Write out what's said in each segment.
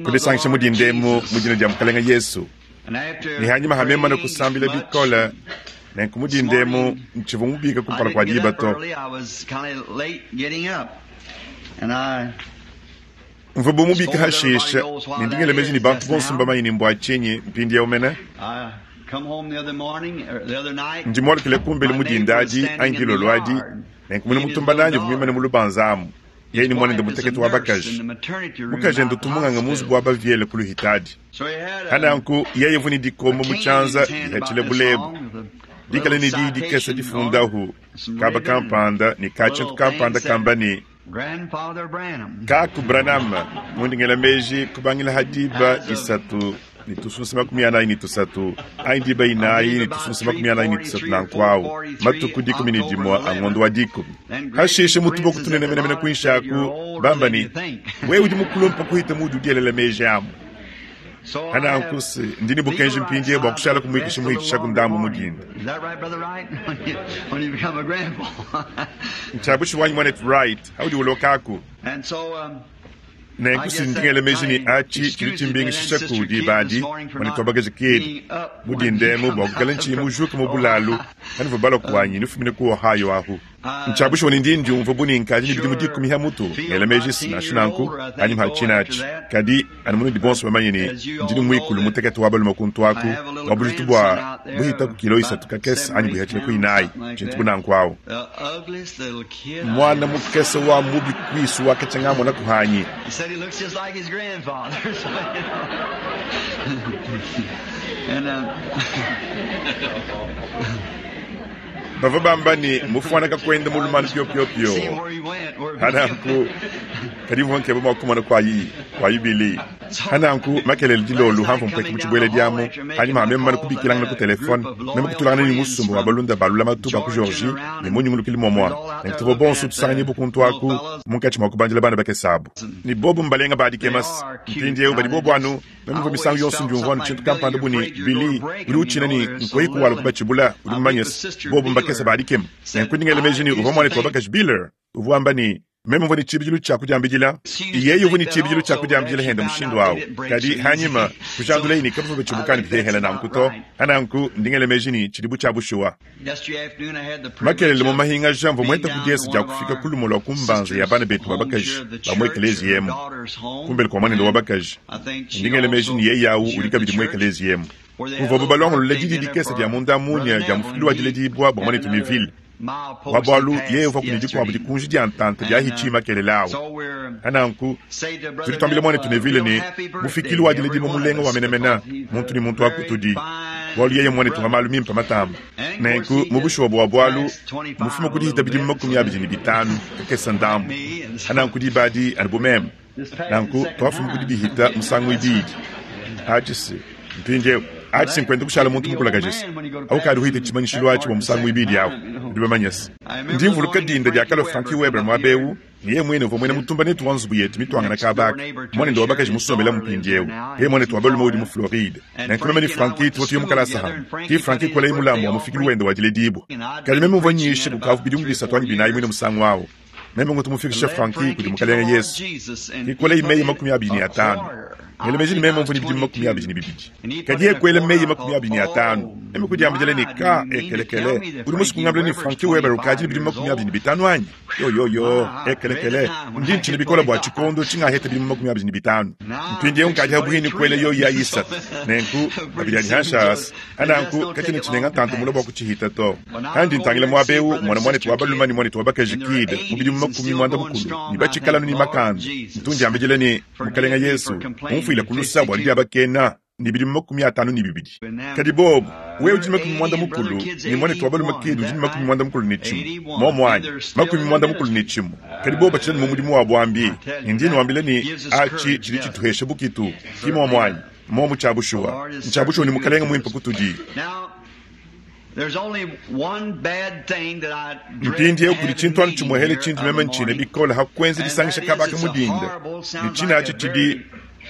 Kudisangisha mu dinda emu mu dina dia Mukalenge Yesu. Ne hanyima ha meme kusambila bikole, nenku mu dinda emu ntshivua mubika kumpala kua diba to. Mvua bu mubika hashisha, ne ndi ngela meji ne bantu bonso mbamanye ne mbua tshinyi mpindieu mene. Ndi mualukile kumbelu mu dinda adi anyi dilolo adi, nenku muena mutumba nanyi uvua muimane mu lubanza amu. Yeye ne muanende mutekete wa bakaji. Mukajende utu munganga mu nzubu wa baviele ku Luhitadi. Pananku yeye uvua ne dikombo mu tshianza dihatshile bulebu, dikale ne diyi dikese difundahu kaba kampanda ne ka tshintu kampanda kamba ne, Kaku Branham, mundi ngela meji kubangila ha diba isatu ne tusunsa 43 anyi diba inayi ne tusunsa 43 nanku awu, matuku 11 a ngondo wa dikumi. Hashishe mu tuboko tunene menemene kuinshi aku, bamba ne, Wewe udi mukulumpe kuhita muudi udielela meji amu. Pananku se ndi ne bukenji mpindieu bua kushala kumuikisha muhitshishaku ndambu mu dinda. Ntshia bushuwa anyi, muanetu Wright, haudi ulokaku? Nenku si ndi ngela meji ne atshi tshidi tshimbingishisha ku diba adi, muanetu wa bakaji Kidd, mu dinda emu bua kuikala ntshiyi mujuke mu bulalu panuvua balua kuanyi nufumine ku Ohio ahu. Ntshia bushuwa ne ndi ndiumvua bu ne nkadi ne bidimu dikumi ha mutu, ngela meji se nansha nanku, anyima ha tshina atshi. Kadi, anu munudi bonso bamanye ne, ndi ne muikulu mutekete wa balume kuntu aku, wa bujitu bua buhita ku kilo isatu kakese anyi buihatshile ku inayi, tshintu bu nanku awu. Muana mukese wa mubi kuisu wa katshia ngamona kuhanyi. Bavua bamba ne, mufuana kakuenda mu lumanu piopiopio. Pananku, kadi mvua nkeba mua kumona kua ibili. Pananku, makelele dilolu hamvua mpueke mu tshibuela diamu, panyima ha meme mumane kubikilangana ku telefone, meme kutulangana ne musumba wa balunda ba lulamatu ba ku Georgie ne mu nyungulukilu muamua. Nenku tuvua bonso tusanganyibua kuntu aku munkatshi mua kubandila bana bakese abu. Ne bobu mbalenga ba dikema mpindieu badi bobu anu Meme mvua misangu yonso ndiumvua anu tshintu kampanda bu ne, Billy, udi utshina ne nkoyi kuwala kubatshibula, udi mumanye se, bobu mbakese ba dikema. Nenku ndi ngela meji ne, uvua muanetu wa bakaji Beeler uvua wamba ne, Meme mvua ne tshibidilu tshia kudiambidila. Yeye uvua ne tshibidilu tshia kudiambidila hende mushindu au. Kadi hanyima, kujandulaye ne, kabavua batshibuka ne bihehele nanku to. Pananku, ndi ngela meji ne, tshidi bu tshia bushuwa. Makelela mu mahingaja mvua mueta ku diese dia kufika ku lumue lua ku mbanza ya bana betu ba bakaji ba mu ekeleziya emu, kumbelu kua muanende wa bakaji. Ndi ngela meji ne yeye au udi kabidi mu ekeleziya emu. Kuvuabu balongolole didi dikese dia munda munya dia mufikilu wa diledibua bua muanetu Neville wa bualu yeye uvuaku ne dikuabu dikunji dia ntanta dia hitshi makelela au. Pananku tudi tuambila muanetu Neville ne mufikilu wa diledibua mulenga wa menemene, muntu ne muntu wa kutudi. Bualu yeye mmuanetu wa malu mimpe matamba. Nenku, mu bushuwa bua bualu, mmufume ku dihita bidimu 25 kakese ndambu. Pananku diba adi, anu bu meme, nanku tuafuma ku dibihita musangu ibidi. Atshi se, mpindieu, atshi se nkuenda kushala muntu mukulakaje se au kadi uhita tshimanyishilu atshi bua musangu ibidi awu. Nudi bamanye se, ndi mvuluka dinda diakalua Frankie Weber muaba eu, Ne yeye muine uvua muena mutumba netu wa nzubu yetu mituangane kaba aka. Muanende wa bakaji musombelamu mpindieu. Yeye muanetu wa balume udi mu Floride. Nenku meme ne Frankie tuvua tuya mu kalasa hamue. Ke Frankie kuelaye mulambu wa mufikilu wende wa diledibua. Kadi meme mvua nyisha kukavua bidimu bisatu anyi binayi muine musangu au. Meme ngutu mufikisha Frankie kudi Mukalenge Yesu. Ke kuelaye meyi 25. Ngela meji ne meme mvua ne bidimu 22. Kadi yeye kuela meyi 25. Meme kudiambidila ne, Ka, ekelekele, udi musue kungambila ne Frankie Weber ukadi ne bidimu 25 anyi? Yoyoyo, ekelekele, ndi ntshina bikole bua tshikondo tshingaheta bidimu 25. Mpindieu nkadi habuhi ne kuela yoyi ayi isatu, nenku abidi adi hanshi asa. Hananku katshiena tshinenga ntanta mule bua kutshihita to. Handi ntangila muaba eu, mmona muanetu wa balume ne muanetu wa bakaji Kidd mu bidimu 60 ne batshikala anu ne makanda. Ntu ndiambidila ne, Mukelenge Yesu, umfuile ku lusa bua didiabakena ne bidimu 52. Kadi bobu, wewe udi ne 60, ne muanetu wa balume Kidd udi ne 61, muomu anyi? 61. Kadi bobu batshidi anu mu mudimu wa buambi, ne ndi nnuambila ne, atshi tshidi tshituhesha bukitu, ki muomu anyi? Muomu tshia bushuwa, ntshia bushuwa ne Mukelenge muimpe kutudi. Mpindieu kudi tshintu anu tshimuehele tshindi meme ntshina bikole ha kuenza disangisha kaba aka mu dinda, ne tshina atshi tshidi.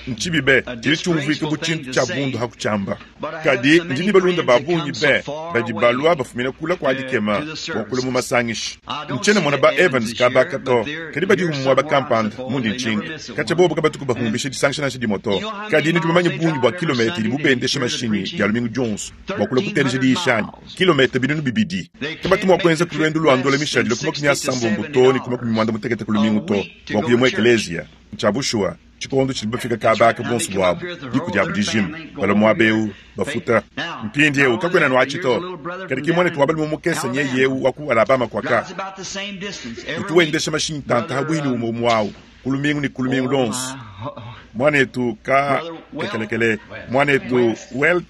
Ntshibi be, tshidi tshiumvuika bu tshintu tshia bundu ha kutshiamba. Kadi ndi ne balunda ba bungi be badi balua bafumina kula kua dikema bua kulua mu masangisha. Ntshiena mmona ba Evans kaba aka to, kadi badihu mu muaba kampanda mundi ntshinka. Katshia bobu kabatuku bahumbisha disangisha nansha dimue to. Kadi nudi bamanye bungi bua kilometa idibu bendesha mashinyi Dia lumingu dionso bua kulua kuteleja diyisha anyi? Kilometa 2000. Kabatu mua kuenza ku luendu lua ndola mishadile ku 80 too ne ku 80 ku lumingu to bua kuya mu ekeleziya. Ntshia bushuwa, tshikondo tshidibu bafika kaba aka buonso buabu, diku diabu dijima, balua muaba eu, bafuta. Mpindieu kakuena anu atshi to, kadi ki muanetu wa balume mukese nyeye eu wa ku Alabama kuaka, utu wendesha mashinyi ntanta ha buihi ne umue umue au ku lumingu ne ku lumingu luonso. Muanetu ka lekelekele, muanetu Welt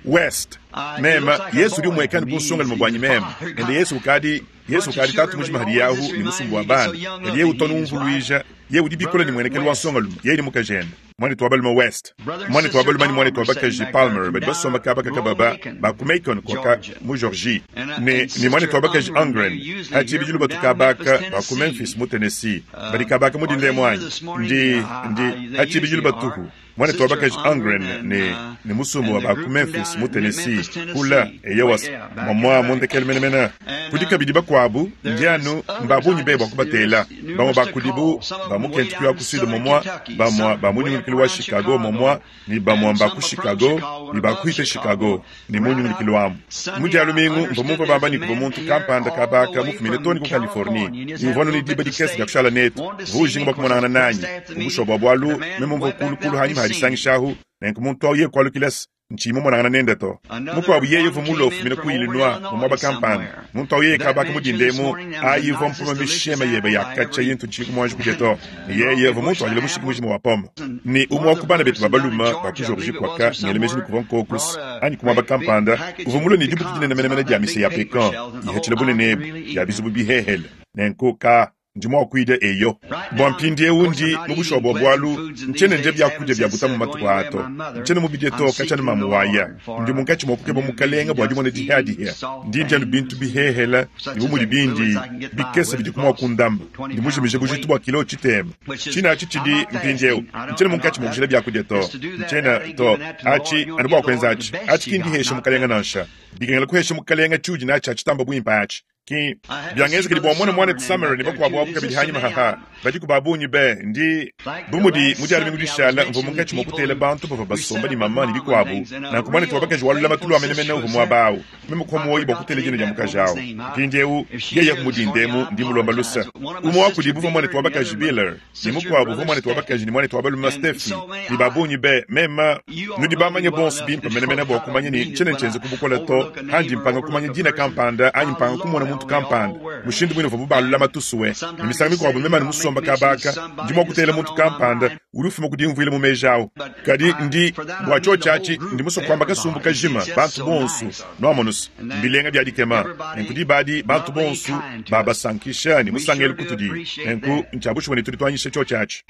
West, meme, Yesu udi umueka ne bunsongalume buanyi meme, ende Yesu ukadi Yesu ukadi tatu mujima hadi yahu ne musumbu wa bana, kadi yeye utu umvuluija, yeye udi bikole ne muenekelu wa nsongalume, yeye ne mukajende. Muanetu wa balume West, muanetu wa balume ne muanetu wa bakaji Palmer badi basomba kaba kakababa ba ku Macon kuaka mu Georgie, ne ne muanetu wa bakaji Ungren ha tshibidilu batu kaba aka ba ku Memphis mu Tennessee, badi kaba aka mu dinda emu anyi? Ndi, ndi, ha tshibidilu batuhu. Muanetu wa bakaji Ungren ne, ne musumba wa ba ku Memphis mu Tennessee, kula, eyowa, mwamwa mu ndekelu menemene. Kudi kabidi bakuabu, ndi anu mba bungi be bua kubatela. Bamue ba kudibu ba mu Kentucky wa ku Sud mwamwa, bamue ba mu nyungulukilu wa Chicago mwamwa, ne bamue mba ku Chicago, ne ba kuhita Chicago, ne mu nyungulukilu amu. Mu Dia lumingu, mvua mumvue bamba ne kuvua muntu kampanda kaba aka mufumine too ne ku Californie, ne uvua anu ne diba dikese dia kushala netu. Uvua ujinga bua kumonangana nanyi. Mu bushuwa bua bualu, meme mvua kulu kulu hanyima ha disangisha ahu, nenku muntu au yeye kualukila se ntshiyi mumonangana nende to. Mukuabu yeye uvua mulue ufumina ku Illinois mu muaba kampanda. Muntu au yeye kaba aka mu dinda emu, ayi ivua mpoma misheme yebe ya katshia intu ntshiyiku muanji kudia to. Ne yeye uvua muntuadile mushiki mujima wa pome. Ne umue wa ku bana betu ba balume ba ku Georgie kuaka, ngela meji ne kuvua nkokus anyi ku muaba kampanda, uvua mulue ne dibuki dinene menemene dia mise ya pecan ihatshila bunene ebu, ya bizubu bihehele. Nenku ka ndi mua kuidia eyo. Bua mpindieu ndi mu bushuwa bua bualu ntshiena ndia biakudia bia buta mu matuku aa to. Ntshiena mubidie to katshia anu mamu waya. Ndi munkatshi mua kukeba Mukalenga bua dimona dihia-dihia. Ndi ndia anu bintu bihehela ne bu mudi bindi bikese bidiku mua kundama. Ndi mujimije bujitu bua kilo tshitema. Tshine atshi tshidi mpindieu. Ntshiena munkatshi mua kujila biakudia to. Ntshiena to. Atshi anu bua kuenza atshi. Atshi ki ndihesha Mukalenga nansha. Bikengela kuhesha Mukalenga tshiudi natshi atshi tamba buimpe atshi. Ki biangenzekedi bua mmone muanetu Summer ne bakuabu abu kabidi hanyima haha. Badiku ba bungi be. Ndi bu mudi mu Dia lumingu dishala mvua munkatshi mua kutela bantu bavua basomba ne maman ne bikuabu. Nanku muanetu wa bakaji wa lulamatu lua menemene uvua muaba au. Meme kupua muoyo bua kutela dina dia mukaji au. Mpindieu yeye ku mudinda emu ndi mulomba luse. Umue wa kudibu uvua muanetu wa bakaji Beeler ne mukuabu uvua muanetu wa bakaji ne muanetu wa balume Steffy ne ba bungi be. Meme nudi bamanye bonso bimpe menemene bua kumanya ne tshiena ntshienza ku bukole to. Handi mpanga kumanya dina kampanda anyi mpanga kumona muntu kampanda mushindu muine uvuabu ba lulamatu sue. Ne misangu mikuabu meme anu musomba kaba aka ndi mua kutela muntu kampanda udi ufuma ku dimvuila mu meji au. Kadi ndi bua tshiotshi atshi ndi musue kuamba kasumbu kajima bantu bonso nuamonus mbilenga bia dikema. Nenku diba adi bantu bonso babasankisha ne musangelu kutudi. Nenku ntshia bushuwa ne tudi tuanyisha tshiotshi atshi.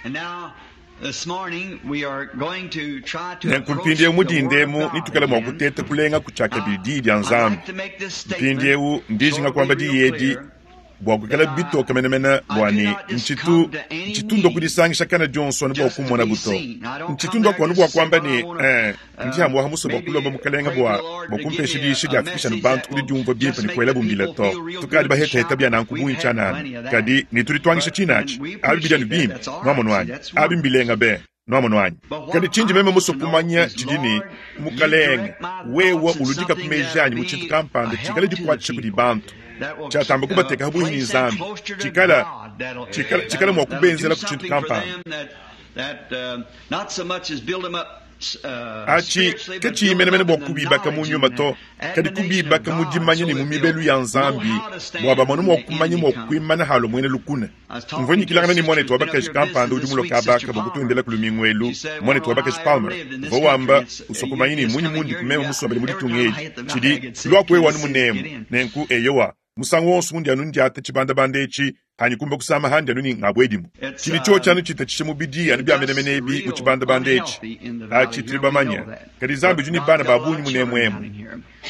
Nenku mpindieu mu dinda emu netuikale mua kuteta kulenga ku tshiakabidi Diyi dia Nzambi. Mpindieu ndi njinga kuamba diyi edi bua kuikala bitoke menemene bua ne ntshitu ntshitu ndua kudisangisha kana dionso anu bua kummonabu to. Ntshitu ndua anu bua kuamba ne, eh, ndi amu musue bua kulomba Mukalenge bua bua kumpesha diyisha diafikisha anu bantu ku didiumvua bimpe ne kuelabu mbila to. Tukadi bahetaheta bia nanku bungi tshianana, kadi ne tudi tuanyisha tshine atshi. Abi bidi anu bimpe, nuamonu anyi? Abi mbilenga be! Nuamonu anyi? Kadi tshindi meme musue kumanya tshidi ne, Mukalenge, wewe uludika ku meji anyi mu tshintu kampanda tshikale dikuatshisha kudi bantu, tshiatamba kubateka pabuipi ne Nzambi, tshikala, tshikala, tshikala mua kubenzela ku tshintu kampanda. Atshi katshiyi menemene bua kubibaka mu nyuma to, kadi kubibaka mu dimanya ne mu mibelu ya Nzambi, bua bamone mua kumanya mua kuimana halua muena lukuna. Mvua nyikilangana ne muanetu wa bakaji kampanda udi mulue kaba aka bua kutuendela ku lumingu elu, muanetu wa bakaji Palmer. Uvua wamba usua kumanya ne munyi mundi ku meme musombele mu ditunga edi. Tshidi luaku wewe anu munemu. Nenku, eyowa, musangu wonso undi anu ndiata tshibandabanda etshi, hanyi kumba kusama handi anu ne ngabuedimu. Tshidi tshiotshi anu tshitatshisha mubidi anu bia menemene ebi mu tshibandabanda etshi. Atshi tudi bamanya. Kadi Nzambi udi ne bana ba bungi munemu emu.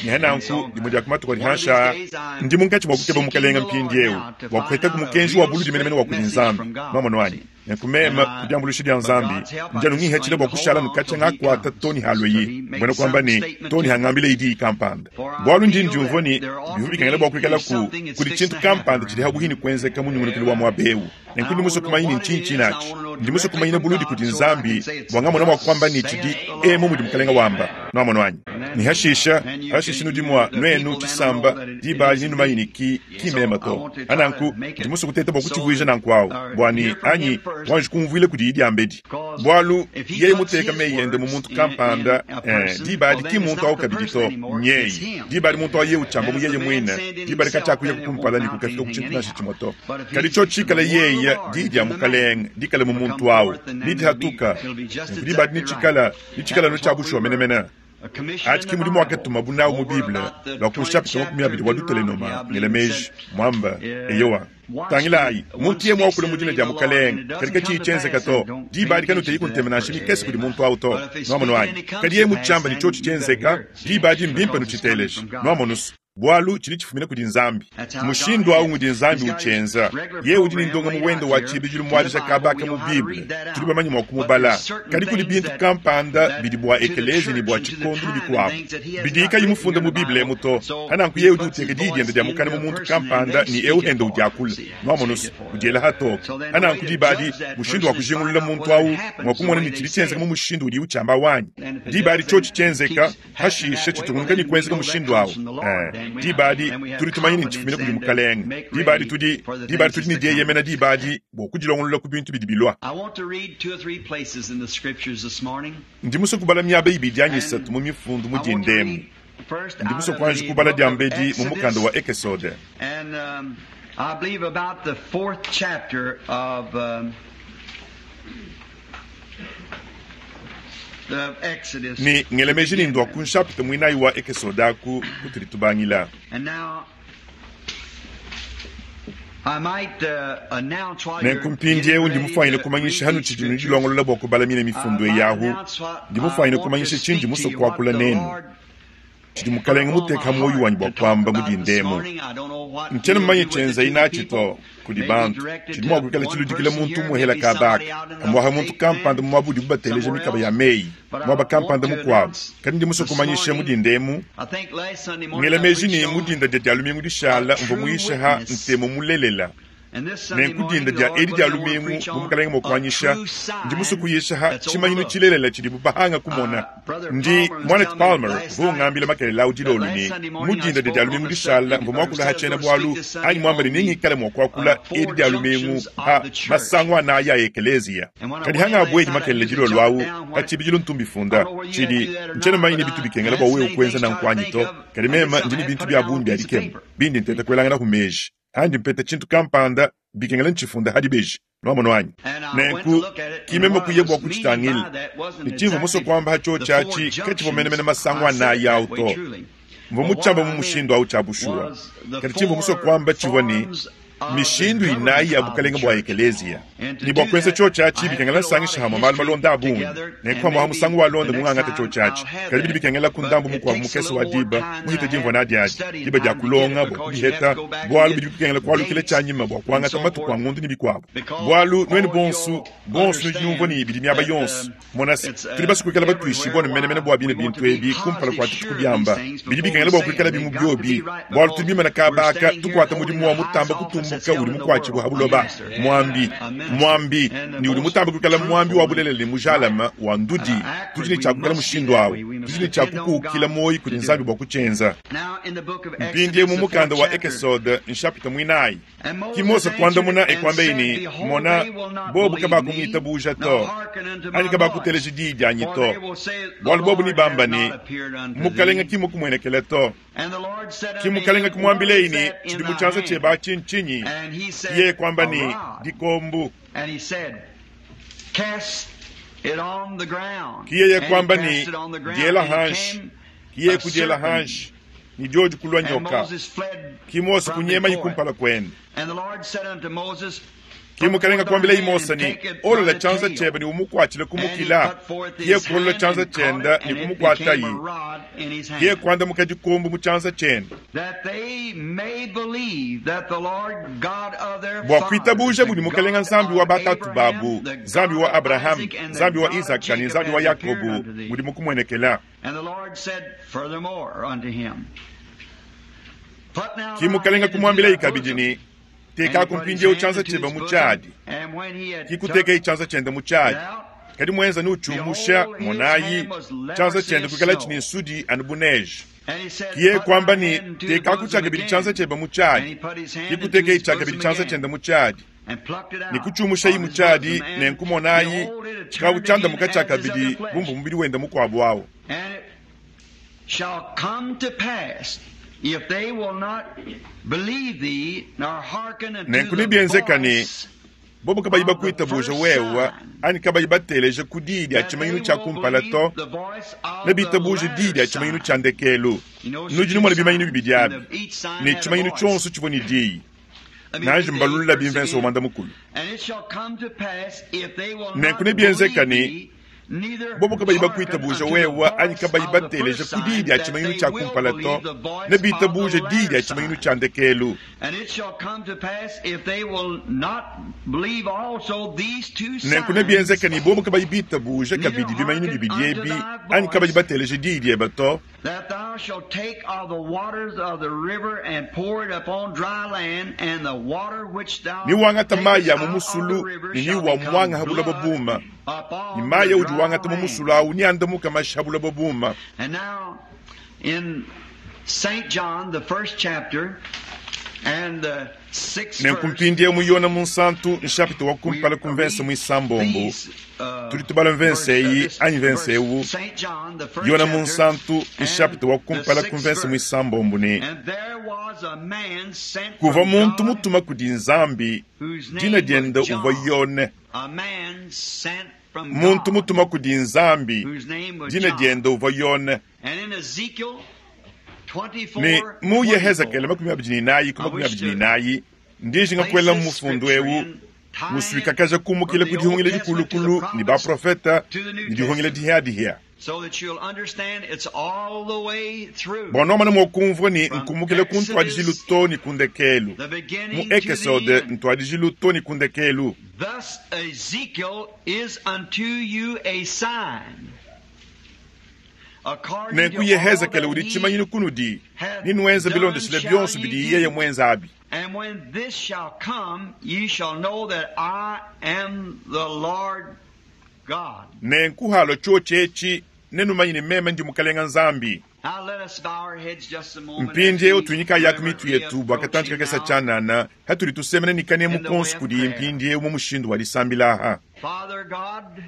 Ne nanku, dimue dia ku matuku adi panshi aa, ndi munkatshi mua kukeba Mukalenge mpindieu bua kupetaku mukenji wa buludi menemene wa kudi Nzambi. Nwamonu anyi? Nenku meme, ku diambuluisha dia Nzambi, ndi anu ngihatshila bua kushala anu katshia ngakuata too ne halueyi, mbuena kuamba ne, too ne hangambileyi diyi kampanda. Bualu ndi ndiumvua ne, bivua bikengela bua kuikalaku kudi tshintu kampanda tshidi habuhi ne kuenzeka mu nyungulukilu wa muaba eu. Nenku ndi musue kumanya ne ntshinyi tshinatshi. Ndi musue kumanyina buludi kudi Nzambi bua ngamona mua kuamba ne tshidi emu mudi Mukalenga wamba. Nuamonu anyi? Ne hashisha, hashisha nudi mua, nuenu, tshisamba, diba adi nenumanye ne ki, ki meme to. Pananku, ndi musue kuteta bua kutshivuija nanku awu, bua ne, anyi, wanji kumvuila kudiyi diambedi. Bualu, yeye muteka meyi ende mu muntu kampanda, eh, diba adi ki mmuntu awu kabidi to, nyeye. Diba adi muntu awu yeye utshiamba mu yeye muine, diba adi katshiakuyaku kumpala ne kukafika ku tshintu nansha tshimue to. Kadi tshiotshi tshikale yeye, Diyi dia Mukalenge dikale mu muntu awu, nedihatuka, nenku diba adi netshikale, netshikale anu tshia bushuwa menemene. Atshi ki mudimu wakatumabu nawu mu Bible lua ku nshapita 20 wa Dutelenoma, ngela meji, muamba. Eyowa. Tangilayi, muntu yeye muakule mu dina dia Mukalenge, kadi katshiyi tshienzeka to, diba adi kanuteyiku ntema nansha mikese kudi muntu awu to. Nuamonu anyi? Kadi yeye mutshiamba ne tshiotshi tshienzeka, diba adi mbimpe nutshiteleje. Nuamonu's? Bualu tshidi tshifumina kudi Nzambi. Mushindu au ngudi Nzambi utshienza. Yeye udi ne ndongamu wende wa tshibidilu muadija kaba aka mu Bible. Tudi bamanye mua kumubala. Kadi kudi bintu kampanda bidi bua ekeleziya ne bua tshikondo ne bikuabu bidiyi kayi mufunde mu Bible emu to. Pananku yeye udi uteka diyi diende dia mukana mu muntu kampanda ne eu ende udiakula. Nuamonu's, udiela hatoke. Pananku diba adi, mushindu wa kujingulula muntu au ngua kumona ni tshidi tshienzeka mu mushindu udiye utshiamba awu anyi. Diba adi tshiotshi tshienzeka, Pashishe tshitungunuka ne kuenzeka mushindu awu. Ee, diba adi tudi tumanya ne ntshifumina kudi Mukalenge. Diba adi tudi, diba adi tudi ne dieyemena diba adi bua kudilongolola ku bintu bidi bilua. Ndi musue kubala miaba ibidi anyi isatu mu Mifundu mu dinda emu. Ndi musue kuanji kubala diambedi mu mukanda wa Ekesode. Ne ngela meji ne ndua ku nshapita muinayi wa Ekesode aku kutudi tubangila. Nenku mpindiewu ndi mufwanyine kumanyisha hanutshidi nudilongolola bua kubala mine mifundu eyi ahu, ndi mufwanyine kumanyisha tshindi musue kuakula nenu. Tshidi Mukalenge muteke ha muoyo wanyi bua kuamba mu dinda emu. Ntshiena mumanye tshienzayi natshi to kudi bantu. Tshidi mua kuikala tshiludikila muntu umuehela kaba aka, pamuapa muntu kampanda mu muaba udibu bateleja mikaba ya meyi, muaba kampanda mukuabu. Kadi ndi musue kumanyisha mu dinda emu, ngela meji ne, mu dinda dia Dia lumingu dishala mvua muyishe ha Ntemu mulelela. Nenku dinda dia edi dia lumingu, bu Mukalenge mua kuanyisha, ndi musue kuyisha ha tshimanyinu tshilelela tshidibu bahanga kumona. Ndi, Muanetu Palmer uvua ungambila makelela au dilolo ne, mu dinda dia Dia lumingu dishala mvua muakula ha tshiena-bualu, anyi muamba ne nengikale mua kuakula edi Dia lumingu ha masangu anayi a ekeleziya. Kadi hangabuedi makelela dilolo au, pa tshibidilu ntu mbifunda. Tshidi, ntshiena mumanye ne bitu bikengela bua wewe kuenza nanku anyi to, kadi meme ndi ne bintu bia bungi bia dikema bindi nteta kuelanganaku meji. Handi mpeta tshintu kampanda, bikengela ntshifunda ha dibeji. Nuamonu anyi? Nenku, ki meme kuya bua kutshitangila. Ne tshimvua musue kuamba ha tshiotshi atshi katshivua menemene masangu anayi au to. Mvua mutshiamba mu mushindu au tshia bushuwa. Kadi tshimvua musue kuamba tshivua ne, mishindu inayi ya bukalenge bua ekeleziya. Ne bua kuenza tshiotshi atshi, bikengela nsangisha amue malu malonda a bungi. Nenku pamue ha musangu walonda mungangata tshiotshi atshi. Kadi bidi bikengelaku ndambu mukuabu mukese wa diba muhite dimvua nadi adi, diba dia kulonga bua kubiheta, bualu bidi bikengela kualukila tshianyima bua kuangata matuku a ngondu ne bikuabu. Bualu nuenu bonsu, bonsu nudi numvua ne bidi miaba yonsu. Mona se, tudi basue kuikala batuishibue anu menemene bua bine bintu ebi kumpala kua tuetu kubiamba. Bidi bikengela bua kuikalabi mu biobi, bualu tudi bimane kaba aka tukuata mudimu wa mutamba kutumbuka udi mukuatshibue ha buloba, muambi, muambi, ne udi mutambe kuikala muambi wa bulelela ne mujalame wa ndudi. Tudi ne tshia kuikala mushindu au. Tudi ne tshia kukuukila muoyo kudi Nzambi bua kutshienza. Mpindieu mu mukanda wa Ekesode, nshapita muinayi. Ki Mose kuandamuna e kuambaye ne, Mona, bobu kabakungitabuja to, anyi kabakuteleja diyi dianyi to, bualu bobu nebamba ne, Mukalenga ki mukumuenekele to. Ki Mukalenga kumuambileyi ne, Tshidi mu tshianza tshiebe atshi ntshinyi? Ki yeye kuamba ne, Dikombu. Ki yeye kuamba ne, Diela hanshi. Ki yeye kudiela hanshi. Ne diodi kulua nyoka. Ki Mose kunyemaye kumpala kuende. Ki Mukalenga kuambilayi Mose ne, Olola tshianza tshiebe ne umukuatshile ku mukila. Kiye kuolola tshianza tshienda ne kumukuatayi. Kiye kuandamuka dikombo mu tshianza tshiende. Bua kuitabujabu ne Mukalenga Nzambi wa batatu babu, Nzambi wa Abrahame, Nzambi wa Izaka ne Nzambi wa Yakobo, udi mukumuenekela. Ki Mukalenga kumuambilayi kabidi ne, Tekaku mpindieu tshianza tshiebe mu tshiadi. Ki kutekayi tshianza tshiende mu tshiadi. Kadi muenza ne utshiumusha, monayi, tshianza tshiende kuikalatshi ne nsudi anu bu neige. Ki yeye kuamba ne, Tekaku tshiakabidi tshianza tshiebe mu tshiadi. Ki kutekayi tshiakabidi tshianza tshiende mu tshiadi. Ne kutshiumushayi mu tshiadi, nenku monayi, tshikavu tshiandamuka tshiakabidi bu muvua mubidi wende mukuabu au. Nenku nebienzeka ne, bobu kabayi bakuitabuja wewe anyi kabayi bateleja ku diyi dia tshimanyinu tshia kumpala to, nebitabuje diyi dia tshimanyinu tshia ndekelu. Nudi numona bimanyinu bibidi abi, ne tshimanyinu tshionso tshivua ne diyi. Nanji mbalulula bimvense wa muanda mukulu. Nenku nebienzeka ne, bobu kabayi bakuitabuja wewe anyi kabayi bateleja ku diyi dia tshimanyinu tshia kumpala to, nebitabuje diyi dia tshimanyinu tshia ndekelu. Nenku nebienzeke ne bobu kabayi bitabuja kabidi bimanyinu bibidi ebi anyi kabayi bateleja diyi diebe to, That thou shalt take of the waters of the river and pour it upon dry land, and the water which thou ne wangata mayi a mu takest out of musulu the river ne shall wa become muanga ha buloba blood buma, upon ne mayi the audi dry wangata mu land. musulu awu neandamuka mashi ha buloba buma. And now, in St. John, the first chapter, and the sixth Nenku verse, mpindieu mu Yona Munsantu, nshapita wa we kumpala ku mvense read muisambombo, these tudi tubala mvense verse, eyi this anyi mvense verse, ewu. St. John, the first Yona chapter, Munsantu, and nshapita wa the kumpala ku sixth mvense verse. muisambombo ne, And there was a man sent kuvua from muntu God mutuma kudi Nzambi, whose dina name was diende uvua John. Yone. A man sent from Muntu God mutuma kudi Nzambi, whose name was dina John. diende uvua Yone. And in Ezekiel Ne 24, mu Yehezekele 24, 24 ku I wish 24 to nayi, ndijinga place kuela this mufundu scripture ewu in, tying it musuikakaja kumukila from ku the Old dihungila Testament to the dikulukulu ne prophets baprofeta to the New ne dihungila Testament, dihiyadihia. so that you'll understand it's all the way through Bua nuamana mua kumvua ne from nkumukila ku ntuadijilu Exodus, to ne ku ndekelu. the Mu beginning to the Ekesode end. ntuadijilu to ne ku ndekelu. Thus Ezekiel is unto you a sign, according Nenku to all Yehezekele that udi he tshimanyinu kunudi, hath ninuenza done bilondeshile shall bionso ye bidi yeye do. muenza abi. And when this shall come, ye shall know that I am the Lord God. Nenku halo tshiotshi nenumanye ne meme ndi Mukalenga Nzambi. Now let us bow our heads just a moment as Mpindieu we tunyika yaku mitu reverently yetu bua approach katantshi Him kakesa now tshianana hatudi tusemena ne kanemu in the way konso of kudi prayer. mpindieu mu mushindu wa disambila aha. Father God,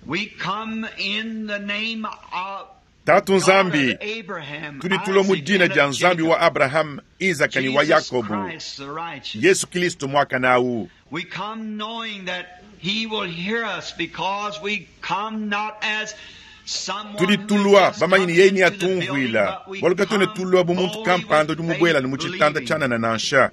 we come in the name of Tatu God of Nzambi, Abraham, tudi tulua mu Isaac, dina and dia of Nzambi wa Jacob, Abraham, Isaka ne wa Jesus Yakobo, Christ the righteous. Yesu Kristo muakane awu. We come knowing that He will hear us because we come not as someone Tudi who has tulua just bamanyi come ne yeye into the building, neatumvuila but we bualu katuena come tulua bu muntu boldly kampanda with udi mubuela faith, ne mu tshitanda believing tshianana nansha.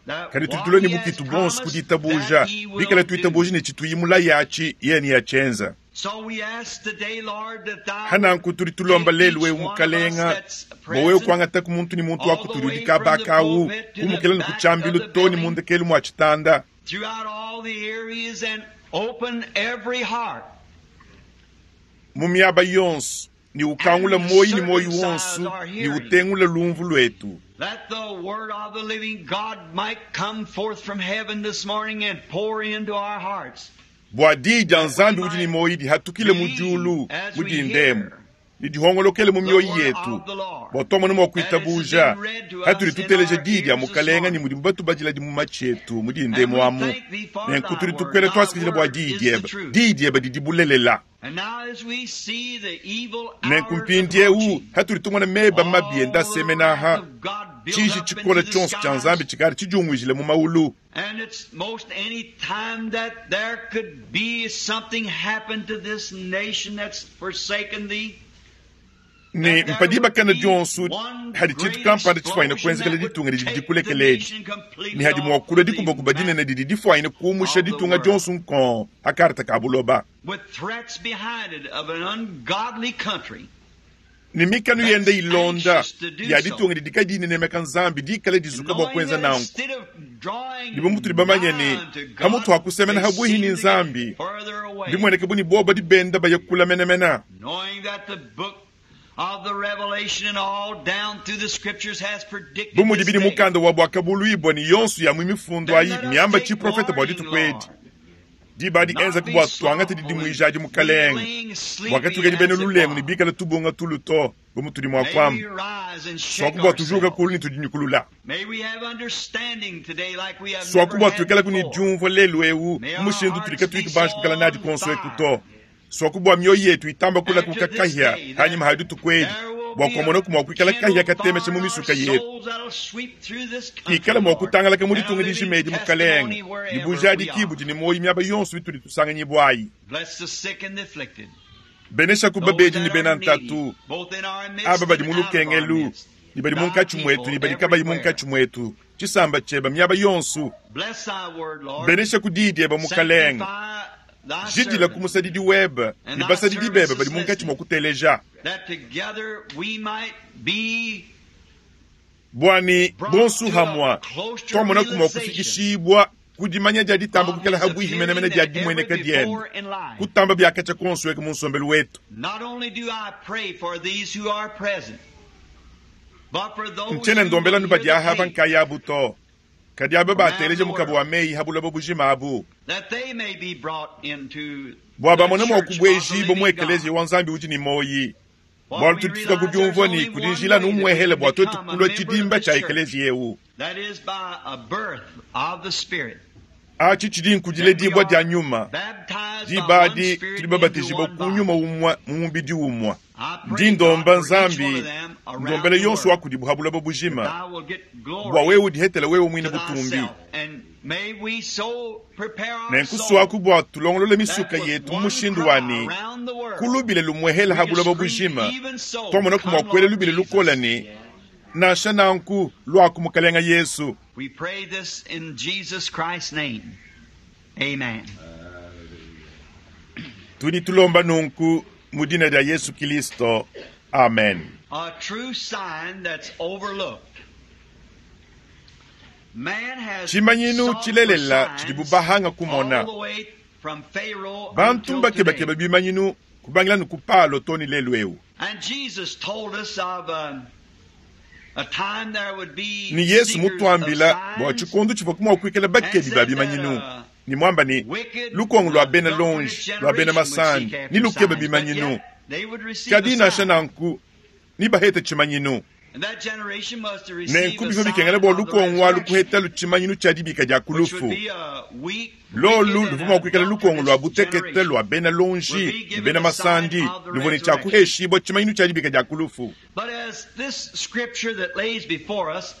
that Kadi tudi what tulua ne He has bukitu buonso ku promised, ditabuja, that He bikala will do. tuitabuja ne tshituyimula yatshi yeye neatshienza. So we ask today, Lord, that Thou would Hananku tudi tulomba take lelu each wewe one of us mukalenga that's bua wewe present, kuangata ku muntu ne muntu wa all the kutudi udi way from the kabaka awu pulpit to the kumukila ne ku back of tshiambilu the to ne building, mundekelu mua tshitanda throughout all the areas, and open every heart mu miaba yonso ne ukangula and the moyi ne moyi circumcised wonso are ne hearing, utengula lumvu lwetu. that the word of the living God might come forth from heaven this morning and pour into our hearts, Bua diyi dia that we Nzambi udi ne might moyi dihatukile mu believe diulu as mu we dindemu hear ne dihongolokele mu the mioyo word yetu of the Lord, bua tuamone mua that it has been kuitabuja read to hatudi us in tuteleja our diyi dia ears this mukalenga ne morning. mudimu batubadila di mu matshi etu mu And dindemu we amu. thank thee for Nenku thy tudi word. tukwela Thy twasikidila bua word diyi is the diebe, truth. diyi diebe didi bulelela. And now as we see the evil Nenku hours mpindieu approaching, hatudi tumona meba mabi enda all the asemena wrath aha, of God built tshiji up tshikola into the tshionso tshia Nzambi skies, tshikadi tshidiunguijile mu maulu. and it's most any time that there could be something happen to this nation that's forsaken thee. Ne mpa dibakana dionso hadi tshintu kampanda tshifuanyine kuenzekela ditunga didi dikulekela edi, ne hadi mua kulua dikubakuba dinene didi difuanyine kuumusha ditunga dionso nkong ha karta ka buloba. Ne mikanu yende ilonda ya ditunga didi kadiyi dinemeka Nzambi dikale dizuka bua kuenza nanku. Ne bu mutudi bamanye ne, pamutu ha kusemena habuihi ne Nzambi, mbimueneke bu ne bobo badi benda baya kula menemene. Bu mudi bidi mukanda wa Buakabuluibua ne yonso ya mu mifundu ayi miamba tshiprofete bua dituku edi, diba adi enzaku bua tuangate didimuija adi, Mukalenge, bua katuikadi bena lulengu ne bikale tubunga tulu to, bu mutudi mua kuamba, suaku bua tujuka kulu ne tudinyukulula. Suaku bua tuikalaku ne diumvua lelu eu mu mushindu utudi katuyi banji kuikala nadi kuonso eku to. Suaku bua mioyo yetu itamba kulakuka kahia hanyima ha dituku edi, bua kuamonaku mua kuikala kahia katemesha mu misuka yetu, kikala mua kutangalaka mu ditunga dijima edi, Mukalenge, ne bujadiki budi ne muoyo miaba yonso itudi tusanganyibua ayi. Beneshaku babedi ne bena ntatu, aba badi mu lukengelu ne badi munkatshi muetu ne badi kabayi munkatshi muetu, tshisamba tshieba miaba yonso. Beneshaku diyi dieba, Mukalenge. Jidila ku musadidi webe ne basadidi bebe badi munkatshi mua kuteleja, bua ne bonso hamua tuamonaku mua kufikishibua ku dimanya dia ditamba kuikala habuihi menemene dia dimueneka diende, kutamba biakatshia kuonso eku mu nsombelu wetu. Ntshiena ndombela anu badi aha nkayabu to, kadi aba bateleja mukaba wa meyi ha buloba bujima abu, bua bamone mua kubuejibua mu ekeleziya wa Nzambi udi ne muoyi. Bualu tudi tufika ku diumvua ne kudi njila anu umuehele bua tuetu kulua tshidimba tshia ekeleziya eu. Atshi tshidi nkudiledibua dia nyuma. Diba adi tudi babatijibua ku nyuma umue mu mubidi umue. Ndi ndomba Nzambi, ndombela yonso wa kudibu ha buloba bujima, bua wewe udihetele wewe muine butumbi. Nenku suaku bua tulongolole misuka yetu mu mushindu wa ne ku lubile lumuehela ha buloba bujima, tuamonaku mua kuela lubile lukola ne, Nansha nanku, luaku Mukalenga Yesu. We pray this in Jesus Christ's name. Amen. Tudi tulomba nunku mu dina dia Yesu Kilisto. Amen. A true sign that's overlooked. Man has Tshimanyinu sought for tshilelela signs tshidibu bahanga kumona. all the way from Pharaoh Bantu until mbakebakeba today. bimanyinu kubangila ne ku Palo too ne lelu eu. And Jesus told us of a time there would be Ne Yesu seekers of mutuambila bua signs, tshikondo tshivua mua kuikala bakebi ba bimanyinu ne muamba ne lukongo lua bena longe lua bena masandi ne lukeba bimanyinu, kadi nansha nanku ne baheta tshimanyinu. Nenku bivua bikengela bua lukongo alu kuhetalu tshimanyinu tshia dibika dia ku lufu. Lolu luvua mua kuikala lukongo lua butekete lua bena longi ne bena masandi, luvua ne tshia kuheshibua tshimanyinu tshia dibika dia ku lufu. But as this scripture that lays before us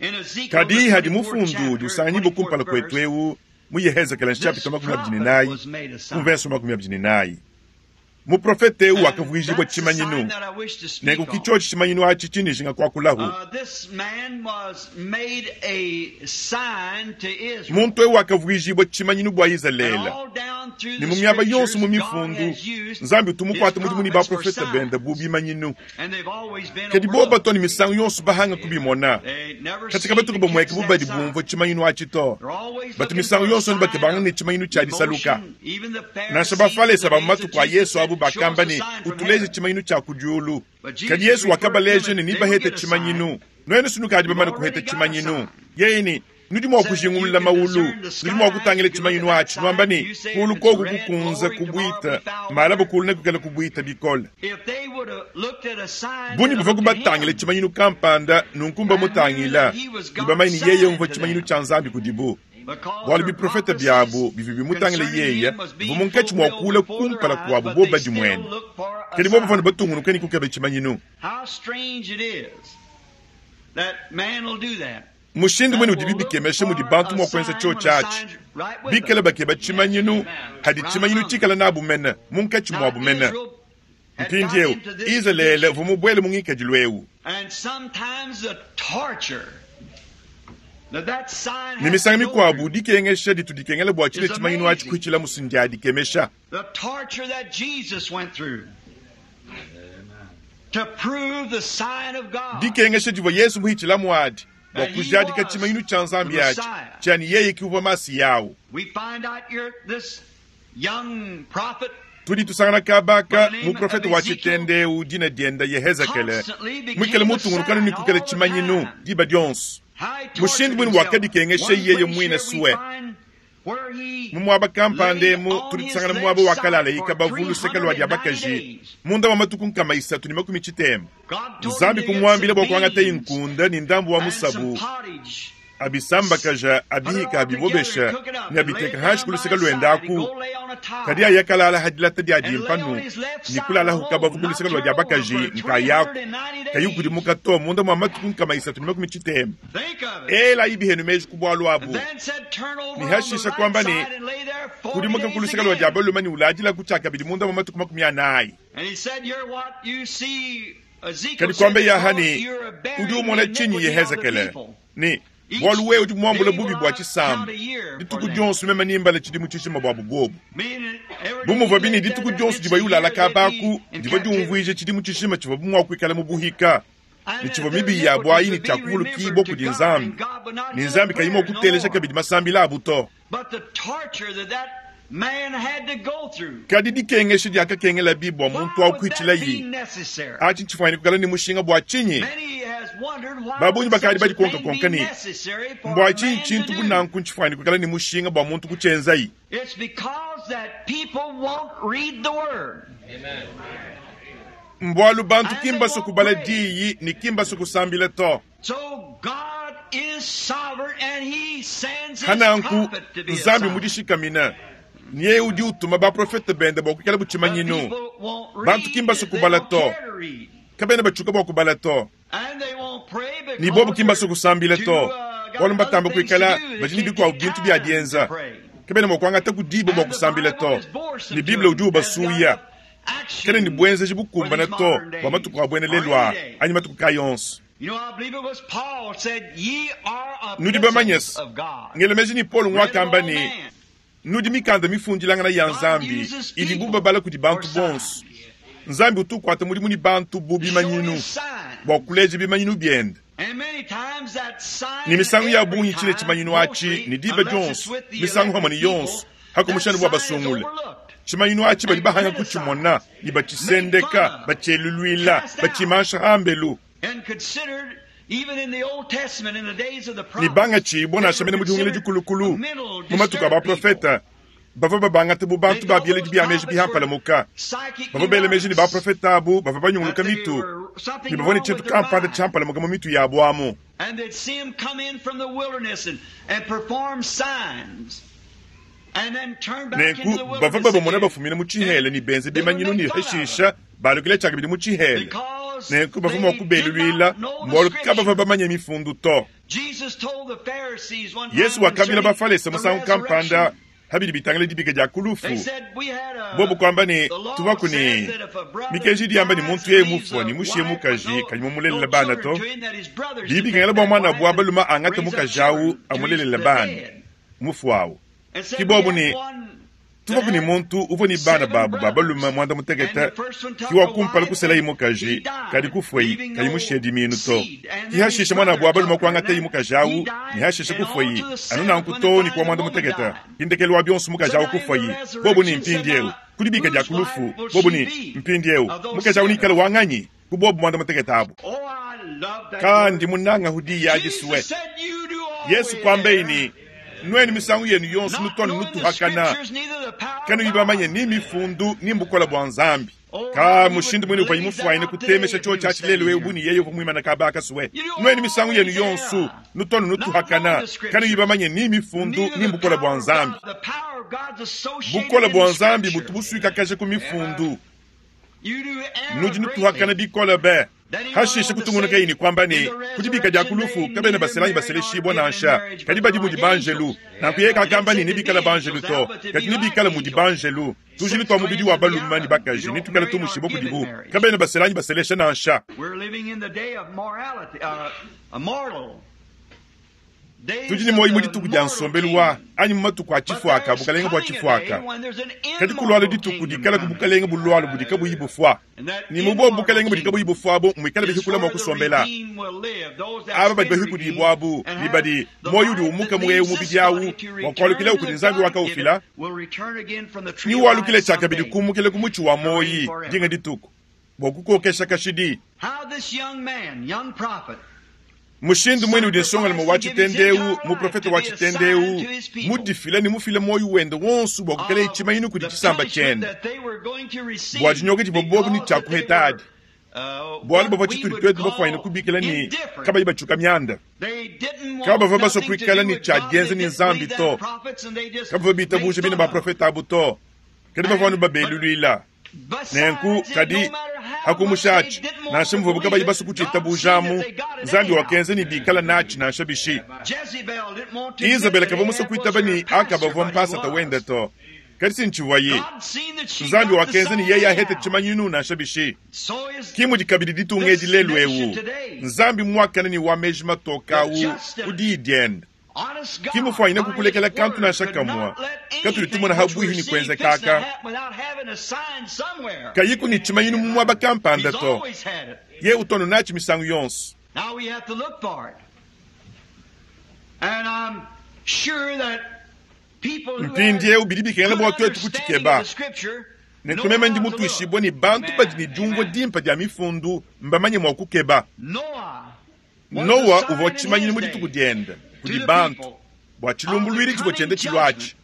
in Ezekiel, Kadi the hadi 24th mufundu chapter, udi usanganyibwa 24th kumpala kwetu verse, eu mu Yehezekela this nchapita makumi abidi ne prophet nayi was made a sign. kumverso makumi abidi ne nayi. Muprofete eu And akavuijibwa that's the sign tshimanyinu. that I wish to speak Nenku on. kichochi tshimanyinu achi chinijinga kwakulahu. This man was made a sign to Israel. Muntu eu akavuijibwa tshimanyinu bua And Izalele. all down through Ne the mu miaba yonso scriptures, mu God mifundu, has used Nzambi utumukwata his mudimu ne prophets for baprofeta benda bu signs. bimanyinu. And they've always been Kadi bo overlooked. batoni misangu yonso bahanga kubimona. They never Katika seem batuku to bamweke catch bu that badi sign. bumvua tshimanyinu achi to. They're always Batu looking misangu for a yonso ne bakebanga sign ne tshimanyinu tshia of disaluka. emotion. Even the Nansha Pharisees in bafalesa the ba mu days of matuku a Jesus Yesu abu said, "Show us bakamba a ne sign from utuleje heaven." tshimanyinu tshia ku diulu. But Jesus Kadi Yesu referred to wakabaleja them ne and they nibahete will get a tshimanyinu. sign. Nuenu sinukadi You've bamane already kuheta got a tshimanyinu. sign. Yeye ne nudi mua Said you kujingulula can maulu, discern the nudi mua skies, kutangila you can look tshimanyinu at that achi nwamba sign, ne you say kulu if it's koku red, kukunza glory, tomorrow kubuita be foul malaba weather. kulu ne kukala kubuita bikole. If they would have looked at a sign, Buni they'd buvua have looked at kubatangila him. tshimanyinu kampanda nunku mutangila And knew that he was ne bamanye God's ne yeye sign umvua to tshimanyinu them. tshia Nzambi kudibu. Because Bualu their biprofeta prophecies byabu bivua bimutangila concerning yeye him was bivua being munkatshi mua fulfilled kula before their kumpala eyes, kuabu but bo they badi muene. still looked for a Kadi bo bavua ne sign. batungunuka ne kukeba tshimanyinu. How strange it is that man will do that. Mushindu That mwene udi will look bibikemesha mudi for bantu a mua kuenza sign chio when the chachi. sign's right with Bikala them. bakeba tshimanyinu hadi Right tshimanyinu among them. tshikala nabu mene munkatshi Now muabu mene. Israel Mpindieu Izalele uvua mubuele mu ngikadilu eu. Ne misangu mikuabu dikengesha ditu dikengela bua tshile tshimanyinu atshi kuhitshila musu ndia dikemesha. Dikengesha divua Yesu muhitshila muadi bua kujadika tshimanyinu tshia Nzambi atshi tshiani yeye ki uvua Masiya awu. Tudi tusangana kabaka muprofete wa tshitende dina dienda Yehezekele muikale mutungunukanu ne kukela tshimanyinu diba dionso. Mushindu mwine wakadikengesha yeye mwine suwe. Mu muaba kampanda emu tudi tusangana muaba wa kalala ikabavu luseke lua dia bakaji munda wa matuku 360. Nzambi kumwambila bua kuangata inkunda ni ndambu wa musabu abisambakaja abihika abibobesha ne abiteka hanshi ku luseke luendaku kadi ayakalala hadilata dia dimpanu ni kulala hukabavu ku luseke lua dia bakaji nkayaku kayikudimuka to munda mwa matuku 360. Ela ibihenu meji ku bwalu abu ni hashisha kwamba ni kudimuka ku luseke lua dia balume ni uladila kuchakabidi munda mwa matuku 40. Kadi kwamba yahani udi umona chinyi Yehezekele ni bwalu wewe udi muambula bubi bua tshisamba dituku dionso meme nimbala tshidimu tshishima bua bubobu bumuvua bini dituku dionso diva yulala kabaku diva diumvuija tshidimu tshishima tshivua bumua kuikala mu buhika ne tshivua mibi ya bwayi ne tshiakuvulukibua kudi Nzambi ne Nzambi kayima kutelesha kabidi masambila abu to. Kadi dikengesha diakakengela bibwa muntu akuitshila yi achi ntshifuanyine kukala ni mushinga bua chinyi babunyi bakadi badikonka konka ni mbwa chinyi tshintu bunanku ntshifuanyine kukala ni mushinga bua muntu kutshenzayi. Mbwalu bantu kimbaso kubala diyi ni kimbaso kusambila to. Hananku Nzambi mudishikamina niye udi utuma baprofete bende bua kuikala butshimanyinu. Bantu kimbaso kubala to kabena batshuka bua kubala to ni bobu kimbaso kusambila to bwalu mbatamba kuikala badi ne bikuabu bintu bia dienza kabena mua kuangata kudiba bua kusambila to ni Bible udi ubasuya kene ni bwenzeji bukumbana to bua matuku a bwene lelwa anyi matuku kayonso. Nudi bamanyesi ngelemeji ni Paul ngwakamba ni nudi mikanda mifundilangana ya Nzambi idi bubabala kudi bantu bonso. Nzambi utukwata mudimu ni bantu bu bimanyinu bua kuleja bimanyinu biende. Ni misangu ya bungi tshile tshimanyinu atshi ni diba dionso misangu hamwe ni yonso hakumushana bua basungule. Tshimanyinu atshi badi bahanga kutshimona ni batshisendeka batsheluluila batshimansha hambelu. Ni banga tshibwa nashamene mudihungile dikulukulu mu matuku a baprofeta bava babangata bu bantu babieledi bia meji bihampalamuka bava bele meji ni baprofeta abu bava banyunguluka mitu ni bavua ne tshintu kampanda tshihampalamuka mu mitu yabu amu. Nenku bava babamona bafumina mu tshihele ni benze bimanyinu ni hashisha balukile tshiakabidi mu tshihele. Nenku bavua mua kubeluluila mbwalu kabava bamanye mifundu to. Yesu wakambila bafalesa musangu kampanda habidi bitangile dibika dia kulufu. Bobu kwamba ni tuvaku ni mikenji diamba ni muntu yeye mufua ni mushiye mukaji kanyi mumulelela bana to. Dibikangela bua mwana bua baluma angata mukaji awu amulelela bana mufu awu. Kibobu ni tuvaku ni muntu uvua ni bana babu babaluma mwanda muteketa kiwa kumpala kusela imukaji kadi kufwei kayi mushiye diminu to. Kihashisha mwana bua baluma kuangata imukaji awu ni hashisha kufwei anu nanku to ni kuwa mwanda muteketa hindekelu wa bionso mukaji awu kufwei bobu ni mpindi eu kudibika dia kulufu bobu ni mpindi eu mukaji awu nikala wanganyi kubobu mwanda muteketa abu. Kandi munanga hudi ya jisuwe Yesu kwambeini nweni misangu yenu yonso nutwana nutuhakana kanu ibamanye ni mifundu ni mbukola bwa Nzambi. Ka mushindu mwene upa imufwaine kutemesha cho cha chilelo we ubuni yeyo kumwimana kabaka suwe. Nweni misangu yenu yonso nutwana nutuhakana kanu ibamanye ni mifundu ni mbukola bwa Nzambi. Bukola bwa Nzambi butubusuika kaje ku mifundu. Nudi nutuhakana bikola be. Hashishe kutungunukaye ne kuamba ne, Ku dibika dia ku lufu kabena basela anyi baseleshibua nansha, kadi badi mudi banjelu. Nanku yeye kakamba ne, nebikale banjelu to, kadi nebikale mudi banjelu. Tujilu tua mubidi wa balume ne bakaji netuikale tumushibua kudibu, kabena basela anyi baselesha nansha. Tudi ne muoyo mu dituku dia nsombelu wa anyi mu matuku a tshifuaka, bukalenge bua tshifuaka. Kadi kulualu dituku dikalaku bukalenge bulualu budi kabuyi bufua, ne mu bobu bukalenge budi kabuyi bufua abu muikale bahikula mua kusombela. Aba badi bahikudibua abu ne badi muoyo udi umuka mu eu mubidi awu mua kualukilawu kudi Nzambi wakaufila, ne walukile tshiakabidi kumukila ku mutshi wa muoyi dinga dituku bua kukokesha kashidi. Mushindu muine udi nsongalume wa tshitende eu, muprofete wa tshitende eu, mudifile ne mufile muoyo wende wonso bua kuikalaye tshimanyinu kudi tshisamba tshiende bua dinyoka divua bobu ne tshia kuheta adi, bualu bavua tshitudi tuetu bafuanyine kubikila ne kabayi batshiuka mianda. Kabavua basue kuikala ne tshia dienza ne Nzambi to, kabavua bitabuja bine baprofete abu to, kadi bavua anu babeluluila. Nenku, kadi hakumusha atshi, nansha muvuabu kabayi basue kutshiitabujamu, Nzambi wakenza ne bikala natshi nansha bishi. Izabele kavua musue kuitaba ne Akaba uvua mpasata wende to, kadi si ntshivuaye. Nzambi wakenza ne yeye ahete tshimanyinu nansha bishi. Ki mudi kabidi ditunga edi lelu eu. Nzambi muakane ne wa meji matoke au ku diyi diende. Ki mufuanyine kukulekela kantu nansha kamue katudi tumona ha buihi ne kuenza kaka kayiku ne tshimanyinu mu muaba kampanda to. Ye utu anu natshi misangu yonso. Mpindieu bidi bikengela bua tuetu kutshikeba. Nenku meme ndi mutuishibue ne bantu badi ne diumvua dimpe dia Mifundu mbamanye mua kukeba. Nowa uvua tshimanyinu mu dituku diende kudi bantu bua tshilumbuluidi tshivua tshienda tshiluatshi.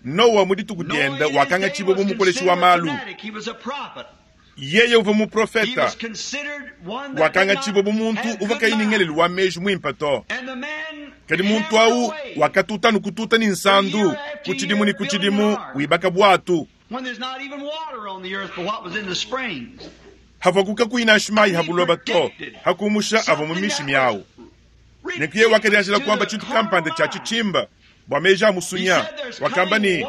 Nowa mu dituku diende wakangatshibua bu mukoleshi wa malu. Yeye uvua muprofete, wakangatshibua bu muntu uvua kayi ne ngelelu wa meji muimpe to. Kadi muntu au wakatuta anu kututa ne nsandu ku tshidimu ne ku tshidimu, wibaka buatu. Havuaku kakuyi nansha mayi ha buloba to, ha kumusha avua mu mishimi awu. Nenku yeye wakadianjila kuamba tshintu kampanda tshia tshitshimba bua meji a musunya, wakamba ne,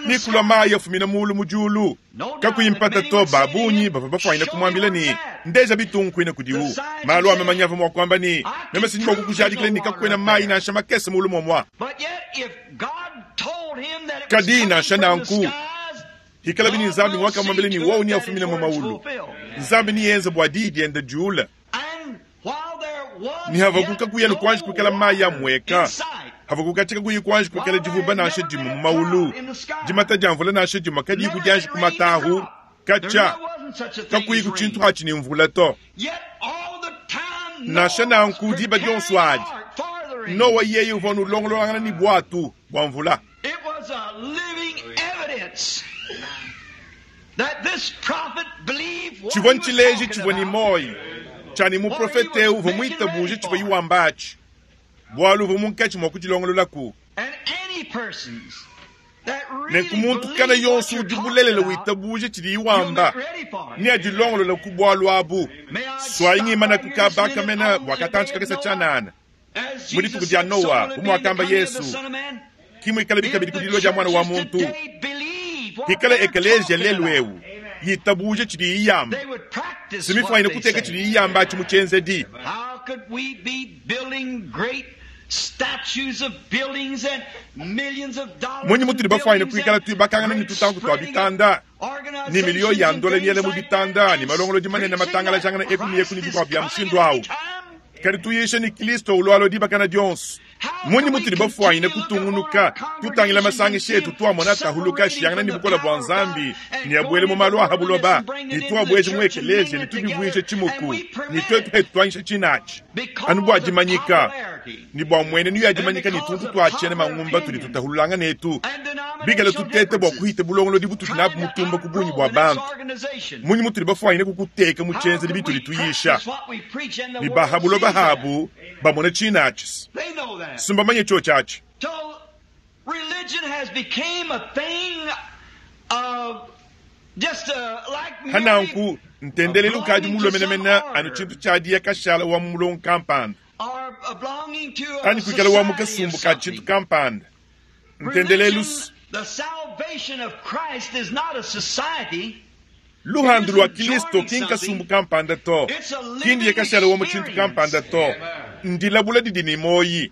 Nekulua mayi afumina mulu mu diulu. Kakuyi mpata to, ba bungi bavua bafuanyina kumuambila ne, Ndeja bitungu kuine kudiwu. Malu a mamanya avua mua kuamba ne, Meme si ndi mua kukujadikila ne kakuena mayi nansha makese mulu muamua. Kadi nansha nanku, hikalabi ne Nzambi nguakamuambila ne wowu neafumine mu maulu, Nzambi neyenze bua diyi diende diule. Ne havaku kakuya ne kuanji kuikala mayi amueka, havaku katshia kakuyi kuanji kuikala divuba nansha dimue mu maulu, dimata dia mvula nansha dimue kadiyi kudianji kumatahu, katshia kakuyi ku tshintu atshi ne mvula to. Nansha nanku diba dionso adi, Nowa yeye uvua nulongololangana ne buatu bua mvula. Tshivua ntshileji tshivua ne muoyo tshia ne muprofete eu uvua muitabuje tshivua iwamba atshi, bualu uvua munkatshi mua kudilongololaku. Nenku muntu kana yonso udi bulelela witabuja tshidiye wamba neadilongolole ku bualu abu. Suayi ngimana ku kaba kamena bua katantshi kakese tshianana. Mu dituku dia Noa, bu muakamba Yesu, ki muikalabi kabidi ku dilua dia Muana wa muntu. Pikala ekeleziya lelu eu yitabuja tshidiyi yamba, si mifuanyine kuteka tshidiyi yamba atshi mu tshienzedi. Mmunyi mutudi bafuanyine kuikala tuibakangana ne tutanku tua bitanda, ne miliyo ya ndola miela mu bitanda, ne malongolodi manene matangalajangana eku ne eku ne bikuabu bia mushindu au, kadi tuyisha ne Kristo ulualua dibakana dionso? Mmunyi mutudi bafuanyine kutungunuka tutangila masangisha etu tuamona atahuluka ashiyangana ne bukole bua Nzambi ne abuele mu malu a ha buloba, ne tuabueje mu ekeleziya ne tubivuije tshimuku, ne tuetu petu tuanyisha tshinatshi anu bua dimanyika ne bua mmuenenu ya dimanyika ne tuntu tua tshiena mangumba tudi tutahululangana etu bikale tuteta bua kuhita bulongolodi butudi nabu mutumba ku bungi bua bantu? Mmunyi mutudi bafuanyine kukuteka mu tshienzedi bitudi tuyisha ne ba ha buloba habu bamona tshinatshi? Simbamanye tshiotshi atshi. Hananku ntendelelu ukadi mulue menemene anu tshintu tshia diya kashala wa mu mulongo kampanda anyi kuikala wa mu kasumbu ka tshintu kampanda. Ntendelelu luhandu lua Kilisto ki nkasumbu kampanda to, ki ndiye kashala wa mu tshintu kampanda to, ndilabula didi ne muoyi.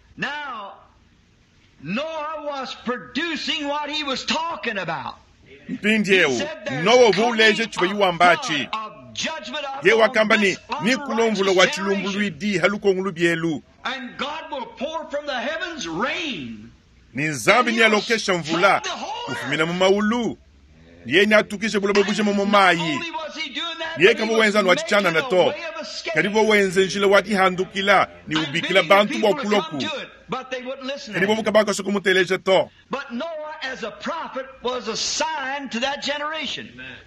Mpindieu Nowa uvua uleja tshivua wamba atshi. Ye wakamba ne, Nikulua mvula wa tshilumbuluidi ha lukongo lubielu, ne Nzambi nealokesha mvula ufumina mu maulu, yeye neatukishe buloba bujima mu mayi. Yeye kavua wenza anu atshi tshianana to, kadi uvua wenza njila wa dihandukila ne ubikila bantu bua kulua ku. Kadi bobu kabakasua kumuteleja to.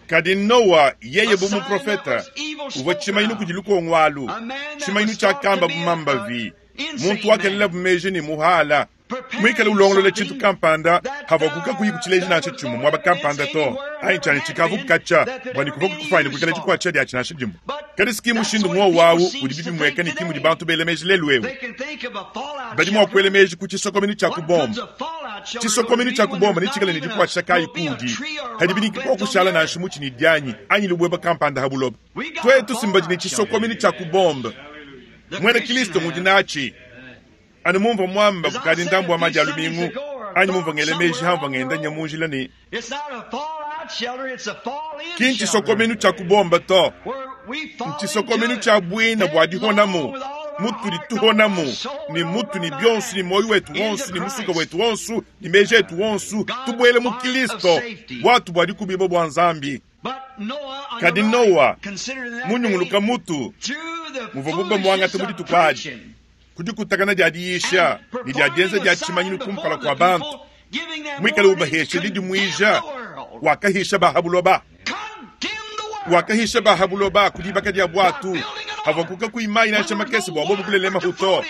Kadi Nowa yeye bu muprofeta uvua tshimanyinu kudi lukongo alu, tshimanyinu tshiakamba bu mambavi, muntu wakelelabu meji ne muhala, muikale ulongolola tshintu kampanda havua kakuyi kutshileja nansha tshimue muaba kampanda to, anyi tshianyi tshikavu kukatshia bua ne kuvua kukufuanyine kuikala dikuatshisha diatshi nansha dimue. Kadi si ki mushindu muowu awu udi bibimueka ne ki mudi bantu bela meji lelu'eu. Badi mua kuela meji ku tshisokomenu tshia ku bombe. Tshisokomenu tshia ku bombe netshikale ne dikuatshisha kayi kuudi hadibi ne kikua kushala nansha mutshi ne dianyi anyi lubueba kampanda ha buloba? Tuetu si mbadi ne tshisokomenu tshia ku bombe. Muena Kilisto ngudi natshi. Anu mumvua muamba kukadi ndambu wa madi a lumingu, anyi mumvua ngela meji hamvua ngenda nya mu njila ne, ki ntshisokomenu tshia ku bombe to, ntshisokomenu tshia buina bua dihonamu, mutudi tuhonamu ne mutu ne bionso ne muoyo wetu wonso ne musuka wetu wonso ne meji etu wonso, tubuele mu Kilisto, buatu bua dikubibua bua Nzambi. Kadi Nowa munyunguluka mutu muvua buba muangata mu dituku adi ku dikutakana dia diyisha ne dia dienza dia tshimanyinu kumpala kua bantu, muikale ubahesha didimuija, wakahisha ba ha buloba, wakahisha ba ha buloba ku dibaka dia buatu havua kukakuyi mayi nansha makese bua bobu kulelema to.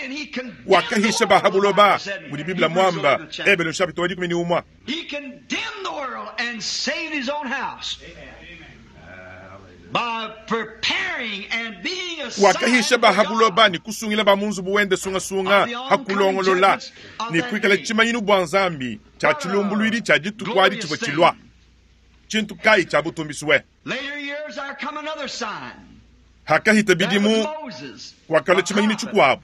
Wakahisha ba ha buloba mudi Biblia muamba, Ebelu chapitre wa 11. He condemned the world and saved his own house by preparing and being a sign Wakahisha ba ha for God. buloba ne kusungila ba mu nzubu wende sungasunga ha kulongolola ne kuikala tshimanyinu bua Nzambi tshia tshilumbuluidi tshia dituku adi tshivua tshilua. Tshintu kayi tshia butumbiswe? Later years there come another sign. Hakahita That was bidimu Moses, kwakalua a tshimanyinu prophet. tshikuabu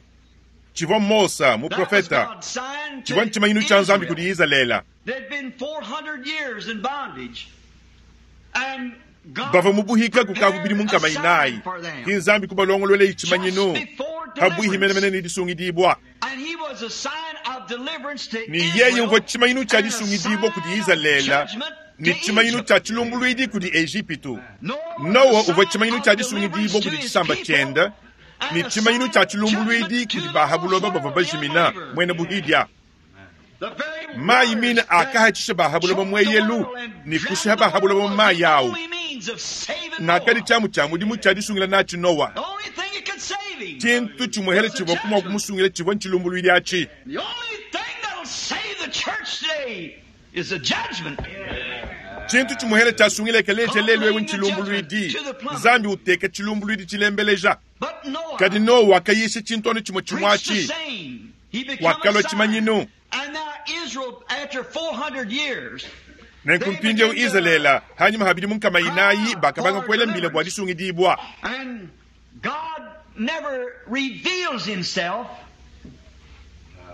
tshivua Mosa That was muprofeta, God's sign to tshivua ntshimanyinu tshia Nzambi Israel. kudi Izalele. They'd been 400 years in bondage. And God Bavua mu buhika kukavu bidimu prepared a nkama inayi, sign for them. ki Nzambi kubalongoluela tshimanyinu Just before habuihi deliverance. menemene ne disungidibua. And he was a sign of deliverance to Ne yeye Israel uvua tshimanyinu tshia and a disungidibua kudi sign of Izalele judgment ne to tshimanyinu Egypt. tshia tshilumbuluidi kudi Ejipitu. Noah was Nowa a uvua sign tshimanyinu of tshia deliverance disungidibua to kudi his tshisamba people tshiende and ne a tshimanyinu sign tshia of tshilumbuluidi judgment to kudi the ba ha lost buloba bavua world, the bajimina unbelievers. muena buhidia. The very Mayi waters mine that akahatshisha ba ha buloba choked the mueyelu world and ne drowned kushiha the ba ha world buloba mu was mayi the awu. only means of saving Nakadi Noah. tshiamu tshia mudimu tshia disungila natshi Nowa. The only thing that could save him Tshintu tshimuhele was the tshivua kumua judgment. kumusungila tshivua ntshilumbuluidi atshi. The only thing that'll save the church today is the judgment. Tshintu tshimuhele tshiasungila ekeleziya lelu ewu ntshilumbuluidi. Nzambi uteka tshilumbuluidi tshilembeleja. But Noah Kadi Nowa wakayisha tshintu anu tshimue tshimue preached the atshi. same. He became a Wakalua sign. tshimanyinu. And now Israel, after 400 years, Nenku they mpindieu begin to Izalele hanyuma ha bidimu nkama inayi cry bakabanga for kuela mbila bua deliverance. disungidibua. And God never reveals himself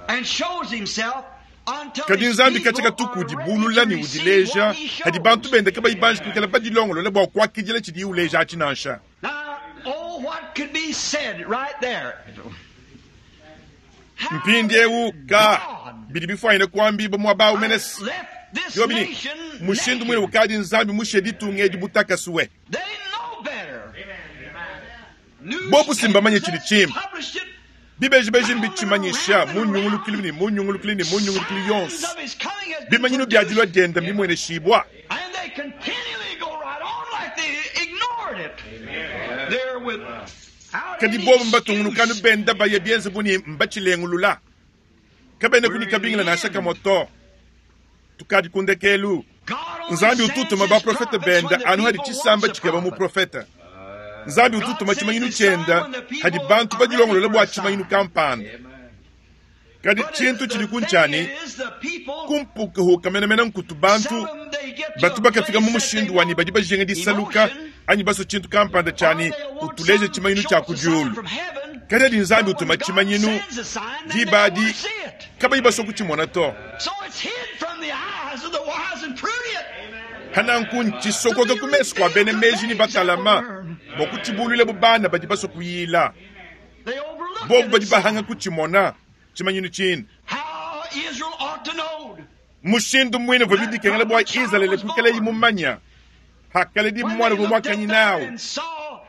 and shows himself until Kadi his Nzambi people katika tuku are ready udibulula to ne receive udileja what he hadi bantu shows. bende kabayi banji kuikala badilongolola bua kuakidila tshidiye uleja atshi nansha. Now, oh, what could be said right there? How Mpindieu ka God bidi bifuanyine kuambiba muaba awu mene left this yobini nation mushindu mwine naked. ukadi Nzambi mushe ditunga edi butakasuwe. They know better. Bobu simbamanye Newspapers tshidi has tshimpe. published it. Bibejibeji Round and mbitshimanyisha round mu and nyungulukili round. ne mu nyungulukili ne mu nyungulukili Signs yonso. of his coming has been Bimanyinu bia dilua produced. dienda mbimweneshibua. And they continually go right on like they ignored it. They're without Kadi any bobu mbatungulukanu excuse. benda baye bienze buni mbachilengulula. Kabene We're in kunikabingila the nansha end. kamwe to. Tukadi kundekelu. God Nzambi utu utuma baprofete bende anu hadi tshisamba tshikeba muprofete. Nzambi utu utuma tshimanyinu tshiende hadi bantu badilongolola bua tshimanyinu kampanda. Kadi tshintu tshidi ku ntshiani kumpukahuka menemene nkutu bantu batu bakafika mu mushindu wa ne badi bajinga disaluka anyi basue tshintu kampanda tshiani utuleje tshimanyinu tshia ku diulu. Kadi adi Nzambi utuma tshimanyinu diba adi kabayi basue kutshimona to. Pananku ntshisokoka ku mesu kua bena meji ne batalama bua kutshibuluila bu bana badi basue kuyila. Bobu badi bahanga kutshimona tshimanyinu tshine. Mushindu muine uvua bidikengela bua Izalele kuikalayi mumanya hakaledi muana uvua muakanyine awu,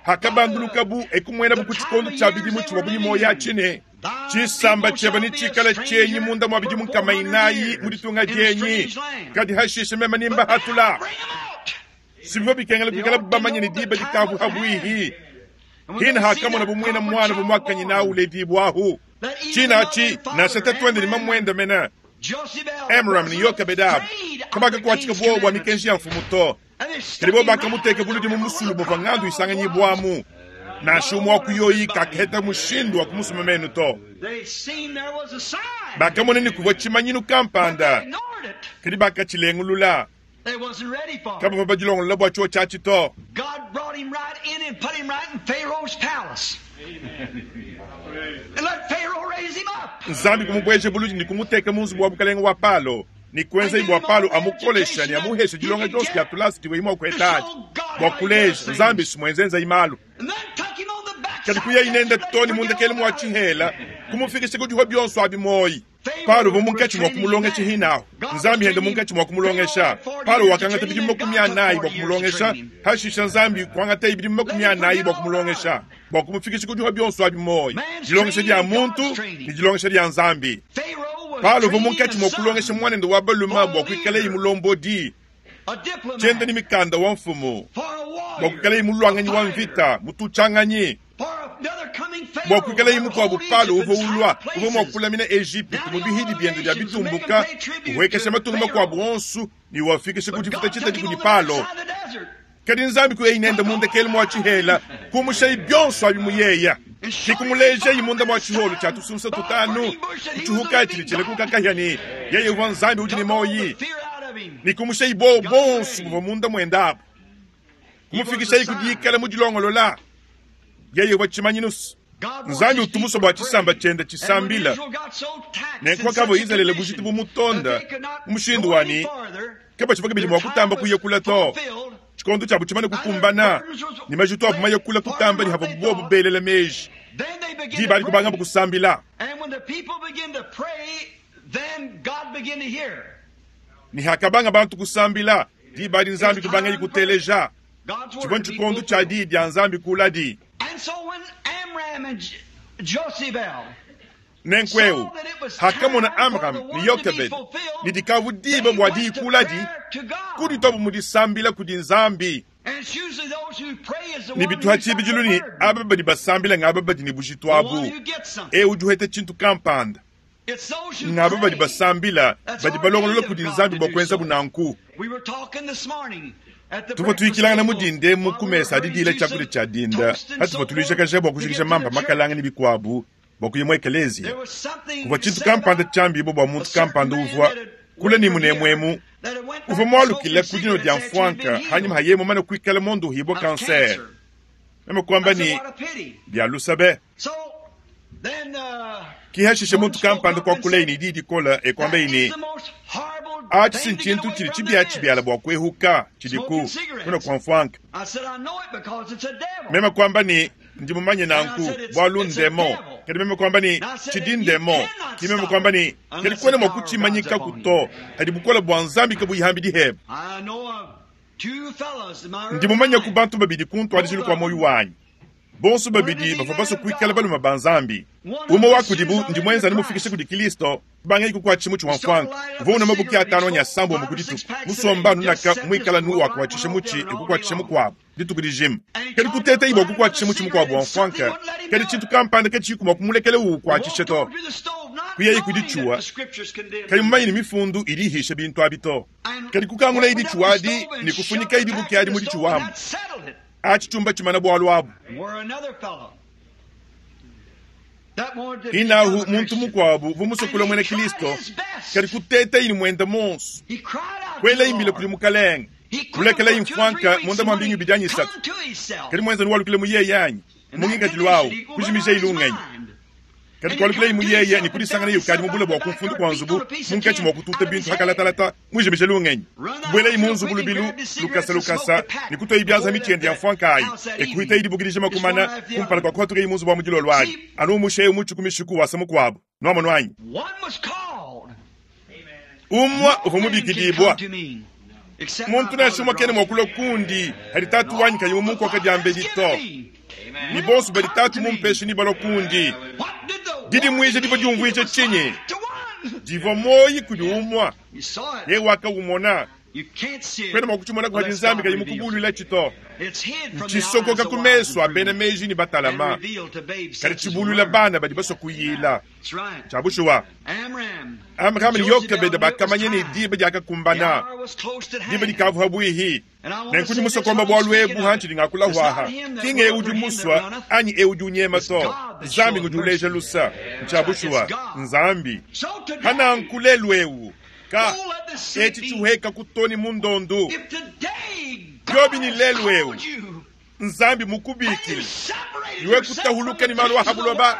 hakabandulukabu e kumuenabu ku tshikondo tshia bidimu tshivuabu ne muoyo atshi ne, Tshisamba tshiebe netshikale tshienyi munda mua bidimu nkama inayi mu ditunga dienyi, kadi hashishe meme nembahatula. Si bivua bikengela kuikalabu bamanye ne diba dikavua habuihi. Hine hakamonabu muina muana uvua muakanyine awu uledibua ahu. Tshina atshi, nansha tatuende ne mamuende mene, Amram ne Yokebede abu, kabakakuatshika buowa bua mikenji ya mfumu to. Kadi bobu bakamuteka buludi mu musulu muvua ngandu isanganyibuamu. Nansha umue wa ku yoyi kakaheta mushindu wa kumusuma menu to. Bakamona ne, kuvua tshimanyinu kampanda, kadi bakatshilengulula. Kabavua badilongolola bua tshiotshi atshi to. Nzambi kumubueja buludi ne kumuteka mu nzubu wa bukalenge wa Palo ne kuenzaye bua Palo amukolesha ne amuheshe dilonga dionso dia tulasa divuaye mua kuheta adi bua kuleja Nzambi si muenzenzayi malu. Kadi kuyayi nende too ne mu ndekelu mua tshihela, kumufikisha ku dihua bionso abi muoyi. Paulo uvua munkatshi mua kumulongesha hinahu. Nzambi hende munkatshi mua kumulongesha. Paulo wakangata bidimu 40 bua kumulongesha, hashisha Nzambi kuangataye bidimu 40 bua kumulongesha, bua kumufikisha ku dihua bionso abi muoyi, dilongesha dia muntu ne dilongesha dia Nzambi. Paulo uvua munkatshi mua kulongesha muanende wa balume bua kuikalaye mulombodi, tshienda ne mikanda wa mfumu, bua kuikalaye muluanganyi wa mvita, mututshianganyi, bua kuikalaye mukuabu Palo uvua ulua, uvua mua kulamina Ejipitu mu bihidi biende bia bitumbuka, uhuekesha matunga makuabu onso ne uafikisha ku difuta tshitadi kudi Palo. Kadi Nzambi kuyayi nende mu ndekelu mua tshihela, kumushayi bionso abi mu yeya, ne kumulejayi munda mua tshiholo tshia tusunsa tutanu, kutshihuka tshidi tshilekuka kahia ne yeye uvua Nzambi udi ne muoyi, ne kumushayi buowa buonso buvua munda muende abu, kumufikishayi ku dikala mu dilongolola. Yeye uvua tshimanyinu. Nzambi utu musue bua tshisamba tshiende tshisambila. Nenku pakavua Izalele bujitu bumutonda mu mushindu wa ne, kabatshivua kabidi mua kutamba kuya kule to, tshikondo tshiabu tshimane kukumbana ne majitu abu maye kule kutamba ne havuabu buobu belela meji, diba adi kubangabu kusambila. Ne hakabanga bantu kusambila, diba adi Nzambi kubangaye kuteleja. Tshivua ntshikondo tshia diyi dia Nzambi kuladi. Nenku eu, hakamona Amram ne Yokebede ne dikavu diba bua diyi kuladi, kudituabu mu disambila kudi Nzambi. Ne bitu ha tshibidilu ne aba badi basambila ngaba badi ne bujitu abu, eu udi uheta tshintu kampanda. Ngaba badi basambila badi balongolola kudi Nzambi bua kuenzabu nanku. Tuvua tuyikilangana mu dinda emu ku mesa a didiila tshiakudia tshia dinda patuvua tuluijakaja bua kujikija mampa makalanga ne bikuabu bua kuya mu ekeleziya. Kuvua tshintu kampanda tshiambibua bua muntu kampanda uvua kule ne munemu emu uvua mualukile ku dinua dia mfuanka hanyima ha yeye mumane kuikala mondohibua kansere. Meme kuamba ne, Bia lusa be! Ki hashishe muntu kampanda kuakulaye ne diyi dikole e kuambaye ne, Atshi si ntshintu tshidi tshibiatshibiala bua kuehuka tshidi ku kunua kua mfuanka. Meme kuamba ne, Ndi mumanye nanku, bualu ndemon. Kadi meme kuamba ne, Tshidi ndemon. Ki meme kuamba ne, Kadi kuena mua kutshimanyikaku to, hadi bukole bua Nzambi kabuyi hambidi hebe. Ndi mumanyaku bantu babidi ku ntuadijilu kua muoyo wanyi. Bonso babidi bavua basue kuikala balume ba Nzambi. Umue wa kudibu ndi muenza ne mufikishe kudi Kristo, kubangaye kukuatshisha mutshi wa mfuanka. Uvua unua mabuki atanu anyi asambombo ku dituku, musomba anu naka muikala nu wakuatshisha mutshi e kukuatshisha mukuabu dituku dijima. Kadi kutetayi bua kukuatshisha mutshi mukuabu wa mfuanka, kadi tshintu kampanda katshiyiku mua kumulekela uwukuatshisha to. Kuyaye ku dicuwa, kayi mumanye ne mifundu idi ihisha bintu abi to. Kadi kukangulaye dicuwa adi ne kufunyikaye dibuki adi mu dicuwa amu. Atshi tshiumba tshimana bualu abu. Inahu muntu mukuabu uvua musue kulua muena Kristo, kadi kutetaye ne muende muonso, kuelaye mbila kudi Mukalenge, kulekelaye mfuanka munda mua mbingu ibidi anyi isatu. Kadi muenza nuwalukile mu yeye anyi mu ngikadilu awu, kujimijaye lungenyi. Kadi kualukileye mu yeye ne kudisanganaye ukadi mu bule bua ku mfundu kua nzubu, munkatshi mua kututa bintu pa kalatalata, mujimije lungenyi. Kubuelaye mu nzubu lubilu, lukasa lukasa, ne kutuaye bianza mitshi yende ya mfuanka ayi, e kuhitaye dibuki dijima kumana kumpala kua kuhatukaye mu nzubu wa mu dilolo adi, anu umusha eu mutshi ku mishiku wasa mukuabu. Nuamonu anyi? Umue uvua mubikidibua. Muntu nansha umue kena mua kulua kundi hadi Tatu wanyi kayi mumunkoka diambedi to. Ne bonso badi Tatu mumpeshe nebalue kundi. Didimuija divua diumvuija tshinyi? Divua muoyo kudi umue. Yeye wakawumona. Kuena mua kutshimona padi Nzambi kayi mukubuluilatshi to. Ntshisokoka ku mesu a bena meji ne batalama, kadi tshibuluila bana badi basua kuyila. Ntshia bushuwa. Amram ne Yokebede bakamanya ne, diba diakakumbana, diba dikavua pabuihi. Nenku ndi musue kuamba bualu ebu hantshidi ngakula huaha, ki ng'eu udi musua anyi eu udi unyema to, Nzambi ngudi uleja lusa. Ntshia bushuwa, Nzambi. Hananku lelu eu, ka etshi tshihueka ku to ne mu ndondu. Biobi ne lelu eu, Nzambi mukubikile, iwe kutahuluka ne malu a ha buloba,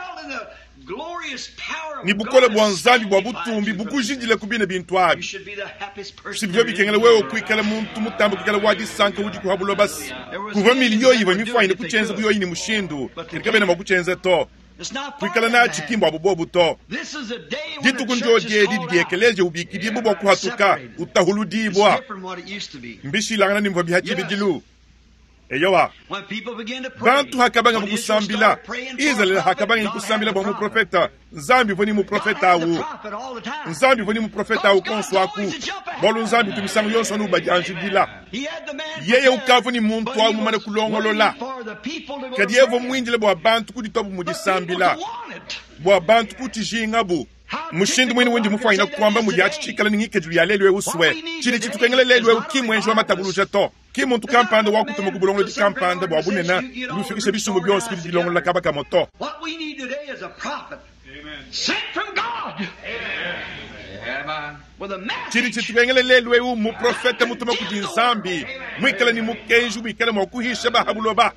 ne bukole bua Nzambi bua butumbi bukujidile ku bine bintu abi. Si bivua bikengela wewe kuikala muntu mutambe kuikala wa disanka udiku ha buloba se kuvua miliyo ivua mifuanyine kutshienza bu yoyi ne mushindu, kadi kabena mua kutshienza to. Kuikala natshi ki mbuabu bobu to. Dituku ndiodi edi didi ekeleziya ubikidibua bua kuhatuka, utahuludibua. Mbishilangane ne muvua biha tshibidilu. Eyowa, bantu hakabangabu kusambila, Izalele hakabangaye kusambila bua muprofeta, Nzambi uvua ne muprofeta awu. Nzambi uvua ne muprofeta awu konso aku, bualu Nzambi utu misangu yonso anu ubadianjidila. Yeye ukavua ne muntu awu mumane kulongolola, kadi yeye uvua muindile bua bantu kudituabu mu disambila, bua bantu kutshijingabu. Mushindu muine undi mufuanyine kuamba mudi atshi tshikale ne ngikadilu ya lelu eu sue, tshidi tshitukengela lelu eu ki mmuenji wa matabuluja to. Ki mmuntu kampanda wa kutuma ku bulongolodi kampanda bua bunene budi bufikisha bisumbu bionso ku didilongolola kaba kamue to. Tshidi tshitukengela lelu eu mmuprofete mutuma kudi Nzambi, muikale ne mukenji wikala mua kuhisha ba ha buloba.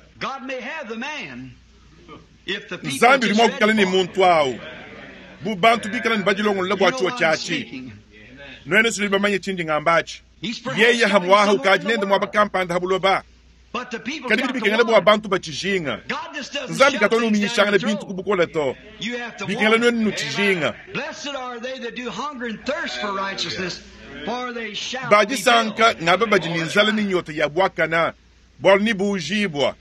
Nzambi udi mua kuikala ne muntu au bu bantu bikala ne badilongolola bua tshiwa tshiatshi. Nuenu nudi bamanye tshindi ngamba atshi. Yeye hamuaha ukadi nende muaba kampanda ha buloba, kadi bidi bikengela bua bantu batshijinga. Nzambi katu anu uminyishangana bintu ku bukole to, bikengela nuenu nutshijinga. Ba disanka ngaba badi ne nzala ne nyota ya buakana, bualu nebuujibua.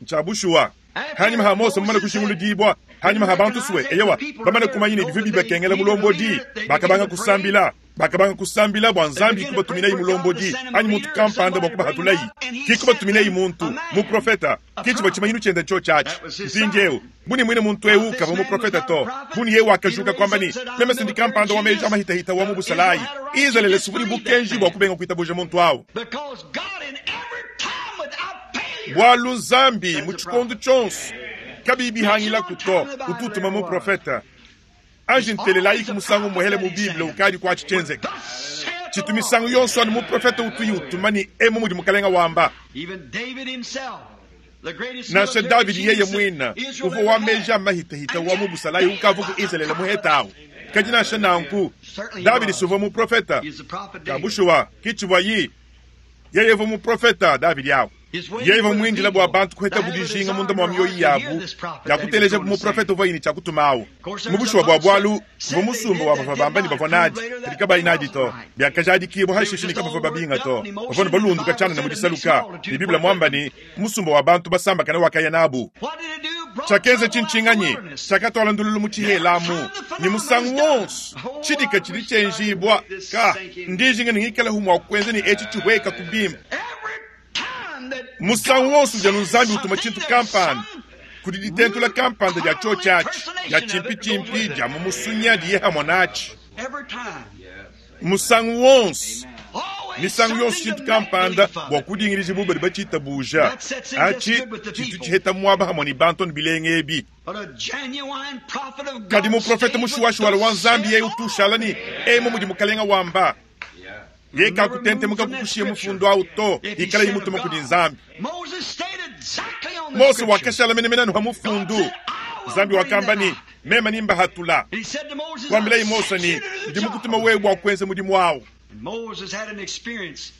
Ntshia bushuwa. Hanyima ha Mose mumane kushinguludibua, hanyima ha bantu sue, eyowa, bamane kumanya ne bivua bibakengela mulombodi, bakabanga kusambila. Bakabanga kusambila bua Nzambi kubatuminayi mulombodi anyi muntu kampanda bua kubahatulayi. Ki kubatuminayi muntu, muprofeta. Ki tshivua tshimanyinu tshiende ntshiotshi atshi. Mpindieu, bu ne muine muntu eu kavua muprofeta to, bu ne yeye wakajuka kuamba ne, Meme si ndi kampanda wa meji a mahitahita wa mu busalayi. Izalele suvua ne bukenji bua kubenga kuitabuja muntu au. Bualu Nzambi mu tshikondo tshionso, kabiyi bihangilaku to, utu utuma muprofeta. Anji ntelelayiku musangu umuehele mu Bible ukadi kuatshi tshienzeke. Tshitu misangu yonso anu muprofete utuyi utuma ne emu mudi Mukalenga wamba. Nansha Davidi yeye muine uvua wa meji a mahitahita wa mu busalayi ukavua ku Izalele muhetawu. Kadi nansha nanku, Davidi si uvua muprofete. Ka bushuwa, ki tshivuayi. Yeye uvua muprofeta Davidi au. Yeye uvua muindile bua bantu kuhetabu dijinga munda mua mioyo yabu dia kutelejabu muprofete uvuaye ne tshia kutuma au. Mu bushuwa bua bualu, kuvua musumba wa bavua bamba ne bavua nadi, kadi kabayi nadi to. Biakajadikibua hashishe ne kabavua babinga to, bavua ne balunduka tshianana mu disaluka, ne Bible muamba ne, musumba wa bantu basambakane wakaya nabu. Tshiakenza tshintshinganyi? Tshiakatuala ndululu mu tshihela amu, ne musangu wonso tshidika tshidi tshienjibua. Ka ndijinga ne ngikalehu mua kuenza ne etshi tshihueka ku bimpe. Musangu wonso udi anu Nzambi utuma tshintu kampanda. Kudi ditentula kampanda dia tshiotshi atshi, dia tshimpitshimpi, dia mu musunya diye hamue natshi. Musangu wonso, misangu yonso tshintu kampanda bua kudingidija bu badi batshitabuja. Atshi tshitu tshiheta muaba hamue ne bantu anu bilenga ebi. Kadi muprofete mushuwashuwala wa Nzambi yeye utu ushala ne emu mudi Mukalenga wamba. Yeye kakutentemuka kukushiya mufundu au to, ikalaye mutuma kudi Nzambi. Mose wakashala menemene anu ha mufundu. Nzambi wakamba ne, Meme nimbahatula. Kuambilaye Mose ne, Ndi mukutuma wewe bua kuenza mudimu au.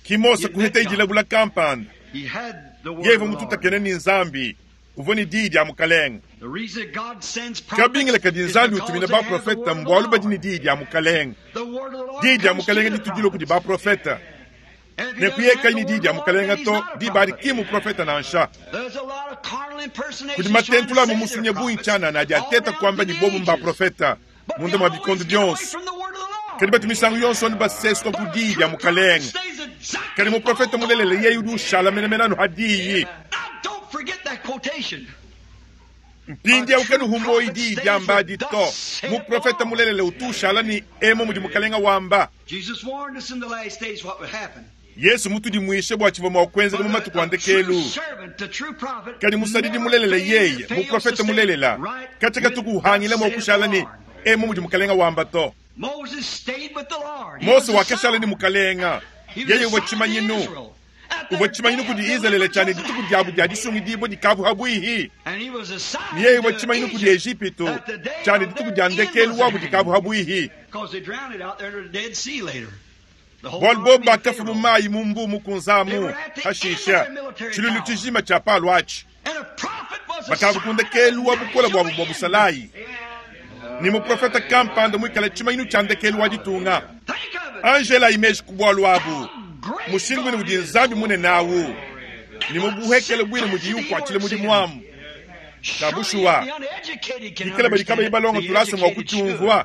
Ki Mose kuheta idilabula kampanda. Yeye uvua mututakene ne Nzambi, uvua ne diyi dia Mukalenge. Kabingila kadi Nzambi utumina baprofete mbualu badi ne diyi dia Mukalenge. Diyi dia Mukalenge ditu dilua kudi baprofete. Ne kuyekayi ne diyi dia Mukalenge to, diba adi ki mmuprofete nansha. Kudi matentula a mu musunya bungi tshianana adi ateta kuamba ne bobu mbaprofete munda mua bikondo bionso. Kadi batu misangu yonso anu basesuka ku diyi dia Mukalenge. Kadi muprofete mulelela yeye udi ushala menemene anu ha diyi. Mpindieu kanuhu muoyi diyi diamba adi to. Muprofete mulelela utu ushala ne emu mudi Mukalenga wamba. Yesu mutudimuishe bua tshivua mua kuenzeka mu matuku a ndekelu. Kadi musadidi mulelela yeye, muprofete mulelela, katshia katuku uhangila mua kushala ne emu mudi Mukalenga wamba to. Mose wakashala ne Mukalenga, yeye uvua tshimanyinu. Uvua tshimanyinu kudi Izalele tshia ne dituku diabu dia disungidibua dikavua habuihi, ne yeye uvua tshimanyinu kudi Ejipitu tshia ne dituku dia ndekelu wabu dikavua habuihi. Bualu bobu bakafua mu mayi mu Mbuu Mukunze amu hashisha tshiluilu tshijima tshia Palo atshi. Bakavua ku ndekelu wa bukole buabu bua busalayi, ne muprofete kampanda muikale tshimanyinu tshia ndekelu wa ditunga. Angela imeji ku bualu abu, mushindu buine udi Nzambi munene awu, ne mu buhekele buine mudiye ukuatshila mudimu amu. Tshia bushuwa, bikala badi kabayi balonga tulasa mua kutshiumvua,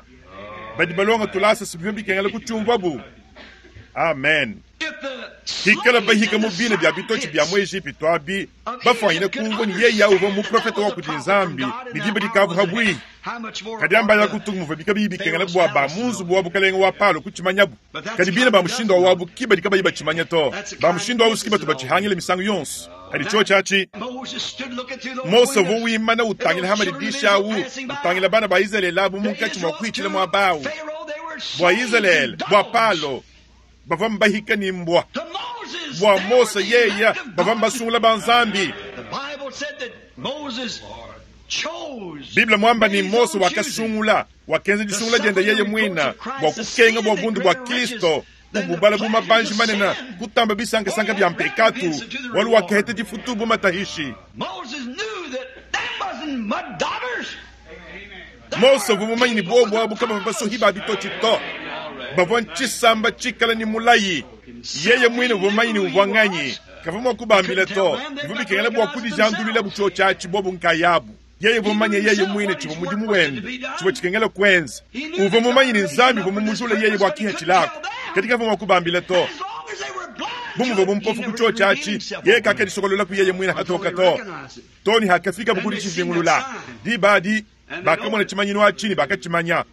badi balonga tulasa si bivua bikengela kutshiumvuabu. Amen. Hikala bahika mu bina bia bitotshi bia mu Ejipitu abi, bafuanyine kumvua ne yeye uvua muprofete wa kudi Nzambi ne diba dikavua habuihi. Kadi ambaya kutunga muvua kabiyi bikengela bua ba mu nzubu wa bukalenge wa Palo kutshimanyabu. Kadi bina ba mushindu wa wabu ki badi kabayi batshimanya to. Ba mushindu au si batu batshihangila misangu yonso. Kadi tshiotshi atshi, Mose uvua wimana utangila ha madidishi au, utangila bana ba Izalele abu munkatshi mua kuhitshila muaba au. Bua Izalele, bua Palo, bavua mbahika ne mbua. Bua Mose yeye, bavua mbasungula ba Nzambi. Bible muamba ne Mose wakasungula, wakenza disungula diende yeye muine bua kukenga bua bundu bua Kristo, kububala bu mabanji manene, kutamba bisankasanka bia mpekatu, bualu wakaheta difutu bu matahishi. Mose uvua mumanye ne buobu abu kabavua basuhi ba bitotshi to, bavua ntshisamba tshikale ne mulayi. Yeye muine uvua mumanye ne uvua nganyi, kavua mua kubambila to, bivua bikengela bua kudijanduluilabu tshiotshi atshi bobu nkayabu. Yeye uvua mumanye yeye muine tshivua mudimu wende, tshivua tshikengela kuenza. Uvua mumanye ne Nzambi uvua mumujule yeye bua kihatshilako, kadi kavua mua kubambila to. Bu muvua mumpofu ku tshiotshi atshi, yeye kakadisokololaku yeye muine hatoka to, too ne hakafikabu ku ditshijingulula. Diba adi bakamona tshimanyinu atshi ne bakatshimanya.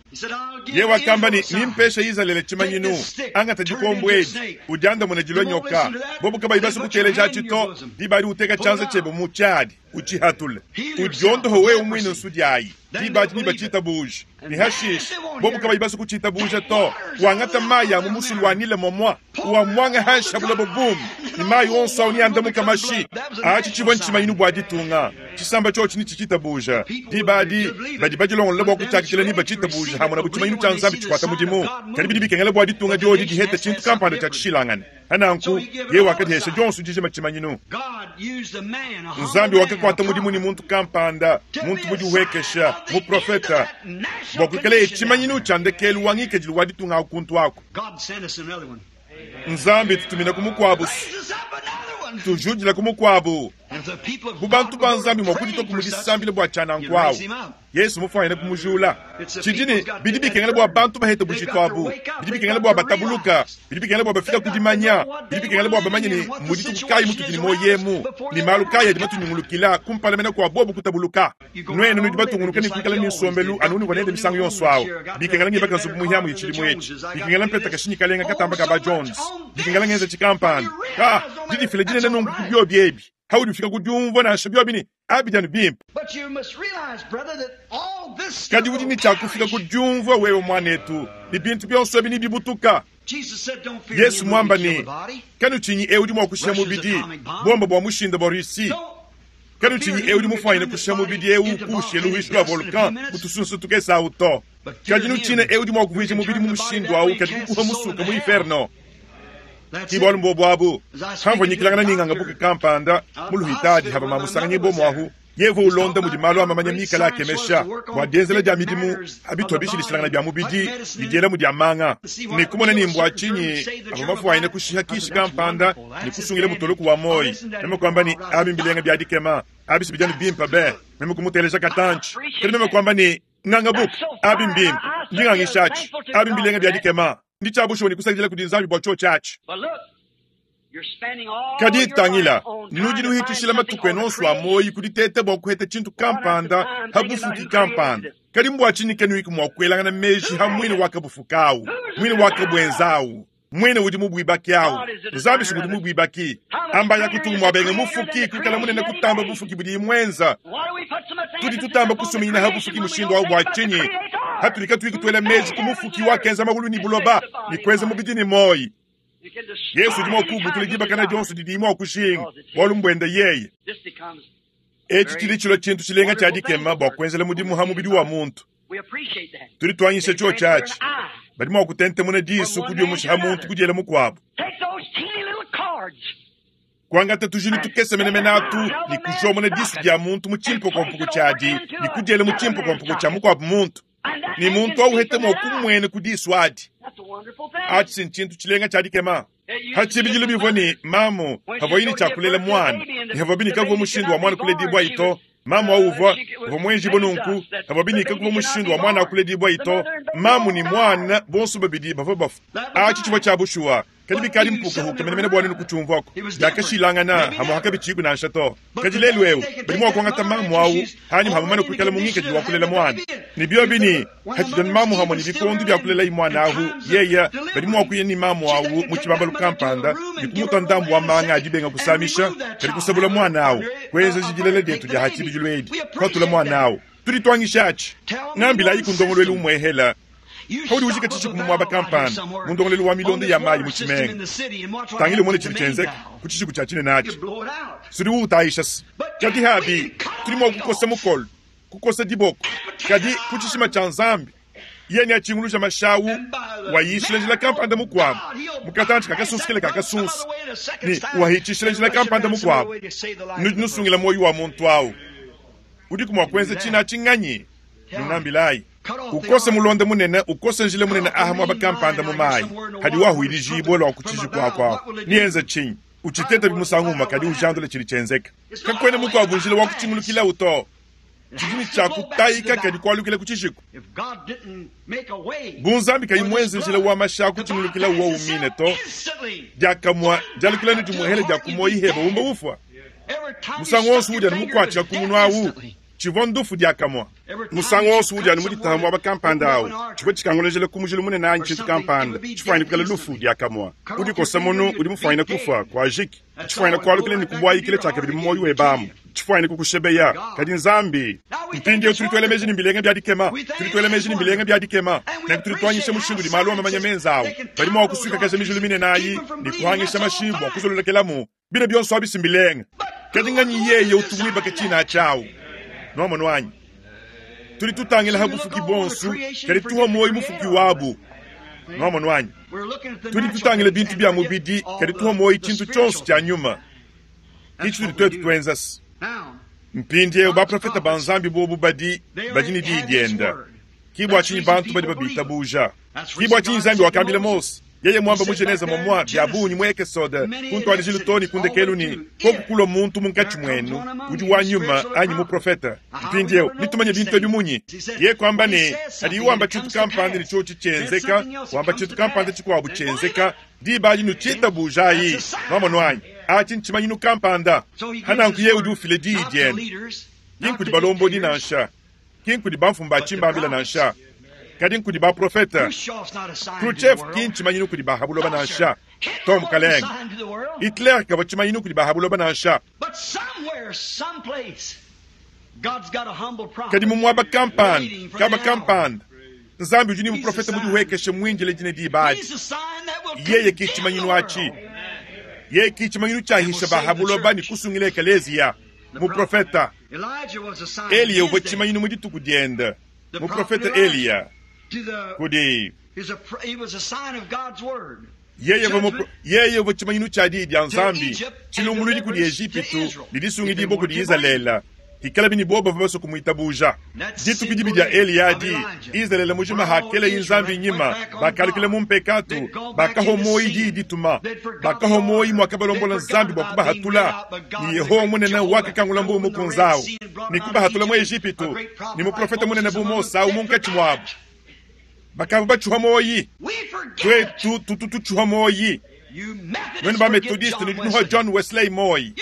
Yeye wakamba ne, Nimpeshe Izalele tshimanyinu, angata dikombo edi, udiandamune dilua nyoka. Bobu kabayi basue kuteleja atshi to, diba adi uteka tshianza tshiebe mu tshiadi, utshihatule, udiondohe wewe muine nsudi ayi. Diba adi nebatshitabuja. Ne hashishe, bobu kabayi basue kutshitabuja to, wangata mayi a mu musulu wa Nile momua, uamuange hanshi ha buloba bume, ne mayi onso au neandamuke mashi. Atshi tshivua ntshimanyinu bua ditunga. Tshisamba tshiotshi netshitshitabuja. Diba adi, badi badilongolola bua kutshiakidila nebatshitabuja hamonabu tshimanyinu tshia Nzambi tshikuata mudimu. Kadi bidi bikengela bua ditunga diodi dihete tshintu kampanda tshia tshishilangane. Pa nanku, yeye wakadihesha dionso dijima tshimanyinu. Nzambi wakakuata mudimu ne muntu kampanda, muntu mudihuekesha, muprofete, bua kuikaleye tshimanyinu tshia ndekelu wa ngikadilu wa ditunga aku kuntu aku. Nzambi tutuminaku mukuabu, tujudilaku mukuabu. Bu bantu ba Nzambi mua kuditua ku mu disambila bua tshia nanku awu, Yesu mufuanyine kumujula. Tshidi ne, bidi bikengela bua bantu bahete bujitu abu, bidi bikengela bua batabuluka, bidi bikengela bua bafika ku dimanya, bidi bikengela bua bamanye ne mmu dituku kayi mutudi ne muoyo emu, ne malu kayi adi matunyungulukila kumpala mene kua bobu kutabuluka. Nuenu nudi batungunuke ne kuikala ne nsombelu anu unuvua nende misangu yonso awu. Bikengela ngibaka nzubu muhiamuhi tshidimu etshi, bikengela mpeta kashinyi kalenga katamba ka ba Jones, bikengela ngenza tshikampanda. Ka, didifila dinene nunku ku biobi ebi, haudi ufika ku diumvua nansha biobi ne abidi anu bimpe. Kadi udi ne tshia kufika ku diumvua wewe muanetu ne bintu bionso ebi nebibutuka. Yesu muamba ne, Kanutshinyi eu udi mua kushiha mubidi, bomba bua mushinda bua Russie. Kanutshinyi eu udi mufuanyine kushiha mubidi eu kuushiya luhuishi lua volcan mu tusunsu tukese awu to. Kadi nutshine eu udi mua kuvuija mubidi mu mushindu awu kadi kukuha musuka mu inferno. Ki bualu mbuobu abu. Hamvua nyikilangana ne nganga buka kampanda mu luhitadi hava mamusanganyibua muahu, yevua ulonda mudi malu a mamanya mikale akemesha bua dienzela dia midimu a bitua bishilashilangana bia mubidi ne dielamu dia manga, ne kumona ne mbua tshinyi avua mafuanyine kushiha kishi kampanda ne kusungila mutoloku wa muoyo. Meme kuamba ne, Abi mbilenga bia dikema, abi si bidi anu bimpe be. Meme kumuteleja katantshi, kadi meme kuamba ne, Nganga buka, abi mbimpe, ndi ngangishatshi, abi mbilenga bia dikema. Ndi tshia bushuwa ne kusakidila kudi Nzambi bua tshiotshi atshi. Kadi tangila, nudi nuhitshishila matuku enu onso a muoyo ku diteta bua kuheta tshintu kampanda ha bufuki kampanda. Kadi mbua tshinyi kanuiku mua kuelangana meji ha muine wakabufuka au, muine wakabuenza au, muine udi mubuibaki au? Nzambi si ngudi mubuibaki. Amba ya kutungu muabenge mufuki kuikala munene kutamba bufuki budiyi muenza. Tudi tutamba kusuminyina ha bufuki mushindu au bua tshinyi? Hatudi katuyi kutuela meji ku mufuki wakenza maulu ne buloba ne kuenza mubidi ne muoyo. Yesu udi mua kuubutula dibakana dionso didiyi mua kujinga, bualu mbuende yeye. Etshi tshidi tshilua tshintu tshilenga tshia dikema bua kuenzela mudimu ha mubidi wa muntu. Tudi tuanyisha tshiotshi atshi. Badi mua kutentemuna disu kudiumusha ha muntu kudiela mukuabu. Kuangata tujilu tukese menemene atu ne kujomona disu dia muntu mu tshimpokompoko tshiadi ne kudiela mu tshimpokompoko tshia mukuabu muntu, ne muntu au uhete mua kumuena ku disu adi. Atshi ntshintu tshilenga tshia dikema. Pa tshibidilu bivua ne mamu pavuaye ne tshia kulela muana, ne pavuabi ne kakuvua mushindu wa muana kuledibuayi to. Mamu au uvua uvua muenjibue nunku, pavuabi ne kakuvua mushindu wa muana kuledibuayi to. Mamu ne muana bonso babidi bavua bafua. Atshi tshivua tshia bushuwa, kadi bikadi mpukahuka menemene bua nuenu kutshiumvuaku. Biakashilangana hamue hakabitshiku nansha to. Kadi lelu eu badi mua kuangata mamu au hanyima ha mumane kuikala mu ngikadilu wa kulela muana, ne biobi ne hatshidi mamu hamue ne bikondo bia kulelayi muana ahu, yeya badi mua kuya ne mamu au mu tshibambalu kampanda ne kumutua ndambu wa manga a dibenga kusamisha, kadi kusabula muana au, kuenzeja dilela dietu dia ha tshibidilu edi, kuatula muana au. Tudi tuangishatshi. Ngambilayiku ndongoluelu umuehela paudi ujika tshishiku mu muaba kampanda mu ndongoluelu wa milonda ya mayi mu tshimenga. Tangila umone tshidi tshienzeka ku tshishiku tshia tshinene atshi. Sudi uutayisha se. Kadi habi, tudi mua kukosa mukolo, kukosa diboko, kadi ku tshishima tshia Nzambi, yeye neatshinguluja mashawu wayishila njila kampanda mukuabu mu katantshi ka kasunsu kele ka kasunsu ne wahitshishila njila kampanda mukuabu. Nudi nusungila muoyo wa muntu au. Udiku mua kuenza tshina atshi nganyi? Nungambilayi. Ukose mulonda munene, ukose njila munene aha muaba kampanda mu mayi hadi wahuilijibue lua ku tshiji kuaku aku. Nienze tshinyi? Utshitete musangu umue kadi ujandule tshidi tshienzeka. Kakuena mukuabu njila wa kutshingulukilawu to. Tshidi ne tshia kutayika kadi kualukila ku tshishiku. Bu Nzambi kayi muenze njila wa mashi a kutshingulukilawu wowu mine to, diakamue dialukila ne dimuehela dia ku muoyi heba umba ufua. Musangu wonso udi anu mukuatshika ku munu awu, tshivua ndufu diakamue. Musangu wonso udi anu muditaha muaba kampanda awu, tshivua tshikangulejela ku mujilu munene anyi tshintu kampanda tshifuanyine kuikala lufu diakamue. Udikosa munu udi mufuanyine kufua, kuajiki. Tshifuanyine kualukila ne kubuayikila tshiakabidi mu muoyo webe amu. Tshifuanyine kukushebeya. Kadi Nzambi. Mpindieu tudi tuela meji ne mbilenga bia dikema. Tudi tuela meji ne mbilenga bia dikema. Nenku tudi tuanyisha mushindu udi malu a mamanya menza awu. Badi mua kusuikakaja mijilu minene ayi ne kuhangisha mashi bua kuzololokelamu. Bine bionso abi si mbilenga. Kadi nganyi yeye utu muibake tshina atshi awu? Nuamonu anyi? Tudi tutangila ha bufuki buonso, kadi tuhua muoyo mufuki wabu. Nuamonu anyi? Tudi tutangila bintu bia mubidi, kadi tuhua muoyo tshintu tshionso tshia nyuma. Ke tshitudi tuetu tuenza. Mpindieu baprofete ba Nzambi buobu badi badi ne diyi dienda. Ke bua tshinyi bantu badi babitabuja. Ke bua tshinyi Nzambi wakambila Mose. Yeye mwamba mu Genese momwa bya bungi mu Ekesode, ku ntuadijilu too ne ku ndekelu ne, Koku kulua muntu munkatshi muenu udi wa nyuma anyi muprofete. Mpindieu, netumanye bintu ebi munyi? Yeye kuamba ne, Padiye wamba tshintu kampanda ne tshiotshi tshienzeka, wamba tshintu kampanda tshikuabu tshienzeka, diba adi nutshitabujayi. Nwamonu anyi? Atshi ntshimanyinu kampanda. Pa nanku yeye udi ufila diyi diende, ki nkudi balombodi nansha, ki nkudi bamfumu ba tshimbambila nansha, kadi nkudi baprofete. Khrushchev ki ntshimanyinu kudi ba ha buloba nansha. To, mukalenge. Hitler kavua tshimanyinu kudi ba ha buloba nansha. Kadi mu muaba kampanda, kaba kampanda, Nzambi udi ne muprofete mudihuekeshe muindile dine diba adi. Yeye ki tshimanyinu atshi. Yeye ki tshimanyinu tshiahisha ba ha buloba ne kusungila ekeleziya. Muprofete. Eliya uvua tshimanyinu mu dituku diende. Muprofete Eliya kudi yeye uvua tshimanyinu tshia diyi dia Nzambi, tshilumbuluidi kudi Ejipitu ne disungidibua kudi Izalele. Hikalabi ne bobo bavua basue kumuitabuja. Dituku dibi dia Eliya adi, Izalele mujima hakeleye Nzambi nyima, bakalukila mu mpekatu, bakahua muoyo diyi dituma, bakahua muoyo muakabalombola Nzambi bua kubahatula, ne Yehowa munene wakakangula mbuu mukunze au ne kubahatula mu Ejipitu, ne muprofete munene bu Mose au munkatshi muabu. Bakavua batshiuha muoyi. Tuetu tutu tutshiuha muoyi. Nuenu ba Methodiste nudi nuhua John Wesley muoyi.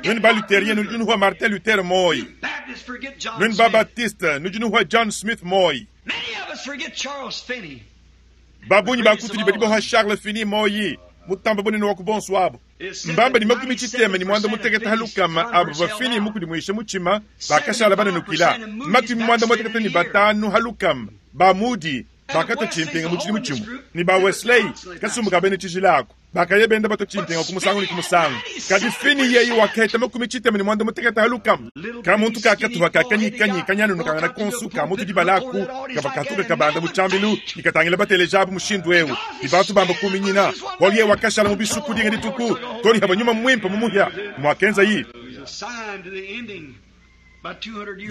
Nuenu ba Lutherien nudi nuhua Martin Luther muoyi. Nuenu ba Baptiste nudi nuhua John Smith muoyi. Ba bungi ba kutudi badi bahua Charles Finney muoyi, mutamba bunene wa ku bonso abu. Mbamba ne makumi tshitema ne muanda mutekete ha lukama abo bavua Finney mukudimuishe mutshima bakashala bananukila. Makumi muanda mutekete ne batanu ha lukama ba Moody bakatua tshimpinga mu tshidimu tshimue, ne ba Wesley, kasumbu ka bena tshijila aku, bakaya benda batua tshimpinga ku musangu ne ku musangu. Kadi Finney yeye wakaheta makumi tshitema ne muanda mutekete ha lukama. Ka muntu ka katuha ka kanyikanyi kanyanunukangana konsu ka mutu dibala aku kavua katuka kabanda mu tshiambilu ne katangila bateleja abu mushindu eu ne bantu bamba kuminyina, bualu yeye wakashala mu bisuku dinga dituku too ne havua nyuma muimpe mumuhia. Muakenzayi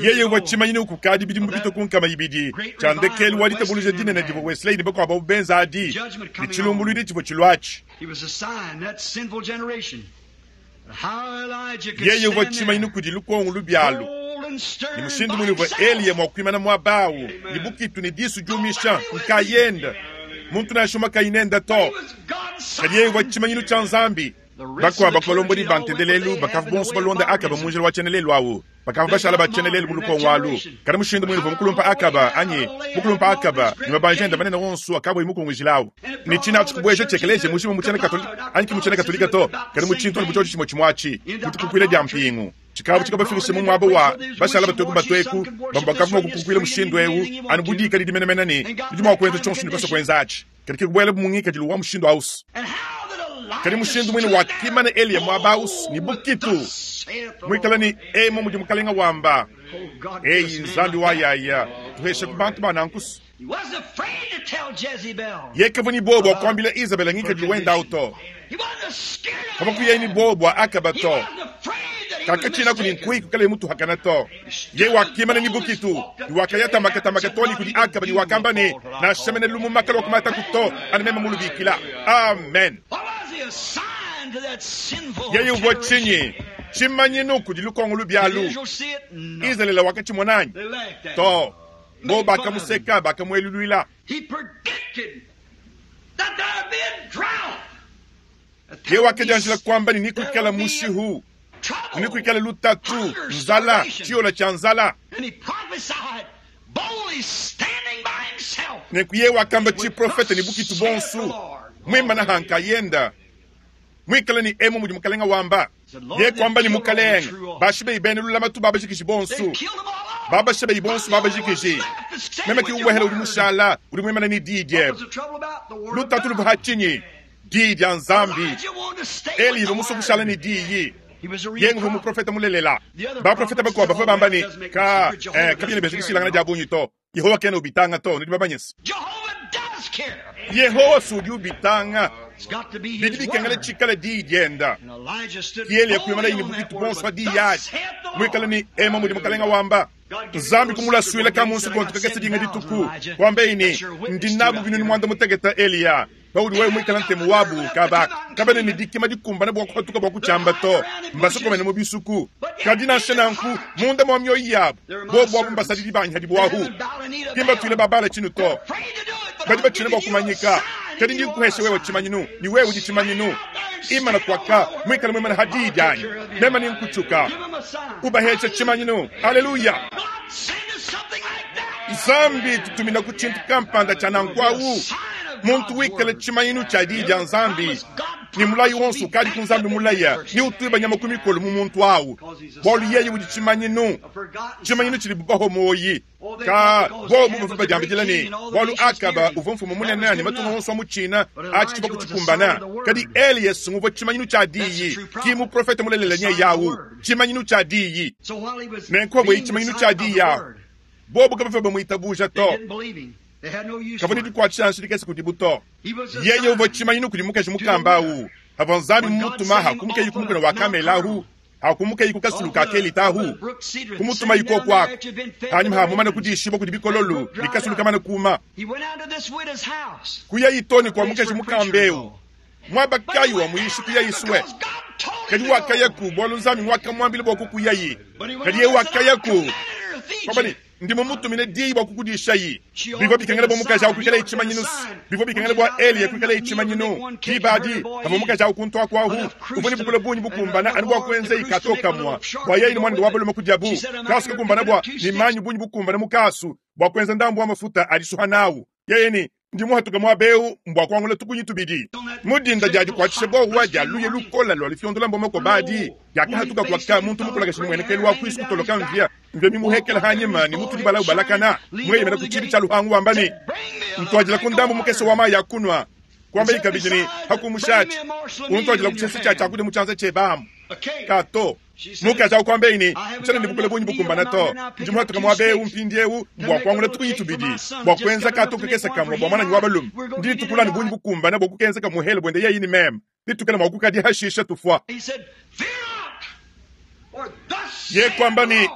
yeye uvua tshimanyinu kukadi bidimu bipite ku 200 tshia ndekelu wa ditabuluja dinene divua Wesley ne bakuabu abu benza adi, ne tshilumbuluidi tshivua tshiluatshi. Yeye uvua tshimanyinu kudi lukongo lubi alu, ne mushindu mune uvua Eliya mua kuimana muaba au ne bukitu ne disu diumisha nkayende, muntu nansha umue kayi nende to. Kadi yeye uvua tshimanyinu tshia Nzambi. Bakuabu ba ku balombodi ba ntendelelu bakavua bonso balonda Akaba mu njila wa tshiena-lelu au, bakavua bashala ba tshiena-lelu mu lukongo alu. Kadi mushindu muine uvua mukulumpa Akaba anyi mukulumpa Akaba ne mabanji ende manene onso akavuaye mukungujile au, ne tshine atshi kubueja tshiekelezia mujima mu tshiena Katolika anyi ki mu tshiena Katolika to, kadi mu tshintu anu bu tshiotshi tshimue tshimue atshi, mu dikukuila dia mpingu. Tshikavua tshikabafikishe mu muaba wa bashala batueku batueku. Bamue bakavua mua kukukuila mushindu eu anu bu dikadidi menemene ne nudi mua kuenza tshionso tshinudi basue kuenza atshi. Kadi ke kubuelabu mu ngikadilu wa mushindu ausu. Kadi mushindu muine wakimana Eliya muaba ausu ne bukitu, muikale ne emu mudi Mukalenga wamba, Eyi Nzambi wa yaya, tuheshaku bantu ba nankusu. Yeye kavua ne buowa bua kuambila Izabela ngikadilu wende au to. Kavua kuyaye ne buowa bua Akaba to. Kakatshinaku ne nkuyi kuikalaye mutuhakana to. Yeye wakimana ne bukitu ne wakaya tamakatamaka too ne kudi Akaba ne wakamba ne, Nansha mene lumuma kaluakumataku to, anu meme mulubikila. Amen. Yeye uvua tshinyi? Tshimanyinu kudi lukongo lubi alu. Izalele wakatshimona anyi? To. Bobo bakamuseka, bakamueluluila. Yeye wakadianjila kuamba ne, Nekuikale mushihu, nekuikale lutatu, nzala, tshiyola tshia nzala. Nenku yeye wakamba tshiprofete ne bukitu buonso, muimana ha nkayenda, muikale ne emu mudi Mukalenga wamba. Yeye kuamba ne, Mukalenge, bashibeyi bena lulamatu babajikiji bonso, babashibeyi bonso babajikiji. Meme ke umuehela udi mushala, udi muimana ne diyi diebe. Lutatu luvua ha tshinyi? Diyi dia Nzambi. Eli uvua musue kushala ne diyi. Yeye uvua muprofete mulelela. Baprofete bakuabu bavua bamba ne, Ka, eh, kabiena bienza dishilangana dia bungi to. Yehowa kena ubitanga to. Nudi bamanye se, Yehowa si udi ubitanga. Bidi bikengela tshikale diyi dienda. Ki Eliya kuimanaye ne bukitu buonso pa diyi adi, muikale ne ema mudi Mukalenga wamba. Nzambi kumulasuila ka mu nsukontu kakese dinga dituku, kuambaye ne, Ndi nabu binunu muanda mutekete, Eliya. Paudi wewe muikale ntemu wabu, kaba kabena ne dikima dikumbane bua kupatuka bua kutshiamba to. Mbasokomene mu bisuku. Kadi nansha nanku, munda mua mioyo yabu, bobu abu mbasadidi banyi hadibu ahu. Ki mbatuile ba Bala tshinu to. Badi batshina bua kumanyika. Kadi ndi nkuhesha wewe tshimanyinu, ne wewe udi tshimanyinu. Imana kuaka, muikale muimane ha diyi dianyi, meme nenkutshuka. Ubahesha tshimanyinu. Aleluya! Nzambi tutumina ku tshintu kampanda tshia nanku awu, muntu wikale tshimanyinu tshia diyi dia Nzambi, ne mulayi wonso ukadi ku Nzambi mulaya ne utuiba nyama ku mikolo mu muntu awu, bualu yeye udi tshimanyinu, tshimanyinu tshidibu bahua muoyi. Ka bobu bavua badiambidila ne, bualu Akaba uvua mfumu munene ne matunga onso a mu tshina atshi tshivua kutshikumbana. Kadi Elias nguvua tshimanyinu tshia diyi, ki muprofete mulelela nyeye awu, tshimanyinu tshia diyi. Nenku pavuaye tshimanyinu tshia diyi awu, bobu kabavua bamuitabuja to. Kavua ne dikuatshisha nansha dikese kudibu to. Yeye uvua tshimanyinu kudi mukaji mukamba awu, pavua Nzambi mumutuma hakumukeyi ku mukuna wa Kamele ahu, hakumukeyi ku kasulu ka Kelita ahu, kumutumayi koku aku. Hanyima ha mumane kudishibua kudi bikololu ne kasulu kamane kuma, kuyayi too ne kua mukaji mukamba eu. Muaba kayi wa muyishi kuyayi sue? Kadi wakayaku bualu Nzambi ngwakamuambila bua kukuyayi. Kadi yeye wakayaku kwamba ne, Ndi mumutumine diyi bua kukudishayi. Bivua bikengela bua mukaji awu kuikalaye tshimanyinu. Bivua bikengela bua Eliya kuikalaye tshimanyinu. Diba adi, pavua mukaji awu kuntu aku ahu, uvua ne bukole bungi bukumbana anu bua kuenzayi kato kamua bua yeye ne muanende wa balume kudiabu. Kasu kakumbana bua ne manyi bungi bukumbana mu kasu bua kuenza ndambu wa mafuta a disuha nawu. Yeye ne, Ndi muhatuke muaba eu mbua kuangula tukunyi tubidi. Mu dinda dia dikuatshisha buowa dia luya lukola lua lufiondola mbomoko badi, diakahatuka kuaka muntu mukulakashi ne muenekelu wa kuisu kutoloka mvia mvia mimuhekela hanyima ne mutu dibala ubalakana mueyemena ku tshibi tshia luhangu wamba ne, Ntuadila ku ndambu mukese wa mayi a kunua. Kuambayi kabidi ne, Hakumushatshi, untuadila ku tshisa tshia tshiakudia mu tshianza tshiebe amu. Ka to. Mukaji au kuambaye ne, Ntshiena ne bukole bungi bukumbana to. Ndi muhatuke muaba eu mpindieu bua kuangula tukunyi tubidi bua kuenza kato kakese kamue bua muananyi wa balume. Ndi ntukula ne bungi bukumbane bua kukenza kamuhele buende yeye ne meme. Bitukale mua kukadia hashisha tufua. Ye kuamba ne,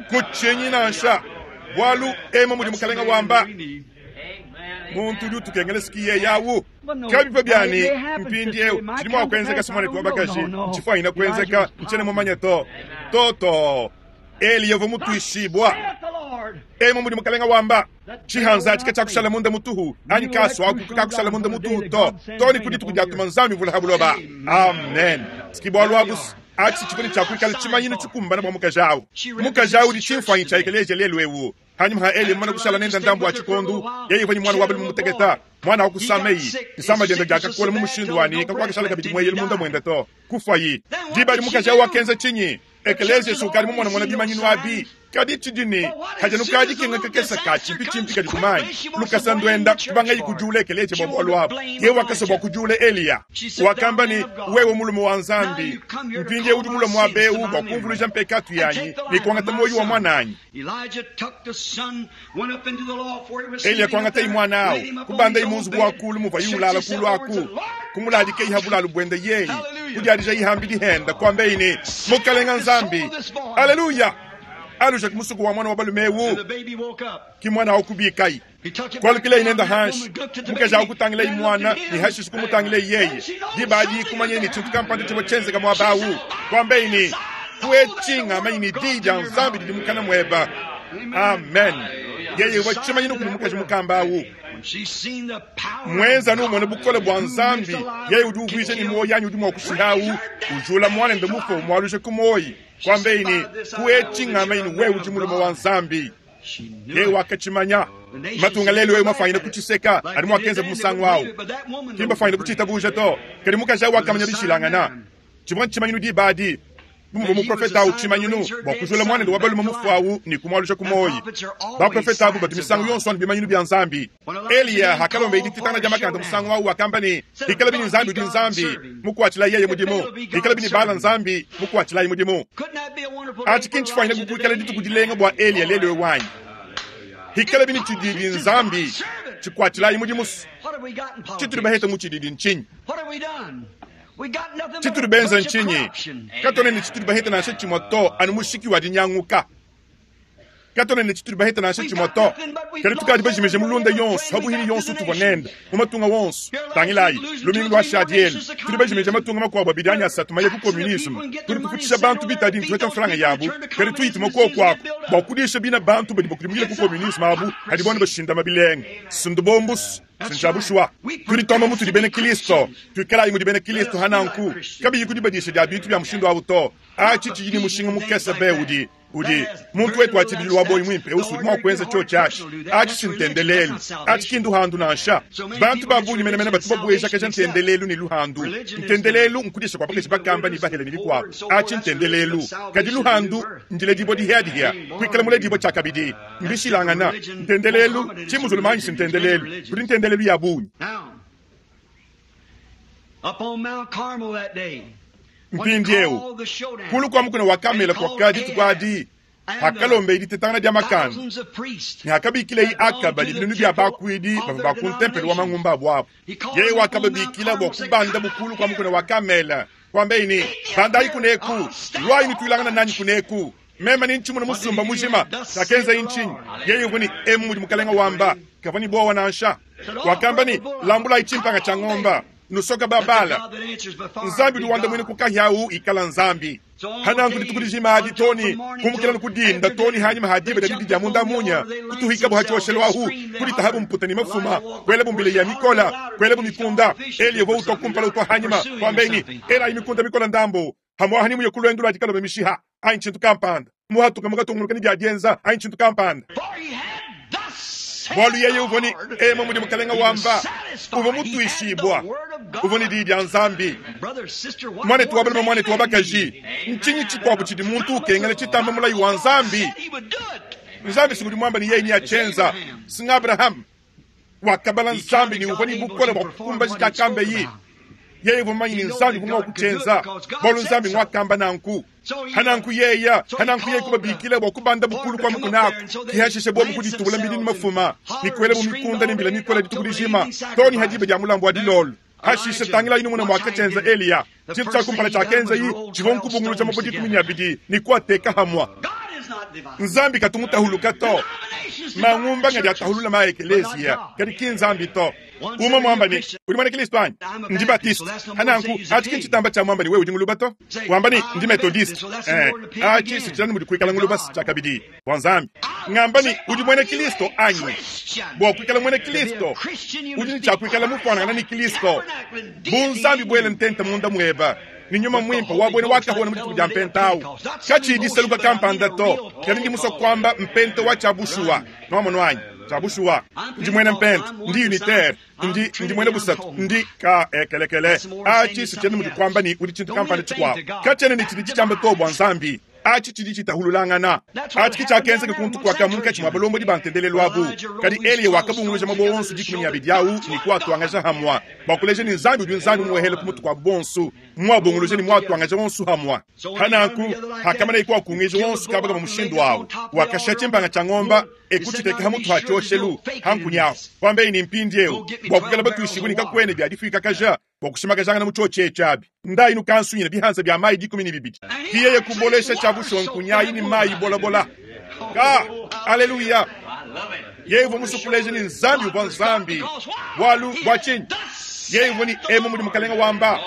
Kutshinyi nansha, bualu emu mudi Mukalenga wamba. Muntu udi utukengela siki yeye awu. Kabipa bianyi mpindieu tshidi mua kuenzeka si muanetu wa bakaji ntshifuanyine kuenzeka, ntshiena mumanye to. To to, Eliya uvua mutuishibua. Emu mudi Mukalenga wamba. Tshihanza atshi katshiakushala munda mutuhu, anyi kasu aku kakakushala munda mutuhu to, to ne ku dituku diatuma Nzambi mvula ha buloba. Amen. Siki bualu abu atshi tshivua ne tshia kuikala tshimanyinu tshikumbane bua mukaji awu. Mukaji awu udi tshimfuanyi tshia ekeleziya lelu eu. Hanyima ha Eliya mumane kushala nende ndambu wa tshikondu, yeye uvua ne muana wa balume muteketa, muana wa kusameyi. Disama diende diakakola mu mushindu wa ne kakuakashala kabidi mueyelu munda muende to, kufuayi. Diba adi mukaji awu wakenza tshinyi? Ekeleziya si ukadi mumonamona bimanyinu abi. Kadi tshidi ne, kadi anu ka dikenga kakese ka tshimpitshimpi kadi ku mayi lukasa nduenda kubangayi kudiula ekeleziya bua bualu abu. Yeye wakasua bua kudiula Eliya. Wakamba ne, Wewe mulume wa Nzambi, mpindieu udi mulue muaba eu bua kumvuluija mpekatu yanyi ne kuangata muoyo wa muananyi. Eliya kuangatayi muana au, kubandayi mu nzubu wa kulu muvuaye ulala kulu aku, kumuladikayi ha bulalu buende yeye, kudiadijayi hambidi hende, kuambayi ne, Mukalenga Nzambi, aleluya! Aluja ku musuku wa muana wa balume eu, ki muana au kubikayi. Kualukilayi nende hanshi, mukaji au kutangilayi muana ne hashishe kumutangilayi yeye. Diba adi kumanyeye ne tshintu kampanda tshivua tshienzeka muaba au, kuambayi ne, Kuetshi ngamanyi ne diyi dia Nzambi didi mukana mueba. Amen. Yeye uvua tshimanyinu kudi mukaji mukamba au. Muenza anu umone bukole bua Nzambi, yeye udi uvuija ne muoyo anyi udi mua kushiha au, ujula muanende mufue umualuja ku muoyo. Kuambeyi ne, Kuetshi ngamanyi ne wewe udi mulume wa Nzambi. Yeye wakatshimanya. Matunga lelu eu mafuanyine kutshiseka anu muakenzabu musangu au. Ki mbafuanyine kutshitabuja to. Kadi mukaji au wakamanya dishilangana. Tshivua ntshimanyinu diba adi, bu muvua muprofete au tshimanyinu bua kujula muanende wa balume mufue au ne kumualuja ku muoyo. Baprofete abu batu misangu yonso anu bimanyinu bia Nzambi. Eliya akalomba dititangana dia makanda musangu au, wakamba ne, Bikalabi ne Nzambi udi Nzambi, mukuatshilayi yeye mudimu, bikalabi ne Baala Nzambi, mukuatshilayi mudimu. Atshi ki ntshifuanyine kuikala dituku dilenga bua Eliya lelu eu anyi? Hikalabi ne tshididi Nzambi, tshikuatshilayi mudimu. Tshitudi bahete mu tshididi ntshinyi? Tshitudi benza ntshinyi? Katuena ne tshitudi bahete nansha tshimue to, anu mushiki wa dinyanguka. Katuena ne tshitudi baheta nansha tshimue to. Kadi tukadi bajimije mulunda yonso, pabuipi ne yonso utuvua nende mu matunga wonso. Tangilayi, lumingu luashadi elu, tudi bajimije matunga makuabu abidi anyi asatu maye ku communisme. Tudi tufutshisha bantu bitadi ne tupeta mfranga yabu, kadi tuyituma kuoku aku bua kudisha bina bantu badi bakudimukile ku communisme abu hadibo anu bashindama bilenga. Sindubombusu. Ncya bushuwa, tudi tuamba mutudi bena Kristo, tuikalayi mudi bena Kristo hananku, kabiyi ku dibadisha dia bintu bia mushindu awu to. Aci tshidi ne mushinga mukese be udi udi muntu wetu wa tshibidilu wa boyi muimpe eu udi mua kuenza tshiotshi atshi. Atshi si ntendelelu, atshi ki nduhandu nansha. Bantu ba bungi menemene batu babuejakaja ntendelelu ne luhandu. Ntendelelu nkudisha kua bakaji bakamba ne bahele ne bikuabu, atshi ntendelelu. Kadi luhandu ndiledibua dihiadihia, kuikala muledibua tshiakabidi. Mbishilangana. Ntendelelu ki muzulumanyi si ntendelelu, kudi ntendelelu ya bungi. Mpindieu, kulu kua mukuna wa Kamela kuakadi dituku adi, hakalombeye ditetangana dia makanda, ne hakabikileye Akaba ne binunu bia bakuidi bavua ba ku ntempelo wa mangumba abu abu, yeye wakababikila bua kubandabu kulu kua mukuna wa Kamela, kuambeye ne, Bandayi kuneku, luayi nutuilangane nanyi kuneku. Meme ne ntshimuna musumba mujima. Tshiakenzaye ntshinyi? Yeye uvua ne, Emu mudi Mukalenga wamba. Kavua ne buowa nansha. Wakamba ne, Lambulayi tshimpanga tshia ngomba, nusoka ba Bala. Nzambi udi wandamuina ku kahia awu ikala Nzambi. Hananku dituku dijima adi too ne kumukila ku dinda too ne hanyima ha diba dia didi dia munda munya, kutuhikabu ha tshioshelu ahu, kuditahabu mputa ne mafuma, kuelabu mbila ya mikola, kuelabu mikunda. Eliya uvua utua kumpala utua hanyima, kuambaye ne, Elayi mikunda mikola ndambu. Pamuapa ni muye ku luendu lua dikaloba mishiha anyi tshintu kampanda, muhatuke mukatungunuka ne bia dienza anyi tshintu kampanda. Bualu yeye uvua ne emu mudi Mukalenga wamba, uvua mutuishibua, uvua ne diyi dia Nzambi. Muanetu wa balume, muanetu wa bakaji, ntshinyi tshikuabu tshidi muntu ukengela tshitamba mulayi wa Nzambi? Nzambi si ngudi muamba ne yeye neatshienza, si ng'Abrahame wakabala Nzambi ne uvua ne bukole bua kukumbaja tshiakambaye. Yeye uvua mumanye ne Nzambi uvua mua kutshienza, bualu Nzambi nguakamba nanku. Hananku yeya, hananku yeye kubabikila bua kubanda bukulu kua mukuna aku, ke hashishe bobu kuditubula mbidi ne mafuma, ne kuelabu mikunda ne mbila mikole dituku dijima, too ne ha diba dia mulambu wa dilolo. Hashishe tangilayi numone muakatshienza Eliya. Tshintu tshia kumpala tshiakenzayi tshivua nkubunguluja mabue 12 ne kuateka hamua. Nzambi katu mutahuluka to. Mangumba ngadi atahulula ma ekeleziya, kadi ki Nzambi to. Umue muamba ne, Udi muena Kristo anyi? Ndi Baptiste. Hananku, atshi ki ntshitamba tshia muamba ne wewe udi nguluba to. Wamba ne, Ndi Methodiste. Eh, atshi si tshilanu mudi kuikala nguluba tshiakabidi bua Nzambi. Ngamba ne, Udi muena Kristo anyi? Bua kuikala muena Kristo, udi ne tshia kuikala mufuanangana ne Kristo. Bu Nzambi buele ntenta munda mueba ne nyuma muimpe wa buena wakahona mu dituku dia mpenta au. Katshiyi disaluka kampanda to, kadi ndi musue kuamba mpenta wa tshia bushuwa. Nuamonu anyi? Tshia bushuwa. Ndi muena mpenta, ndi unitaire, ndi, ndi muena busatu, ndi ka ekelekele. Atshi si tshiena mudi kuamba ne udi tshintu kampanda tshikuabu. Katshiena ne tshidi tshitshiamba to bua Nzambi. Atshi tshidi tshitahululangana. Atshi ke tshiakenzeka kuntu kuaka munkatshi mua balombodi ba ntendelelu abu. Kadi Eliya wakabunguluja mabue onso 12 au ne kuatuangaja hamua bua kuleja ne Nzambi udi Nzambi umuehele ku mutu kua bonso, muabunguluja ne muatuangaja onso hamua. Hananku, hakamanaye kuakunguija onso kaba kaba mushindu au, wakashiha tshimpanga tshia ngomba e kutshiteka ha mutu ha tshioshelu ha nkunyi ahu, kuambaye ne, Mpindieu bua kuikala batuishibue ne kakuena bia difuikakaja bua kushimakajangana mu tshiotshi etshi abi, ndayi nukansunyina bihanza bia mayi 12. Ki yeye kubolesha tshia bushuwa nkunyi ayi ne mayi bolabola. Ka, aleluya! Yeye uvua musue kuleja ne Nzambi uvua Nzambi. Bualu bua tshinyi? Yeye uvua ne emu mudi Mukalenga wamba.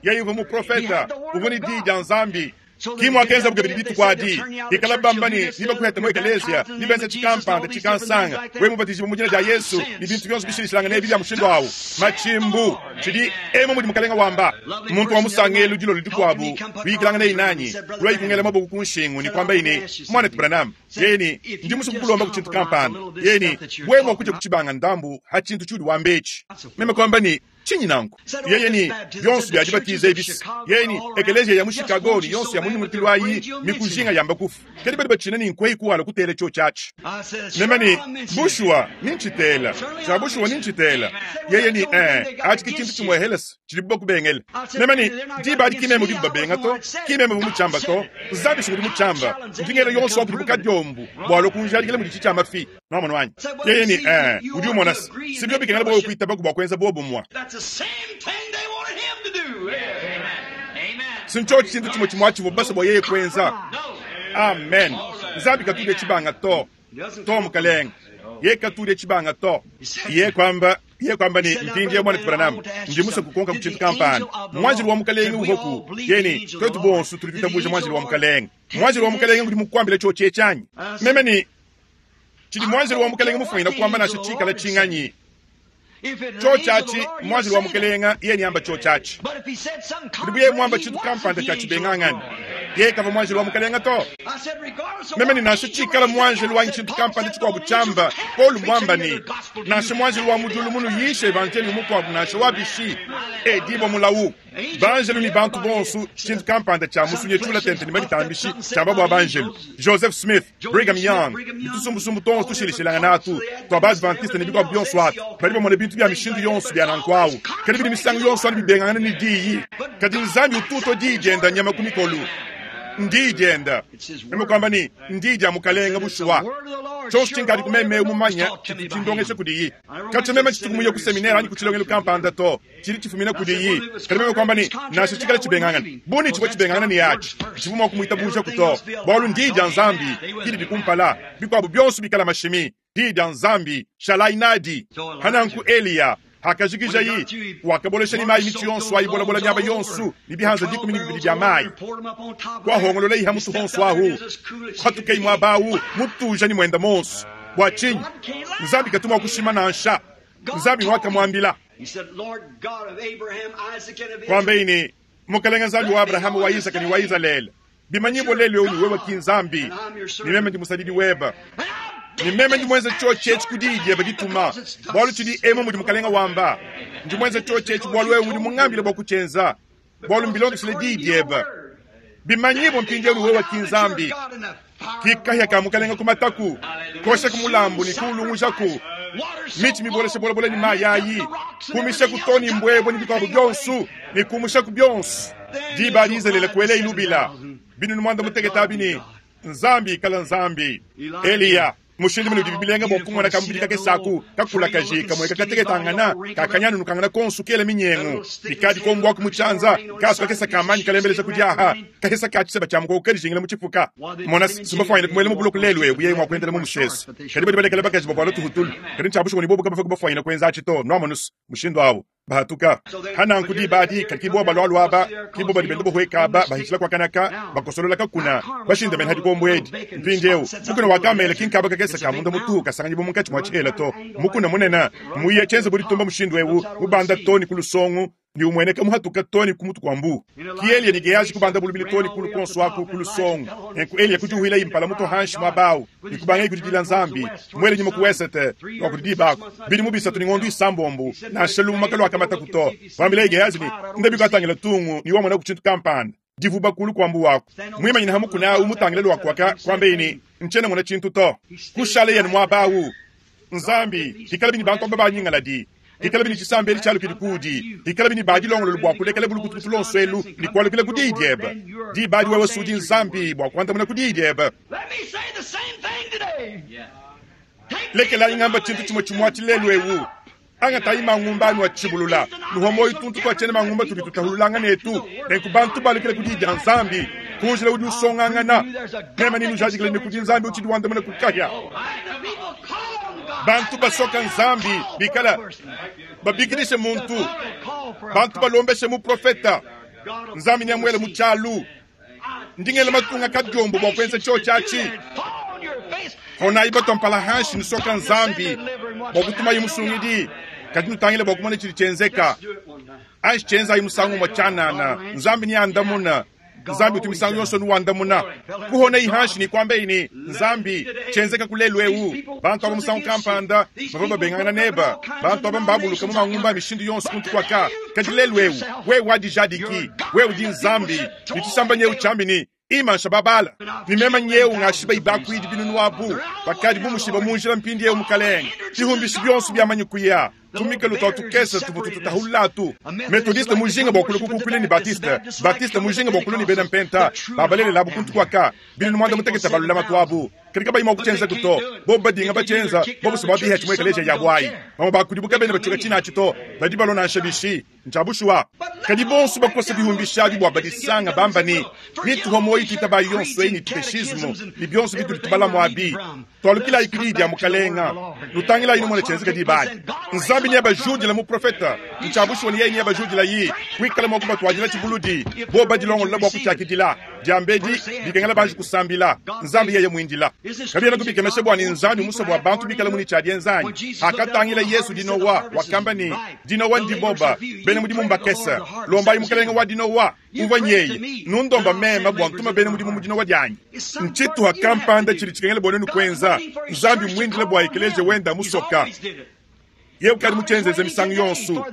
Yeye uvua muprofeta, uvua ne diyi dia Nzambi. Ki muakenzabu kabidi dituku adi. Bikala bamba ne, nebakuhete mu ekeleziya, nebenze tshikampanda, tshikansanga, wewe mubatijibue mu dina dia Yesu, ne bintu bionso bishilashilangane ebi bia mushindu awu. Matshimbu! Tshidi emu mudi Mukalenga wamba. Muntu wa musangelu dilolo dikuabu, kuyikilanganaye nanyi, kuluaye kungela maboko ku nshingu ne kuambaye ne, Muanetu Branham, yeye ne, ndi musue kukulombaku tshintu kampanda. Yeye ne, wewe mua kudia ku tshibanga ndambu ha tshintu tshiudi wamba etshi. Meme kuamba ne, Tshinyi nanku? Yeye ne, Bionso bia dibatiza ebi, yeye ne, ekeleziya ya mu Chicago ne yonso ya mu nyungulukilu ayi mikujinga yamba kufu. Kadi badi batshina ne nkueyi kuwala kutela tshiotshi atshi. Meme ne, Bushuwa, ni ntshitela. Tshia bushuwa ni ntshitela. Yeye ne, Ee, atshi ke tshintu tshimuehelese tshidibu bakubengele. Meme ne, Diba adi ki meme udibu babenga to, ki meme uvua mutshiamba to. Nzambi si ngudi mutshiamba. Ndi ngela yonso wa kudibu kadiombu bua alue kunjadikila mudi tshitshiamba fi. Nwamonu anyi? Yeye ne, Ee, udi umona se, si biobi bikengela bua wewe kuitabaku bua kuenza bobumue. Si ntshiotshi tshintu tshimue tshimue atshivua basue bua yeye kuenza. Amen. Nzambi katu udya tshibanga to. To, mukalenge. Yeye katu udya tshibanga to. Yeye kwamba, yeye kwamba ne, Mpindieu, Mwanetu Branham, ndi musue kukukonka ku tshintu kampanda. Mwanjelu wa Mukalenge uvuaku? Yeye ne, Tuetu bonso tudi tuitabuja Mwanjelu wa Mukalenge. Mwanjelu wa Mukalenge ngudi mukuambile tshiotshi etshi anyi? Meme ne, Tshidi Mwanjelu wa Mukalenge mufwanyine kuamba nansha tshikala tshinganyi? Tshiotshi atshi, Mwanjelu wa Mukalenge, yeye neamba tshiotshi atshi. Kadi bu yeye muamba tshintu kampanda tshia tshibengangane, yeye kavua Mwanjelu wa Mukalenge to. Meme ne, Nansha tshikala mwanjelu anyi tshintu kampanda tshikuabu tshiamba, Paulo muamba ne, nansha mwanjelu wa mu diulu munuyishe evanjeliyo mukuabu nansha wa bishi, edibua mulawu. Banjelu ne bantu bonso, tshintu kampanda tshia musunyi tshiula tente ne maditambishi tshiamba bua banjelu. Joseph Smith, Brigham Young, ne tusumbusumbu tuonso tushilashilangana atu tua ba-Adventiste ne bikuabu bionso atu, badi bamona bintu bia mishindu yonso bia nanku au, kadi bidi misangu yonso anu bibengangana ne Diyi. Kadi Nzambi utu utua Diyi dienda nyama ku mikolu. Ndiyi dienda. Meme kuamba ne, Ndiyi dia Mukalenge bushuwa. Tshionso tshinkadi ku meme eu mumanye tshitu tshindongesha kudiyi. Katshia meme tshituku muye ku seminere anyi ku tshilongelu kampanda to. Tshidi tshifumina kudiyi. Kadi meme kuamba ne, Nansha tshikale tshibengangana, bu ne tshivua tshibengangana ne atshi, tshivua mua kumuitabujaku to, bualu n'Diyi dia Nzambi ke didi kumpala, bikuabu bionso bikala mashimi. Diyi dia Nzambi, shalayi nadi. Pa nanku Eliya, hakajikijayi, wakabolesha ne mayi mitshi yonso ayi bolabola miaba yonso ne bihanza 12 bia mayi, kuahongololayi ha mutu honso ahu, kuhatukayi muaba awu mutuja ne muenda monso. Bua tshinyi? Nzambi katu mua kushima nansha. Nzambi wakamuambila. Kuambayi ne, Mukelenge Nzambi wa Abrahama, wa Isaka ne wa Izalele, bimanyibua lelu eu ne wewe ki Nzambi, ne meme ndi musadidi webe, ne meme ndi muenze tshiotshi etshi ku diyi diebe dituma, bualu tshidi emu mudi Mukelenge wamba, ndi muenze tshiotshi etshi bualu wewe udi mungambile bua kutshienza, bualu mbilondeshile diyi diebe. Bimanyibua mpindieu ne wewe ki Nzambi, ki kahia ka Mukelenge ku mataku, koshaku mulambu ne kuulungujaku mitshi mibolesha bolabola ne mayi ayi, kumishaku too ne mbuebue ne bikuabu bionso, ne kumushaku bionso. Diba adi Izalele kuelayi lubila binunu muanda mutekete abi ne, Nzambi ikala Nzambi. Eliya mushindu mene udibi bilenga bua kumona kamubidi kakese aku kakulakaji kamueka kateketangana kakanyanunukangana konsu kela minyengu bikadi kombuaku mu tshianza kasu kakese ka manyi kalembeleja ku diaha kahesa ka tshiseba tshia mukoko kadijingila mu tshipuka. Mona, simbafwanyine kumuela mu buloko lelu eu yeye mua kuendela mu mushese. Kadi badi balekela bakaji bavuala tuhutulu. Kadi ntshia bushuwa ne bobu kabavua bafwanyine kuenza atshi to. Nuamonus, mushindu au bahatuka. Ha nanku diba adi, kadi ki boba balualua aba, ki boba badi benda bahueka aba, bahitshila kua kanaka, bakosolola kakuna, bashindamene ha dikombo edi. Mpindieu, mukuna wa Kamele ki nkaba kakese ka munda mutuhu kasanganyibua munkatshi mua tshihela to. Mukuna munene, muye tshienze bu ditumba mushindu eu, mubanda to ne ku lusongo, ne umueneka muhatuka to ne ku mutu kua mbu. Ki Eliya ne Gehazi kubanda bulubile to ne kulu kuonso aku ku lusongo. Nenku Eliya kudiuhilayi mpala mutua hanshi muaba au, ne kubangaye kudidila Nzambi, muele nyima ku wesete lua kudi diba aku, bidimu bisatu ne ngondo isambombo, nansha lumuma kaluakamataku to. Kuambilaye Gehazi ne, Ndabi kuatangila tungu ne wamonaku tshintu kampanda, divuba kulu kua mbu waku. Muimanyine ha mukuna au mutangile lua kuaka, kuambeye ne, Ntshiena mona tshintu to. Kushaleye anu muaba au. Nzambi, hikalabi ne bantu aba banyingaladi, hikalabi ne tshisamba edi tshialukidi kuudi, hikalabi ne badilongolole bua kulekela bulukutukutu luonso elu ne kualukila ku diyi diebe, diba adi wewe sudi Nzambi bua kuandamuna ku diyi diebe. Lekelayi ngamba tshintu tshimue tshimue atshi lelu eu. Angatayi mangumba anu atshibulula, nuhua muoyo tuntu tua tshiena mangumba tudi tutahululangana etu. Nenku bantu balukile ku diyi dia Nzambi, ku njila udi usongangana. Meme nenujadikile ne kudi Nzambi utshidi wandamuna ku kahia. Bantu basoka Nzambi bikala babikidishe muntu, bantu balombeshe muprofeta, Nzambi neamuele mu tshialu. Ndi ngela matunga kadiombo bua kuenza tshiotshi atshi. Honayi batua mpala hanshi nusoka Nzambi bua kutumayi musungidi, kadi nutangile bua kumona tshidi tshienzeka. Anshi tshienzayi musangu umue tshianana, Nzambi neandamuna. Nzambi utu misangu yonso nuwandamuna. Kuhonayi hanshi ne kuambeyi ne, Nzambi, tshienzeka ku lelu eu. Bantu aba musangu kampanda bavua babengangana neba. Bantu aba mbabuluka mu mangumba a mishindu yonso kuntu kuaka. Kadi lelu eu, wewe wadijadiki, wewe udi Nzambi, ne tshisamba nyeu tshiambi ne, Imansha babala, ne mema nyeu ngashiba ibakuidi binunu abu, bakadi bumushiba mu njila mpindieu Mukalenge, bihumbishi bionso biamanyi kuya. Tumikelu twa tukese tuvua tututahulula atu. Methodiste mujinga bua kulua kukukuila ne Baptiste, Baptiste mujinga bua kulua ne bena Mpenta, babalelela abu kuntu kuaka, binunu muanda mutekete ba lulamatu abu. Kadi kabayi mua kutshienzaku to. Bobu badinga batshienza, bobu se babiha tshimue ekeleziya yabu ayi. Bamue ba kudibu kabena batshiuka tshine atshi to. Badi balua nansha bishi. Ntshia bushuwa. Kadi bonso bakosa bihumbishi abi bua badisanga bamba ne, Mituha muoyo tuitabayi yonso eyi ne tukeshismu ne bionso bitudi tubalamu abi. Tualukilayi ku Diyi dia Mukalenga. Nutangilayi numone tshienzeka diba adi. Nzambi neabajudile muprofeta. Ntshia bushuwa ne yeye neabajudilayi, kuikala mua kubatuadila tshibuludi. Bobu badilongolola bua kutshiakidila. Diambedi, bikengela banji kusambila. Nzambi yeye muindila. Kabienaku bikemesha bua ne Nzambi musue bua bantu bikalamu ne tshia dienza anyi? Hakatangila Yesu dinowa, wakamba ne, Dinowa ndiboba, bena mudimu mbakese. Lombayi Mukelenge wa dinowa. Uvua nyeye, Nundomba meme bua ntuma bena mudimu mu dinowa dianyi. Ntshituha kampanda tshidi tshikengela bua nuenu kuenza. Nzambi mmuindile bua ekeleziya wende amusoka. Yeye ukadi mutshienzenze misangu yonso.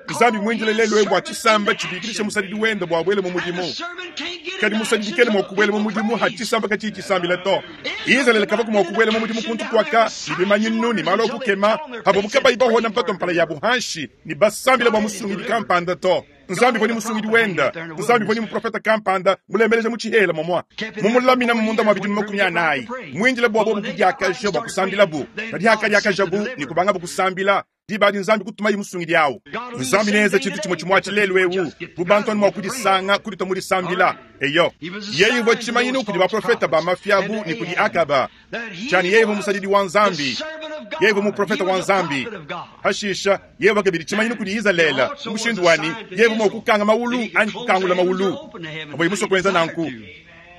Nzambi mmuindile lelu eu bua tshisamba tshibikidishe musadidi wende bua abuele mu mudimu. Kadi musadidi kena mua kubuela mu mudimu ha tshisamba katshiyi tshisambila to. Izalele kavua mua kubuela mu mudimu kuntu kuaka ne bimanyinu ne malu a kukema pavuabu kabayi bahona mpatua mpala yabu hanshi ne basambila bua musungidi kampanda to. Nzambi uvua ne musungidi wenda. Nzambi uvua ne muprofete kampanda mulembeleja mu tshihela momua, mumulaminamu munda mua bidimu 40, muindile bua bobu kudiakaja bua kusambilabu. Kadi hakadiakajabu ne kubangabu kusambila, diba adi Nzambi kutumaye musungidi au. Nzambi neenze tshintu tshimue tshimue atshi lelu eu, bu bantu anu mua kudisanga kuditua mu disambila. Eyo, yeye uvua tshimanyinu kudi baprofete ba mafi abu ne kudi Akaba, tshia ne yeye uvua musadidi wa Nzambi, yeye uvua muprofete wa Nzambi. Hashisha, yeye uvua kabidi tshimanyinu kudi Izalele mu mushindu wa ne, yeye uvua mua kukanga mawulu anyi kukangula mawulu pavuaye musue kuenza nanku.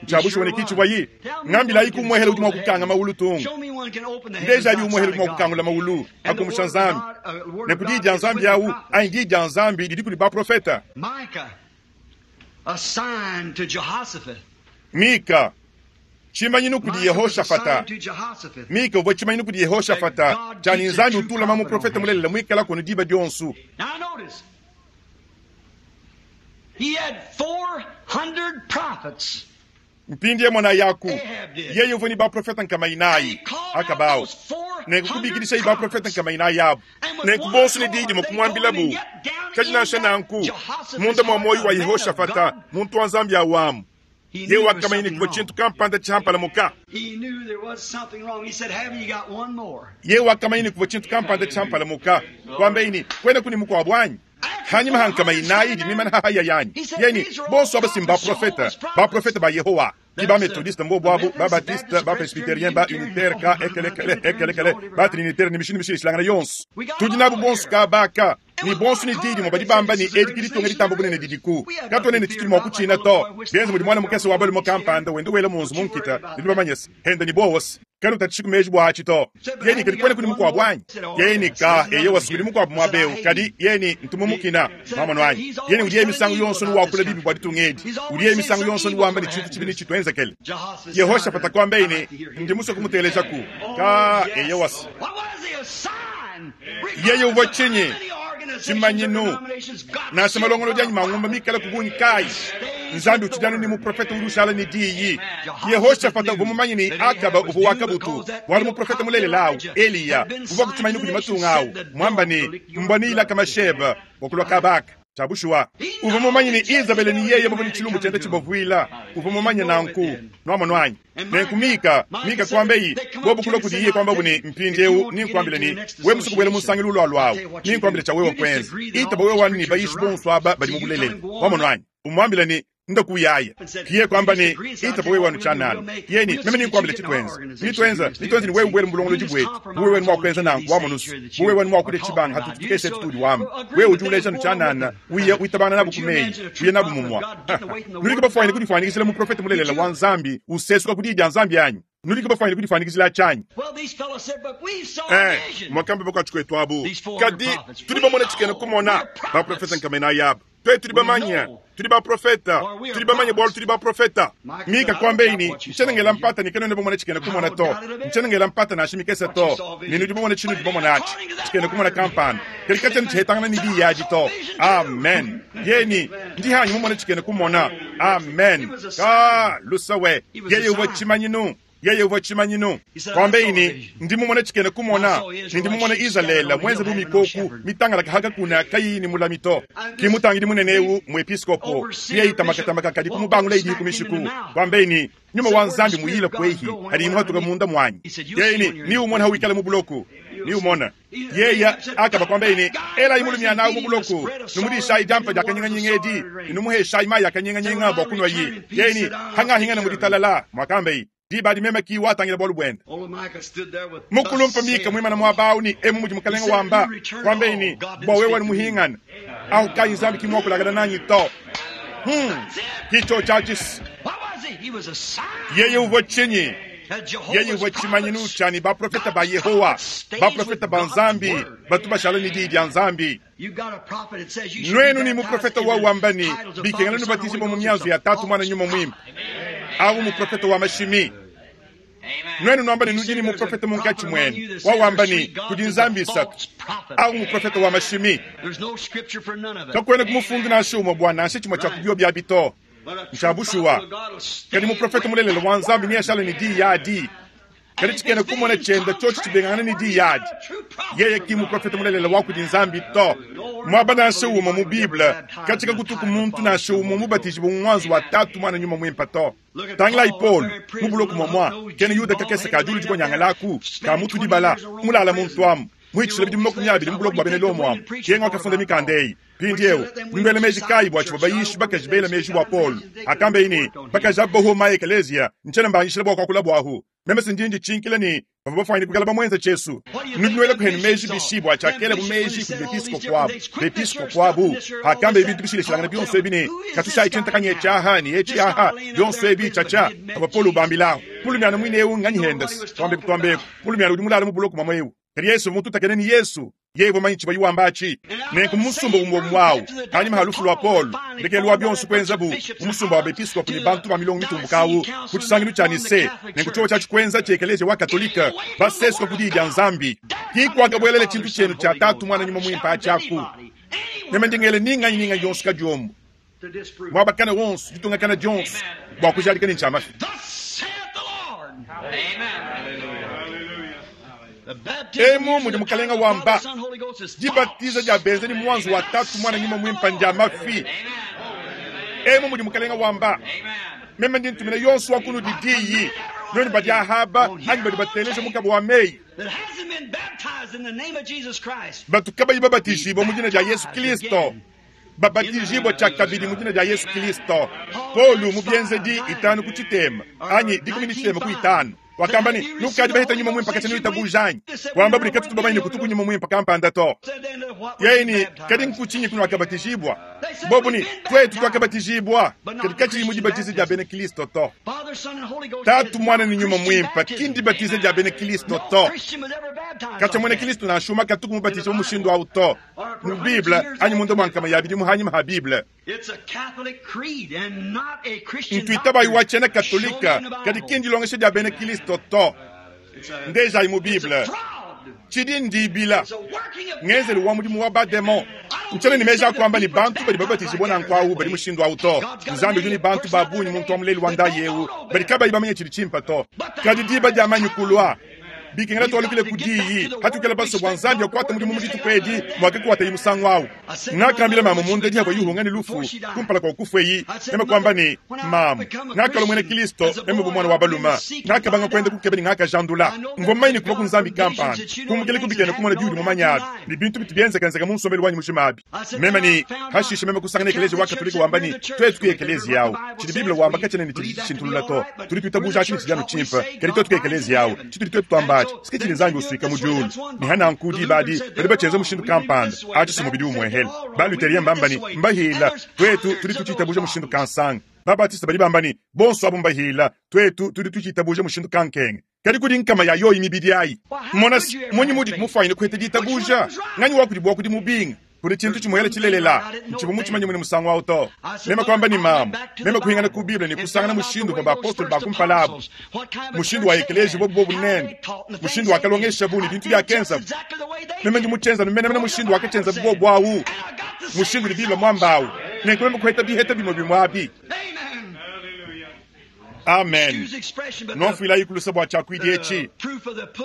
Ntshia bushuwa ne ki tshivuaye. Ngambilayi ku muehele udi mua kukanga mawulu tung. Ndejabi umuehele udi mua kukangula mawulu akumusha Nzambi. Ne ku diyi dia Nzambi au anyi diyi dia Nzambi didi kudi baprofete. Mika, tshimanyinu kudi Yehoshafata. Mika uvua tshimanyinu kudi Yehoshafata tshia ne Nzambi utu ulama muprofete mulelela muikalaku anu diba dionso. Mpindieu monayaku, yeye uvua ne baprofete 400, Akaba au. Nenku kubikidishaye baprofete 400 abu. Nenku bonso ne diyi dimue kumuambilabu. Kadi nansha nanku, munda mua muoyo wa Yehoshafata, muntu wa Nzambi au amu, yeye wakamanya ne kuvua tshintu kampanda tshiampalamuka. Yeye wakamanya ne kuvua tshintu kampanda tshiampalamuka. Kuambaye ne, Kuenaku ne mukuabu anyi? Hanyima ha 400 idi mimana ha haya yanyi. Yeye ne, Bonso aba si mbaprofete, baprofete ba Yehowa. Ki ba Methodiste mbobu abu, ba Baptiste, ba Presbyterien, ba Unitaire, ka ekelekele, ekelekele, ba Trinitaire ne mishindu mishilashilangane yonso. Tudi nabu bonso kaba aka. Ne bonso ne diyi dimue badi bamba ne, Edi ke ditunga ditamba bunene didiku. Katuena ne tshitudi mua kutshina to. Bienze mudi muana mukese wa balume kampanda wenda wela munzu mu nkita, nudi bamanye se, henda ne buowa se, Kanutatshiku meji bua atshi to. Yeye ne, Kadi kuenaku ne mukuabu anyi? Yeye ne, Ka, eyowa, kudi mukuabu muaba eu. Kadi, yeye ne, ntu mumukina. Nwamonu anyi? Yeye ne, Udiye misangu yonso ne wakula bibi bua ditunga edi. Udiye misangu yonso ne wamba ne tshintu tshibi netshituenzekele. Yehoshafata kuambaye ne, Ndi musue kumutelejaku. Ka, eyowa. Yeye uvua tshinyi? Tshimanyinu. Nansha malongolodi anyi mangumba mikale ku bungi kayi, Nzambi utshidi anu ne muprofete udi ushala ne diyi. Yehoshafata uvua mumanye ne, Akaba uvua wa kabutu, bualu muprofete mulelela au, Eliya, uvua ku tshimanyinu kudi matunga au, muamba ne, Mbua neyilaka masheba bua kulua kaba aka. Tshia bushuwa, uvua mumanye ne, Izabele ne yeye bavua ne tshilumbu tshienda tshibavuila. Uvua mumanye nanku. Nuamonu anyi? Nenku Mika, Mika kuambaye, bobu kulua kudiye kuambabu ne, Mpindieu nenkuambile ne, wewe musue kubuela mu nsangilu ulualua au, nenkuambile tshia wewe kuenza. Itaba wewe anu ne bayishi bonso aba badi mu bulelela. Wamonu anyi? Umuambile ne, Nda kuyaya. Kiye kuamba ne, Itaba wewe anu tshianana. Yeye ne, Meme nenkuambile tshituenza. Bituenza, bituenza ne wewe ubuele mu bulongolodi buetu. Bu wewe mua kuenza nanku, wamonu's. Bu wewe mua kudia tshibanga hatutu tukese etu tudi wamba. Wewe udi uleja anu tshianana, uya witabangana nabu ku meyi, uya nabu mumua. Nudi bafuanyine kudifuanyikijila muprofete mulelela wa Nzambi usesuka ku diyi dia Nzambi anyi? Nudi bafuanyine kudifuanyikijila tshianyi? Eh, muakamba bakuatshi kuetu abu. Kadi tudi bamone tshikena kumona, baprofete 400 aba. Tuetu tudi bamanye, tudi baprofeta, tudi bamanye bualu tudi baprofeta. Mika kuambaye ne, Ntshiena ngela mpata ne kanuena bamone tshikena kumona to. Ntshiena ngela mpata nansha mikese to, ne nudi bamone tshinudi bamone atshi, tshikena kumona kampanda. Kadi katshiena tshihetangana ne diyi adi to. Amen. Yeye ne, Ndi hanyi mumone tshikena kumona. Amen. Ka lusa we. Yeye uvua tshimanyinu. Yeye uvua tshimanyinu. Kuambeyi ne, Ndi mumone tshikena kumona, ne ndi mumone Izalele muenze bu mikoku mitangalake ha kakuna kayiyi ne mulami to. Ki mutangidi munene eu, muepiskopo, kuyayi tamakatamaka kadi kumubangula idi ku mishiku. Kuambeyi ne, Nyuma wa Nzambi muyile kuehi hadi muhatuka munda muanyi. Yeye ne, Ni umona hawikala mu buloko. Ni umona. Yeya akaba kuambeyi ne, Elayi mulumiana awu mu buloko, numudishayi diampa dia kanyinganyinga edi, ne numuheshayi mayi a kanyinganyinga bua kunuayi. Yeye ne, Hangahingana mu ditalala, muakambeyi, diba adi meme ki watangila bualu buende. Mukulumpa Mika muimana muaba awu ne, Emu mudi mukalenge wamba, kuambeyi ne, Bua wewe muhingana awu kayi Nzambi ki muakulakana nanyi to. Ki tshiotshi atshi. Yeye uvua tshinyi? Yeye uvua tshimanyinu tshia ne baprofete ba Yehowa, baprofete ba Nzambi batu bashala ne diyi dia Nzambi. Nuenu ne muprofete wa wamba ne, bikengela nubatijibue mu mianzu ya Tatu, Muana, Nyuma Muimpe. Awu muprofete wa mashimi. Nuenu nuamba ne nudi ne muprofete munkatshi muenu wa wamba ne kudi nzambi isatu. Awu muprofete wa mashimi. Kakuena ku mufundu nansha umue bua nansha tshimue tshia ku biobi abi to. Ntshia bushuwa. Kadi muprofete mulelela wa Nzambi neashale ne diyi adi. Kadi tshikena kumona tshienda tshiotshi tshibengangana ne diyi adi, yeye ki muprofete mulelela wa kudi Nzambi to. Muaba nansha umue mu Bible katshia kakutuku muntu nansha umue mubatijibue mu muanzu wa Tatu, Muana, Nyuma Muimpe to. Tangilayi Paulo mu buloko muamua, kena Yuda kakese ka diulu dikonyangalaku ka mutu dibala mulala muntu amu muhitshile bidimu 20 mu buloko bua bena Lomo amu, kenga wakafunda mikanda eyi. Mpindieu, nuele meji kayi bua tshivua bayishi bakaji bela meji bua Paulo akambeyi ne, bakaji aba bahuoma ekeleziya, ntshiena mbanyishila bua kuakula buahu. Meme si ndi nditshinkila ne bavua bafuanyine kuikala bamuenza tshiesu. Nudi nuela kuhenu meji bishi bua tshiakelabu meji kudi bepiskopo abu? Bepiskopo abu akambeyi bintu bishilashilangane bionso ebi ne, katushayi tshintakanya etshi aha ne etshi aha, bionso ebi tshiatshia avua Paulo ubambilahu. Mulumiana muine eu nganyi hendesi? Tuambeku tuambeku, mulumiana udi mulale mu buloko muamua eu. Kadi Yesu mututakene ne Yesu, yeye uvua manye tshivua wamba atshi. Nenku mu musumba umue umue awu, panyima ha lufu lua Paulo, ndekelu wa bionso kuenzabu mu musumba wa bepiskopo ne bantu ba milongo mitumbuka awu ku tshisangilu tshia Nicee, nenku tshiovo tshiatshi kuenza tshia ekeleziya wa Katolike, basesuka ku diyi dia Nzambi. Ki kuakabuelele tshintu tshienu tshia Tatu, Muana, Nyuma Muimpe atshi aku. Meme ndi ngela ni nganyi ni nganyi yonso kadiombo, muaba kana wonso, ditunga kana dionso, bua kujadika ne ntshia mafi. Emu mudi Mukalenga wamba, dibatiza dia benza ne muanzu wa Tatu, Muana, Nyuma Muimpe ndia mafi. Emu mudi Mukalenga wamba, meme ndi ntumina yonso wa kunudi diyi, nuenu badi ahaba anyi badi bateleja mukaba wa meyi, batu kabayi babatijibua mu dina dia Yesu Kristo, babatijibua tshiakabidi mu dina dia Yesu Kristo. Paulo mu Bienzedi 5 ku tshitema anyi 15 ku 5 wakamba ne, nukadi baheta nyuma muimpe katshia nuitabuja anyi? Wamba budi katutu bamanye ne kutuku nyuma muimpe kampanda to. Yeye ne, kadi nkutshinyi kunuakabatijibua? Bobu ne, tuetu tuakabatijibua, kadi katshiyi mu dibatiza dia bena Kristo to. Tatu, Muana ne Nyuma Muimpe ki ndibatiza dia bena Kristo to. Katshia muena Kristo nansha umue katuku mubatijibua mushindu au to mu Bible anyi munda mua nkama ya bidimu hanyima ha Bible. Ntuitabayi wa tshiena Katolika, kadi ki ndilongesha dia bena Kristo to. Ndejayi mu Bible. Tshidi ndibila ngenzelu wa mudimu wa bademon. Ntshiena ne meji a kuamba ne bantu badi babatijibua nanku awu badi mushindu awu to. Nzambi udi ne bantu ba bungi muntu wa mulelu wa ndayi eu badi kabayi bamanye tshidi tshimpe to. Kadi diba diamanyi kulua, bikengela tualukile ku diyi hatukela basue bua Nzambi akuate mudimu mu dituku edi muakakuatayi musangu awu. Ngakambila mamu munda diavua yuhunga ne lufu kumpala kua kufueyi, meme kuamba ne, Mamu, ngakalua muena Kristo meme bu muana wa balume. Ngakabanga kuenda kukeba ne ngakajandula. Mvua mumanye ne kuvua ku Nzambi kampanda kumbukila ku bikena kumona biudi mumanye abi ne bintu bitu bienzekenzeka mu nsombelu wanyi mujima abi. Meme ne hashishe meme kusangana ekeleziya wa Katolika wamba ne, tuetu ku ekeleziya awu, tshidi Bible wamba katshiena ne tshidi tshishintulula to. Tudi tuitabuja atshi ne tshidi anu tshimpe, kadi tuetu ku ekeleziya awu, tshitudi tuetu tuamba atshi si ke tshidi Nzambi usuika mu diulu. Ne hananku diba adi badi batshienza mushindu kampanda, atshi si mubidi umuehele. Ba-Luterien mbamba ne, mbahila, tuetu tudi tutshitabuja mushindu kansanga. Ba-Batiste badi bamba ne, bonso abu mbahila, tuetu tudi tutshitabuja mushindu kankenge. Kadi kudi nkama ya yoyi mibidi ayi. Mona se, mmunyi mudi mufuanyine kuheta ditabuja? Nganyi wa kudi bua kudi mubinga? Kudi tshintu tshimuele tshilelela, ntshivua mutshimanye mune musangu awu to. Meme kuamba ne, Mamu, meme kuhingana ku Bible ne kusangana mushindu uvua bapostolo ba kumpala abu, mushindu wa ekeleziya bobu bobu nende, mushindu wakalongeshabu ne bintu biakenzabu. Meme ndi mutshienza anu menemene mushindu wakatshienzabu bobu awu, mushindu udi Bible muamba awu. Nenku meme kuheta biheta bimue bimue abi. Amen. Nwamfuilayi kulusa bua tshiakuidi etshi,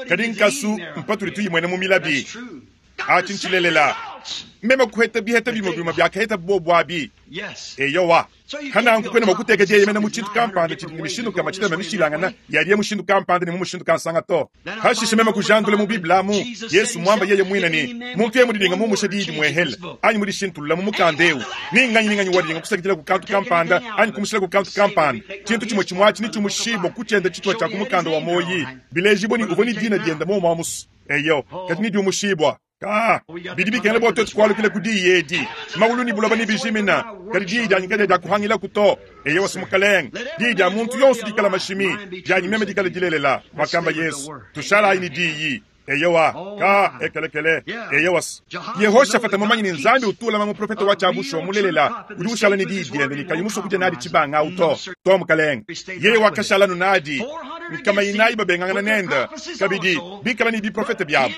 kadi nkasu mpatudi tuyimwena mu milabi. Atshi ntshilelela. Meme kuheta biheta bimue bimue biakaheta bobu abi. Eyowa. Hananku kuena mua kuteka dieyemena mu tshintu kampanda tshidi ne mishindu nkama tshitema mishilangana yadiye mushindu kampanda ne mu mushindu kansanga to. Hashishe meme kujandula mu Bible amu, Yesu muamba yeye muine ne, muntu yeye mudidinga mumusha diyi dimuehele anyi mudishintulula mu mukanda eu, ni nganyi ni nganyi wadidinga kusakidila ku kantu kampanda anyi kumushila ku kantu kampanda, tshintu tshimue tshimue atshi netshiumushibue ku tshiende tshitupa tshia ku mukanda wa muoyi, bilejibue ne uvua ne dina diende muomu amusu. Eyo, kadi nediumushibua. Ka, bidi bikengela bua tuetu kualukila ku diyi edi. Mawulu ne buloba nebijimina, kadi diyi dianyi kadiakuhangilaku to. Eyowa, si Mukalenge, diyi dia muntu yonso dikala mashimi, dianyi meme dikala dilelela, muakamba Yesu. Tushalayi ne diyi. Eyowa, ka, ekelekele. Eyowa. Yehoshafata mumanye ne Nzambi utu ulama muprofete wa tshia mulelela udi ushala ne diyi diende ne kayi musue kudia nadi tshibanga au to. To, Mukalenge. Yeye wakashala anu nadi. Nkama inayi babengangana nende, kabidi bikala ne biprofete biabu.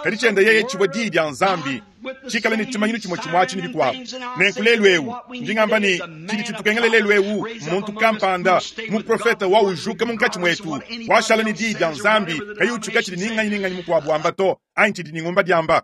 Kadi tshiende yeye tshivua diyi dia Nzambi, tshikale ne tshimanyinu tshimue tshimue atshi ne bikuabu. Nenku lelu eu, ndi ngamba ne, tshidi tshitukengela lelu eu mmuntu kampanda, muprofete wa ujuka munkatshi muetu, washala ne diyi dia Nzambi, kayi utshuka tshidi ni nganyi ni nganyi mukuabu wamba to, anyi tshidi ni ngumba diamba.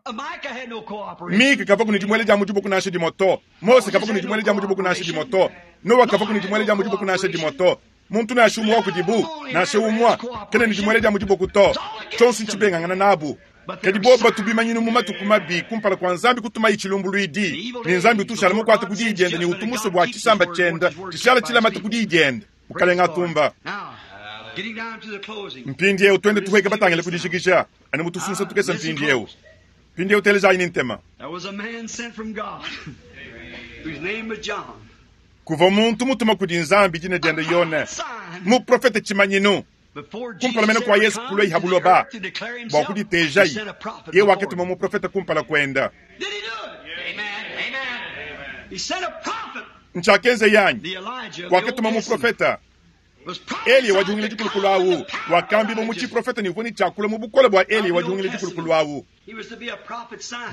Mika kavua ne dimuele dia mu diboko nansha dimue to, Mose kavua ne dimuele dia mu diboko nansha dimue to, Noa kavua ne dimuele dia mu diboko nansha dimue to. Muntu nansha umue wa kudibu, nansha umue, kena ne dimuele dia mu diboko to. Tshionso ntshibengangana nabu. Kadi bobu batu bimanyinu mu matuku mabi kumpala kua Nzambi kutumaye tshilumbuluidi, ne Nzambi utu ushala mukuate ku diyi diende ne utu musue bua tshisamba tshiende tshishala tshilamate ku diyi diende. Mukalenge atumba. Mpindieu tuende tuhueke batangile ku dijikija anu mu tusunsa tukese mpindieu. Mpindieu telejayi ne ntema. Kuvua muntu mutuma kudi Nzambi dina diende Yone, muprofete tshimanyinu. Kumpala mene kua Yesu kulua ha buloba bua kuditejayi, yeye wakatuma muprofete kumpala kuenda. Ntshiakenza yanyi, wakatuma muprofete Eliya wa dihungila dikulukulu awu, wakambibua mu tshiprofete ne uvua ne tshiakula mu bukole bua Eliya wa dihungila dikulukulu awu.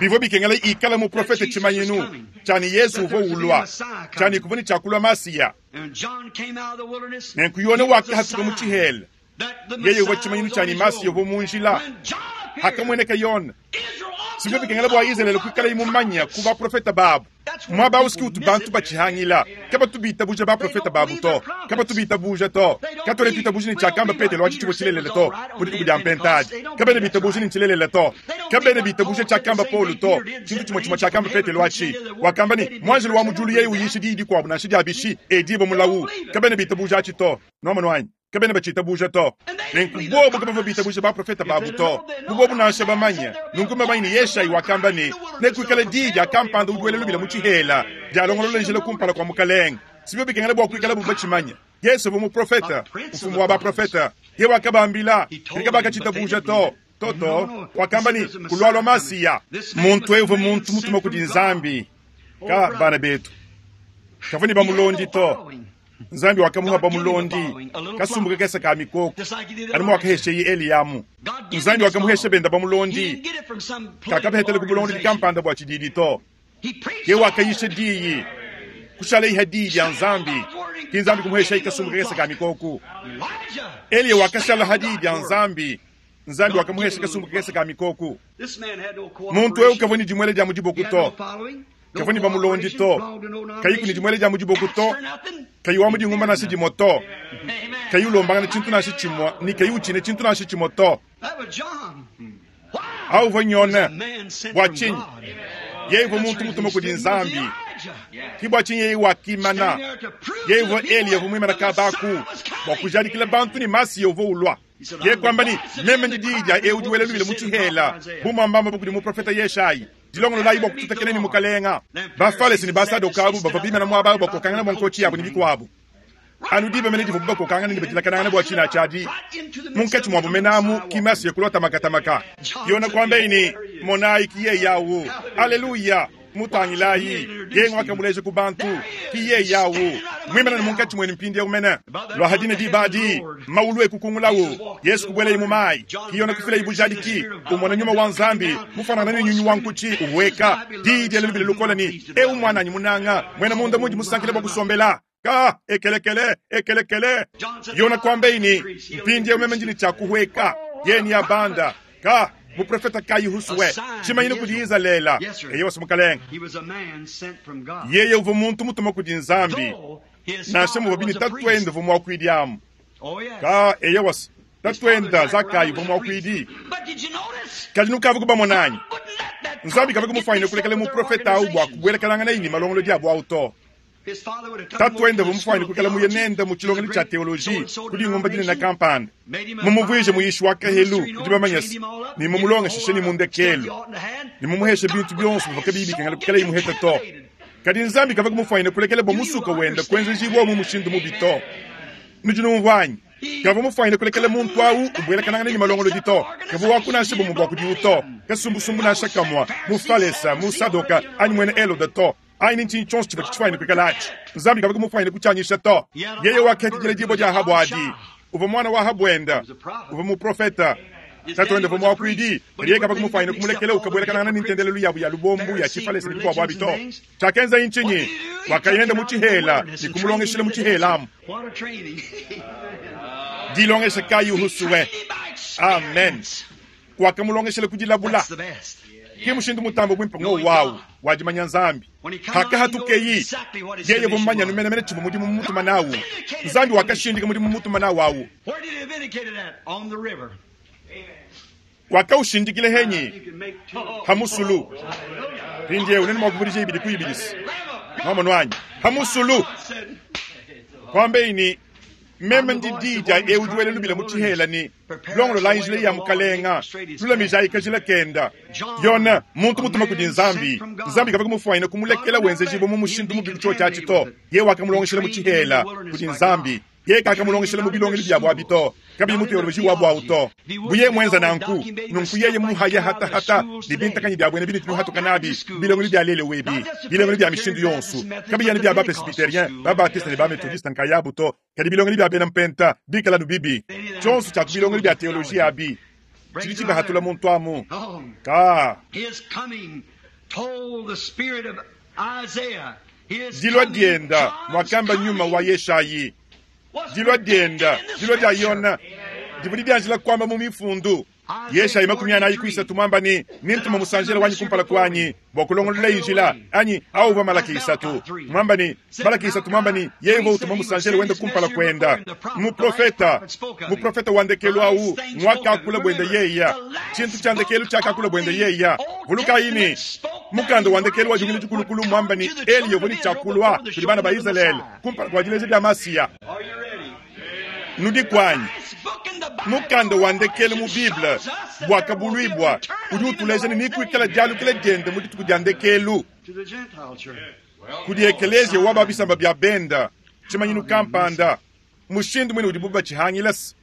Bivua bikengela ikala muprofete tshimanyinu tshia ne Yesu uvua ulua, tshia ne kuvua ne tshiakulua Masiya. Nenku Yone wakahatuka mu tshihela, yeye uvua tshimanyinu tshia ne Masiya uvua mu njila. Hakamueneka Yone, sivua bikengela bua Izalele kuikalaye mumanya ku baprofete babu. Muaba au si utu bantu batshihangila, kabatu bitabuja baprofete babu to, kabatu bitabuja to. Katuena tuitabuja ne tshiakamba Petelo atshi tshivua tshilelela to mu dituku dia Mpentadi. Kabena bitabuja ne ntshilelela to. Kabena bitabuja tshiakamba Paulo to, tshintu tshimue tshimue tshiakamba Petelo atshi. Wakamba ne, muanjelu wa mu diulu yeye uyisha diyi dikuabu nansha dia bishi, edibue mulawu. Kabena bitabuja atshi to. Nuamonu anyi? Kabena batshitabuja to. Nenku bobu kabavua bitabuja baprofete babu to, bu bobu nansha bamanye. Nunku mbamanye ne Yeshayi wakamba ne, nekuikale diyi dia kampanda udi wela lubila mu tshihela, dialongolola njila kumpala kua Mukalenge. Sibio bikengela bua kuikalabu batshimanye. Yesu uvua muprofete, mfumu wa baprofete. Ye wakabambila, kadi kabakatshitabuja to. Toto wakamba ne, kulualua Masiya. Muntu eu uvua muntu mutuma kudi Nzambi. Ka bana betu, kavua ne bamulondi to. Nzambi wakamuha bamulondi kasumbu kakese ka mikoko, anu muakahesheye Eliyamu. Nzambi wakamuhesha benda bamulondi, kakabahetela ku bulongolodi kampanda bua tshididi to. Ye wakayisha diyi, kushaleiha diyi dia Nzambi, ki Nzambi kumuheshayi kasumbu kakese ka mikoko. Eliya wakashala ha diyi dia Nzambi, Nzambi wakamuhesha kasumbu kakese ka mikoko. Muntu eu kavua ne dimuele dia mu diboko to, kavua ne bamulondi to, kayiku ne dimuele dia mu diboko to, kayi wa mu dingumba nansha dimue to, kayi ulombangana tshintu nansha tshimue ne kayi utshina tshintu nansha tshimue to. Au uvua Yone. Bua tshinyi? Yeye uvua muntu mutuma kudi Nzambi. Ki bua tshinyi yeye wakimana. Yeye uvua Eliya uvua muimana kabaku bua kujadikila bantu ne Masiya uvua ulua. Yeye kuamba ne, meme ndi diyi dia eu udi wela lubila mu tshihela, bu muambamba kudi muprofete Yeshayi. Dilongololayi bua kututakena ne Mukalenga. Bafalese ne Basadoka abu bavua bimana muaba awu bakokangana bua nkotshi yabu ne bikuabu. Anu diba mene divuabu bakokangana ne badilakanangana bua tshina tshiadi munkatshi muabu mene amu ki Masiya kulua tamakatamaka. Yona kuambaye ne, monayi ki yeye awu. Aleluya! Mutangilayi, yeye ngwakamuleja ku bantu, ki yeye awu muimana ne munkatshi muenu mpindieu mene. Lua dina diba adi, mawulu ekukungulawu, Yesu kubuelaye mu mayi, ki Yona kufilaye bujadiki, umona nyuma wa Nzambi mufanangana ne nyunyu wa nkutshi uhueka, diyi diela lubila lukole ne, eu muananyi munanga, muena munda mundi musankile bua kusombela. Ka, ekelekele, ekelekele. Yona kwambaye ne, Mpindieu meme ndi ne tshia kuhueka. Yeye neabanda. Ka, muprofeta kayi husue tshimanyinu kudi Izalele. Eyowa, mukalenge. Yeye uvua muntu mutuma kudi Nzambi, nansha muvua bine tatuende uvua muakuidi amu. Ka, eyowa, tatuende Zakayi uvua muakuidi. Kadi nukavua kubamona anyi? Nzambi kavua kumufanyine kulekela muprofeta au bua kubuelakananganaye ne malongolodi abu au to. Tatuende uvua mufuanyine kuikala muye nende mu tshilongelu tshia teoloji ku dingumba dinene kampanda, mumuvuije muyishi wa kahelu udi bamanye se, ne mumulongeshishe ne mu ndekelu ne mumuheshe bintu bionso bivua kabiyi bikengela kuikalaye muhete to. Kadi Nzambi kavua kumufuanyine kulekela bua musuka wende kuenzejibua mu mushindu mubi to. Nudi numvua anyi? Kavua mufuanyine kulekela muntu au ubuelakanangana ne malongolodi to. Kavua waku nansha bumue bua kudiwu to, kasumbusumbu nansha kamue, Mufalesa, Musadoka anyi muena Helode to. Anyi ne ntshinyi tshionso tshivua tshifwanyine kuikala atshi, Nzambi kavua mufwanyine kutshianyisha to. Yeye wakakidila dibue dia Ahabu adi. Uvua mwana wa Ahabu wenda. Uvua muprofeta. Tatuende uvua muakuidi, kadi yeye kavua mufwanyine kumulekela ukabuelakanangana ne ntendelelu yabu ya lubombu ya tshifalesa ne bikuabu abi to. Tshiakenzaye ntshinyi? Wakaya nende mu tshihela ne kumulongeshila mu tshihela amu. Dilongesha kayi husue! Amen. Wakamulongeshela ku dilabula. Ke mushindu mutambe buimpe ng'wowu au wa dimanya Nzambi. Hakahatukeyi, yeye uvua mumanye anu menemene tshivua mudimu mumutuma nawu. Nzambi wakashindika mudimu mumutuma nawu au. Wakaushindikila henyi? Ha musulu. Mpindieu nenu mua kuvudija ibidi ku ibidi se. Nwamonu anyi? Ha musulu. Kuambeyi ne, Meme ndi diyi dia eu udi wela lubila mu tshihela ne, Longololayi njila ya Mukalenga, lulamijayi kajila kenda. Yona, muntu mutuma kudi Nzambi, Nzambi kavua kumufuanyina kumulekela wenzejibua mu mushindu mubi ku tshiotshi atshi to. Yeye wakamulongeshela mu tshihela kudi Nzambi. Yeye kakamulongeshela mu bilongelu biabu abi to, kabiyi mu teoloji wabu au to. Bu yeye muenza nanku, nunku yeye muhaya hatahata ne bintakanyi bia buena binudi nuhatuka nabi mu bilongelu bia lelu ebi, bilongelu bia mishindu yonso, kabiyi anu bia ba-presbyterien, ba-baptiste ne ba-methodiste nkayabu to, kadi bilongelu bia bena mpenta bikala anu bibi. Tshionso tshia ku bilongelu bia teoloji abi tshidi tshibahatula muntu amu. Ka. Dilua dienda, muakamba nyuma wa Yeshayi. Dilua dienda, dilua dia Yona, divua didianjila kuamba mu mifundu. Yeshayi 43 muamba ne, Nintuma musanjela wanyi kumpala kuanyi bua kulongolola njila, anyi au uvua Malaki 3 muamba ne, Malaki 3 muamba ne, yeye uvua utuma musanjela wende kumpala kuenda. Muprofeta, muprofeta wa ndekelu au nguakakula buende yeya, tshintu tshia ndekelu tshiakakula buende yeya. Vulukayi ne, mukanda wa ndekelu wa Dipungila Dikulukulu muamba ne, Eliya uvua ne tshia kulua kudi bana ba Izalele kumpala kua dileja dia Masiya. Nudiku anyi? Mukanda wa ndekelu mu Bible, Buakabuluibua, udi utuleja ne nekuikale dialukila diende mu dituku dia ndekelu kudi ekeleziya wa ba bisamba bia benda, tshimanyinu kampanda, mushindu muine udibu batshihangila se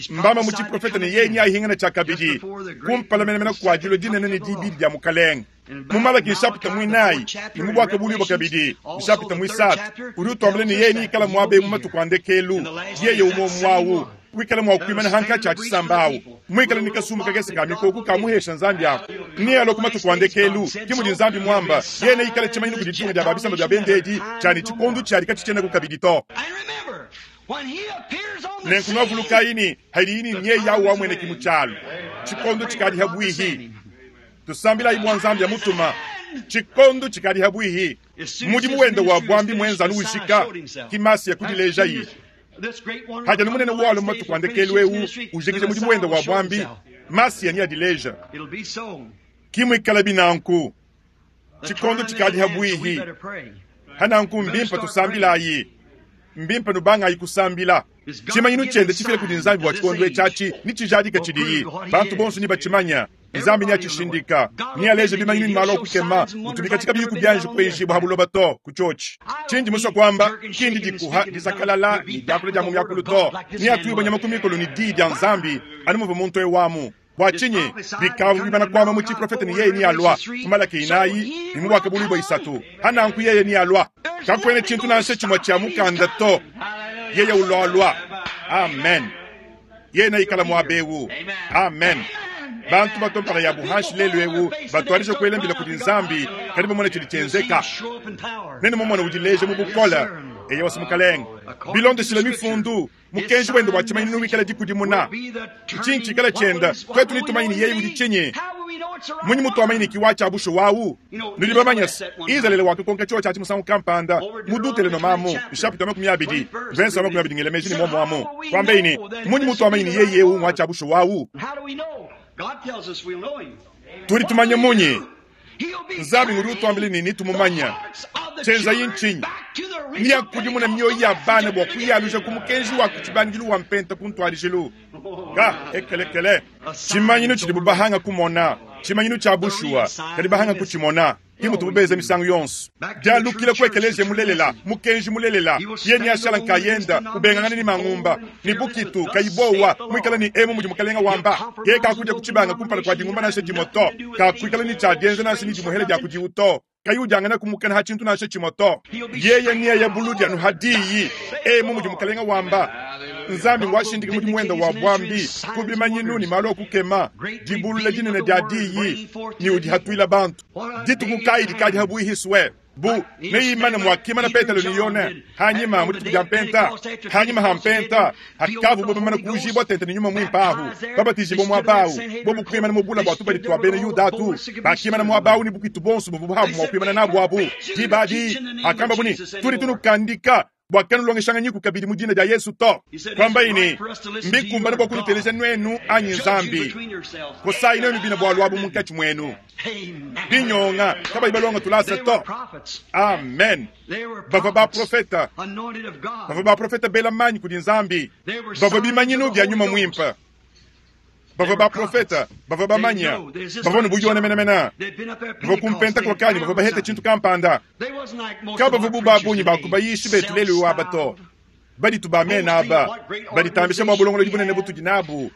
mbamba mu tshiprofete ne yeye neahingane tshiakabidi kumpala menemene kua dilua dinene ne dibidi dia Mukalenge. Mu Malaki nshapita muinayi ne mu Buakabuluibua kabidi nshapita muisatu udi utuambila ne yeye neikale muaba eu mu matuku a ndekelu, yeye umue umue au wikala mua kuimana hankatshi a tshisamba au muikale ne kasumbu kakese ka mikoko kamuhesha Nzambi aku. Nealue ku matuku a ndekelu, ke mudi Nzambi muamba, yeye neikale tshimanyinu kudi ditunga dia ba bisamba bia bende edi tshia ne tshikondo tshiadi katshitshienaku kabidi to. Nenku nuavulukayi ne hadiyi ne nyeye au wamueneki mu tshialu, tshikondo tshikadi habuihi. Tusambilayi bua Nzambi amutuma, tshikondo tshikadi habuihi. Mudimu wende wa buambi muenza anu ujika, ki Masiya kudilejayi. Hadi anu munene walua mu matuku a ndekelu eu ujikija mudimu wende wa buambi, Masiya neadileja. Ki muikalabi nanku. Tshikondo tshikadi habuihi. Hananku mbimpe tusambilayi. Mbimpe nubangayi kusambila. Tshimanyinu tshiende tshifila kudi Nzambi bua tshikondo etshi atshi netshijadike tshidiyi. Bantu bonso nebatshimanye. Nzambi neatshishindika. Nealeje bimanyinu ne malu a kukema mutubi katshi kabiyi kubianji kuenjibua ha buloba to. Ku tshiotshi tshindi musue kuamba, ki ndi dikuha, dizakalala ne diakula dia mu miakulu to. Neatuibue nyama ku mikolo ne Diyi dia Nzambi anu muvua muntu eu amu. Bua tshinyi bikavua bimana kuamba mu tshiprofete ne yeye nealua mu Malaki 4 ne mu Buakabuluibua 3? Ha nanku yeye nealua. Kakuena tshintu nansha tshimue tshia mukanda to. Yeye ulualua. Amen. Yeye neikala muaba eu. Amen. Bantu batua mpala yabu hanshi lelu eu batuadija kuela mbila kudi Nzambi, kadi bamona tshidi tshienzeka. Nenu mumona udileja mu bukole. Eyowa mukalenge. Bilondeshile Mifundu, mukenji wende wa tshimanyinu wikala dikudimuna. Ntshinyi tshikala tshienda? Tuetu netumanye ne yeye udi tshinyi? Mmunyi mutuamanya ne kiwa tshia bushuwa awu? Nudi bamanye se, Izalele wakakonka tshiowa tshiatshi musangu kampanda mu Dutelenomamu, nshapita wa 20, mvensa wa 20 ngela meji ne muomu amu, kuambaye ne, Mmunyi mutuamanya ne yeye eu ngwa tshia bushuwa awu? Tudi tumanya munyi? Nzambi ngudi utuambila ne netumumanya. Tshienzaye ntshinyi? Neakudimune mioyo ya bana bua kuyaluja ku mukenji wa ku tshibangidilu wa mpenta ku ntuadijilu. Ka ekelekele. Tshimanyinu tshidibu bahanga kumona, tshimanyinu tshia bushuwa, kadi bahanga kutshimona. Ke mutubu benza misangu yonso. Dialukila ku ekeleziya mulelela, mukenji mulelela, yeye neashala nkayenda, ubengangana ne mangumba, ne bukitu, kayi buowa, muikale ne emu mudi Mukalenga wamba. Yeye kakudia ku tshibanga kumpala kua dingumba nansha dimue to, kakuikala ne tshia dienza nansha ne dimuhela dia kudiwu to, kayi udiangana kumukana ha tshintu nansha tshimue to. Yeye neaya buludi anu ha diyi, emu mudi Mukalenga wamba. Nzambi ngwashindika mudimu wenda wa buambi ku bimanyinu ne malu a kukema, dibulula dinene dia diyi, ne udihatuila bantu. Dituku kayi dikadi ha buihi sue bu neimane muakimana Petelo ne Yone hanyima mu dituku dia Mpenta? Hanyima ha Mpenta, hakavua bamane kuujibua tente ne Nyuma Muimpe ahu, babatijibua muaba au, bobu kuimana mu bula bua tubadi tua bena Yuda atu, bakimana muaba au ne bukitu buonso buvua buabu mua kuimana nabu abu. Diba adi hakambabu ne, Tudi tunukandika bua kanulongeshanganyiku kabidi mu dina dia Yesu to. Kuambayi ne, Mbikumbane bua kunuteleja nuenu anyi Nzambi? Kosayi nuenu bine bualu abu munkatshi muenu. Binyonga kabayi balonga tulasa to. Amen. Bavua baprofeta, bavua baprofeta bela manyi kudi Nzambi, bavua bimanyinu bia Nyuma Muimpe. Bavua baprofeta, bavua bamanya, bavua ne buyone menemene, bavua ku Mpenta bavua bahete tshintu kampanda. Kabavua bu ba bungi ba ku bayishi betu lelu aba to. Baditu ba mena aba, baditambisha bua bulongolodi bunene butudi nabu,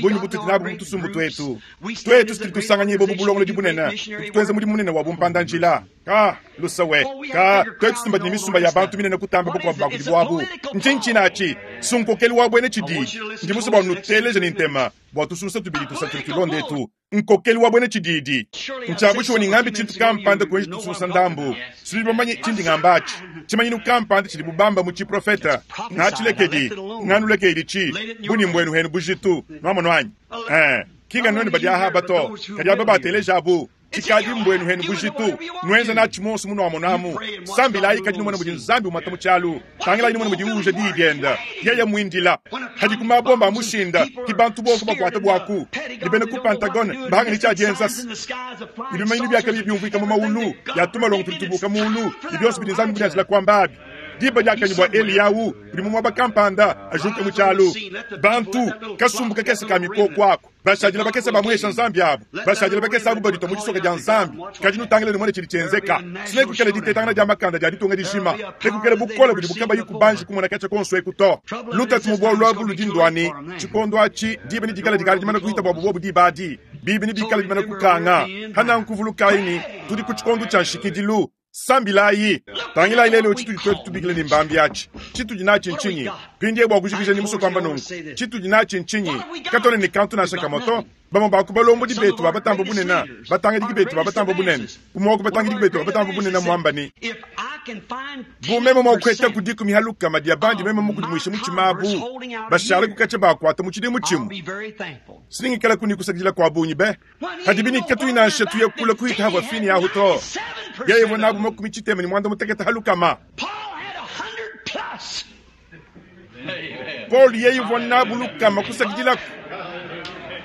bungi butudi nabu mu tusumbu tuetu. Tuetu tudi tusanganyibua bu bulongolodi bunene, tudi tuenza mudimu munene wa bumpanda-njila. Ka, lusawe, ka, tuetu tumbadi ne misumba ya bantu minene kutamba bakuabu ba kudibu abu. Ntshinyi tshinatshi? Sunkokelu wa buena tshididi. Ndi musue bua nuteleje ne ntema bua tusunsa tubidi tusatu tulonde etu. Nkokelu wa buena tshididi. Ntshia bushuwa ne ngambe tshintu kampanda kuenji tusunsa ndambu. Sudi bamanye tshindi ngamba atshi. Tshimanyinu kampanda tshidibu bamba mu tshiprofeta. Ngatshilekedi, nganulekedi tshi, buni mbuenu henu bujitu. Nuamono anyi? Eh, kinga nuenu badi ahaba to, kadi aba bateleja abu. Tshikadi mbuenu henu bujitu, nuenza natshi muonso munuamonamu. Sambilayi kadi numone mudi Nzambi umata mu tshialu. Tangilayi numone mudi uuja diyi dienda. Yeye muindila. Hadi ku mabomba a mushinda, ki bantu bonso bakuata buaku. Ne bena ku Pentagone bahanga ne tshia dienza. Ne bimanyinu bia kabiyi biumvuika mu maulu, ya tumalongo tudi tubuka muulu, ne bionso bidi Nzambi mudianjila kuamba abi. Diba diakanyi bua Eliyahu udi mu muaba kampanda ajuke mu tshialu. Bantu, kasumbu kakese ka mikoko aku. Bashadile bakese bamuhesha Nzambi abu, bashadile bakese abu baditua mu disoka dia Nzambi. Kadi nutangile numone tshidi tshienzeka. Sinekukele ditetangana dia makanda dia ditunga dijima, nekukele bukole budi bukabayi kubanji kumona katshia konso eku to. Lutatu mu bualu abu ludi nduani, tshikondo atshi diba ne dikala dikala dimana kuhita buabu bobu diba adi, bibi ne bikala dimana kukanga. Hananku vulukayi ne tudi ku tshikondo tshia nshikidilu. Sambilayi. Tangilayi lelu tshitudi tuetu tubikila ne mbambi atshi. Tshitudi natshi ntshinyi? Mpindieu bua kujikija ne musue kuamba nunku. Tshitudi natshi ntshinyi? Katuena ne kantu nansha kamue to. Bamue ba ku balombodi betu ba batamba bunene, batangidiki betu ba batamba bunene, umue wa ku batangidiki betu ba batamba bunene muamba ne, bu meme mua kuheta ku dikumi ha lukama dia bandi meme mukudimuishe mutshima abu, bashala kukatshia bakuata mu tshidimu tshimue. Siningikala kuni kusakidila kua bungi be. Hadibi ne katuyi nansha tuya kule kuhita havua fini ahu to. Yeye uvua nabu 45 ha lukama. Paul had 100 plus. Paul yeye uvua nabu lukama kusakidilaku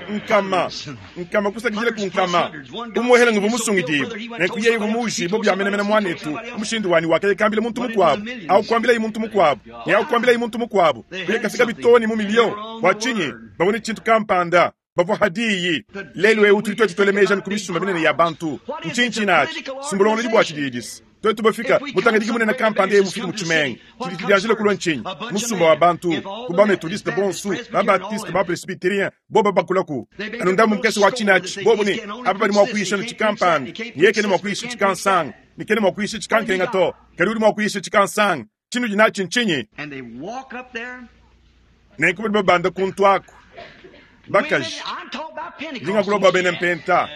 nkama nkama kusakidila ku nkama umuhela nguvu musungidibwe nenku yeye uvua muujibo bia menemene mwanetu mushindu wani wakayekambila muntu mukuabu aukuambilayi muntu mukuabu ne aukuambilayi muntu mukuabu kuyekafika bitoni mu milio bua tshinyi bavua ne tshintu kampanda bavua hadiyi lelu eu tudi tuetu tuele meji ku misumba minene ya bantu. Ntshinyi tshinatshi sumbulongolodi bua tshididisi tuetu bafika mutangidiki munene kampanda ye mufike mu tshimenga tshidi tshidianjila kulua ntshinyi musumba wa bantu ku bametodiste bonsu babatiste bapresbyterien boba bakulaku anu ndambu mukese wa tshinatshi bobu ne aba badi mua kuyisha no tshikampanda ne yekene mua kuyisha tshikansanga ne kene mua kuyisha tshikankenga to kadi udi mua kuyisha tshikansanga tshinudi natshi ntshinyi And they walk up there. nenku badi babanda kuntu aku bakaji Women, I'm talking about Pentecost. ndingakula bua bena mpenta.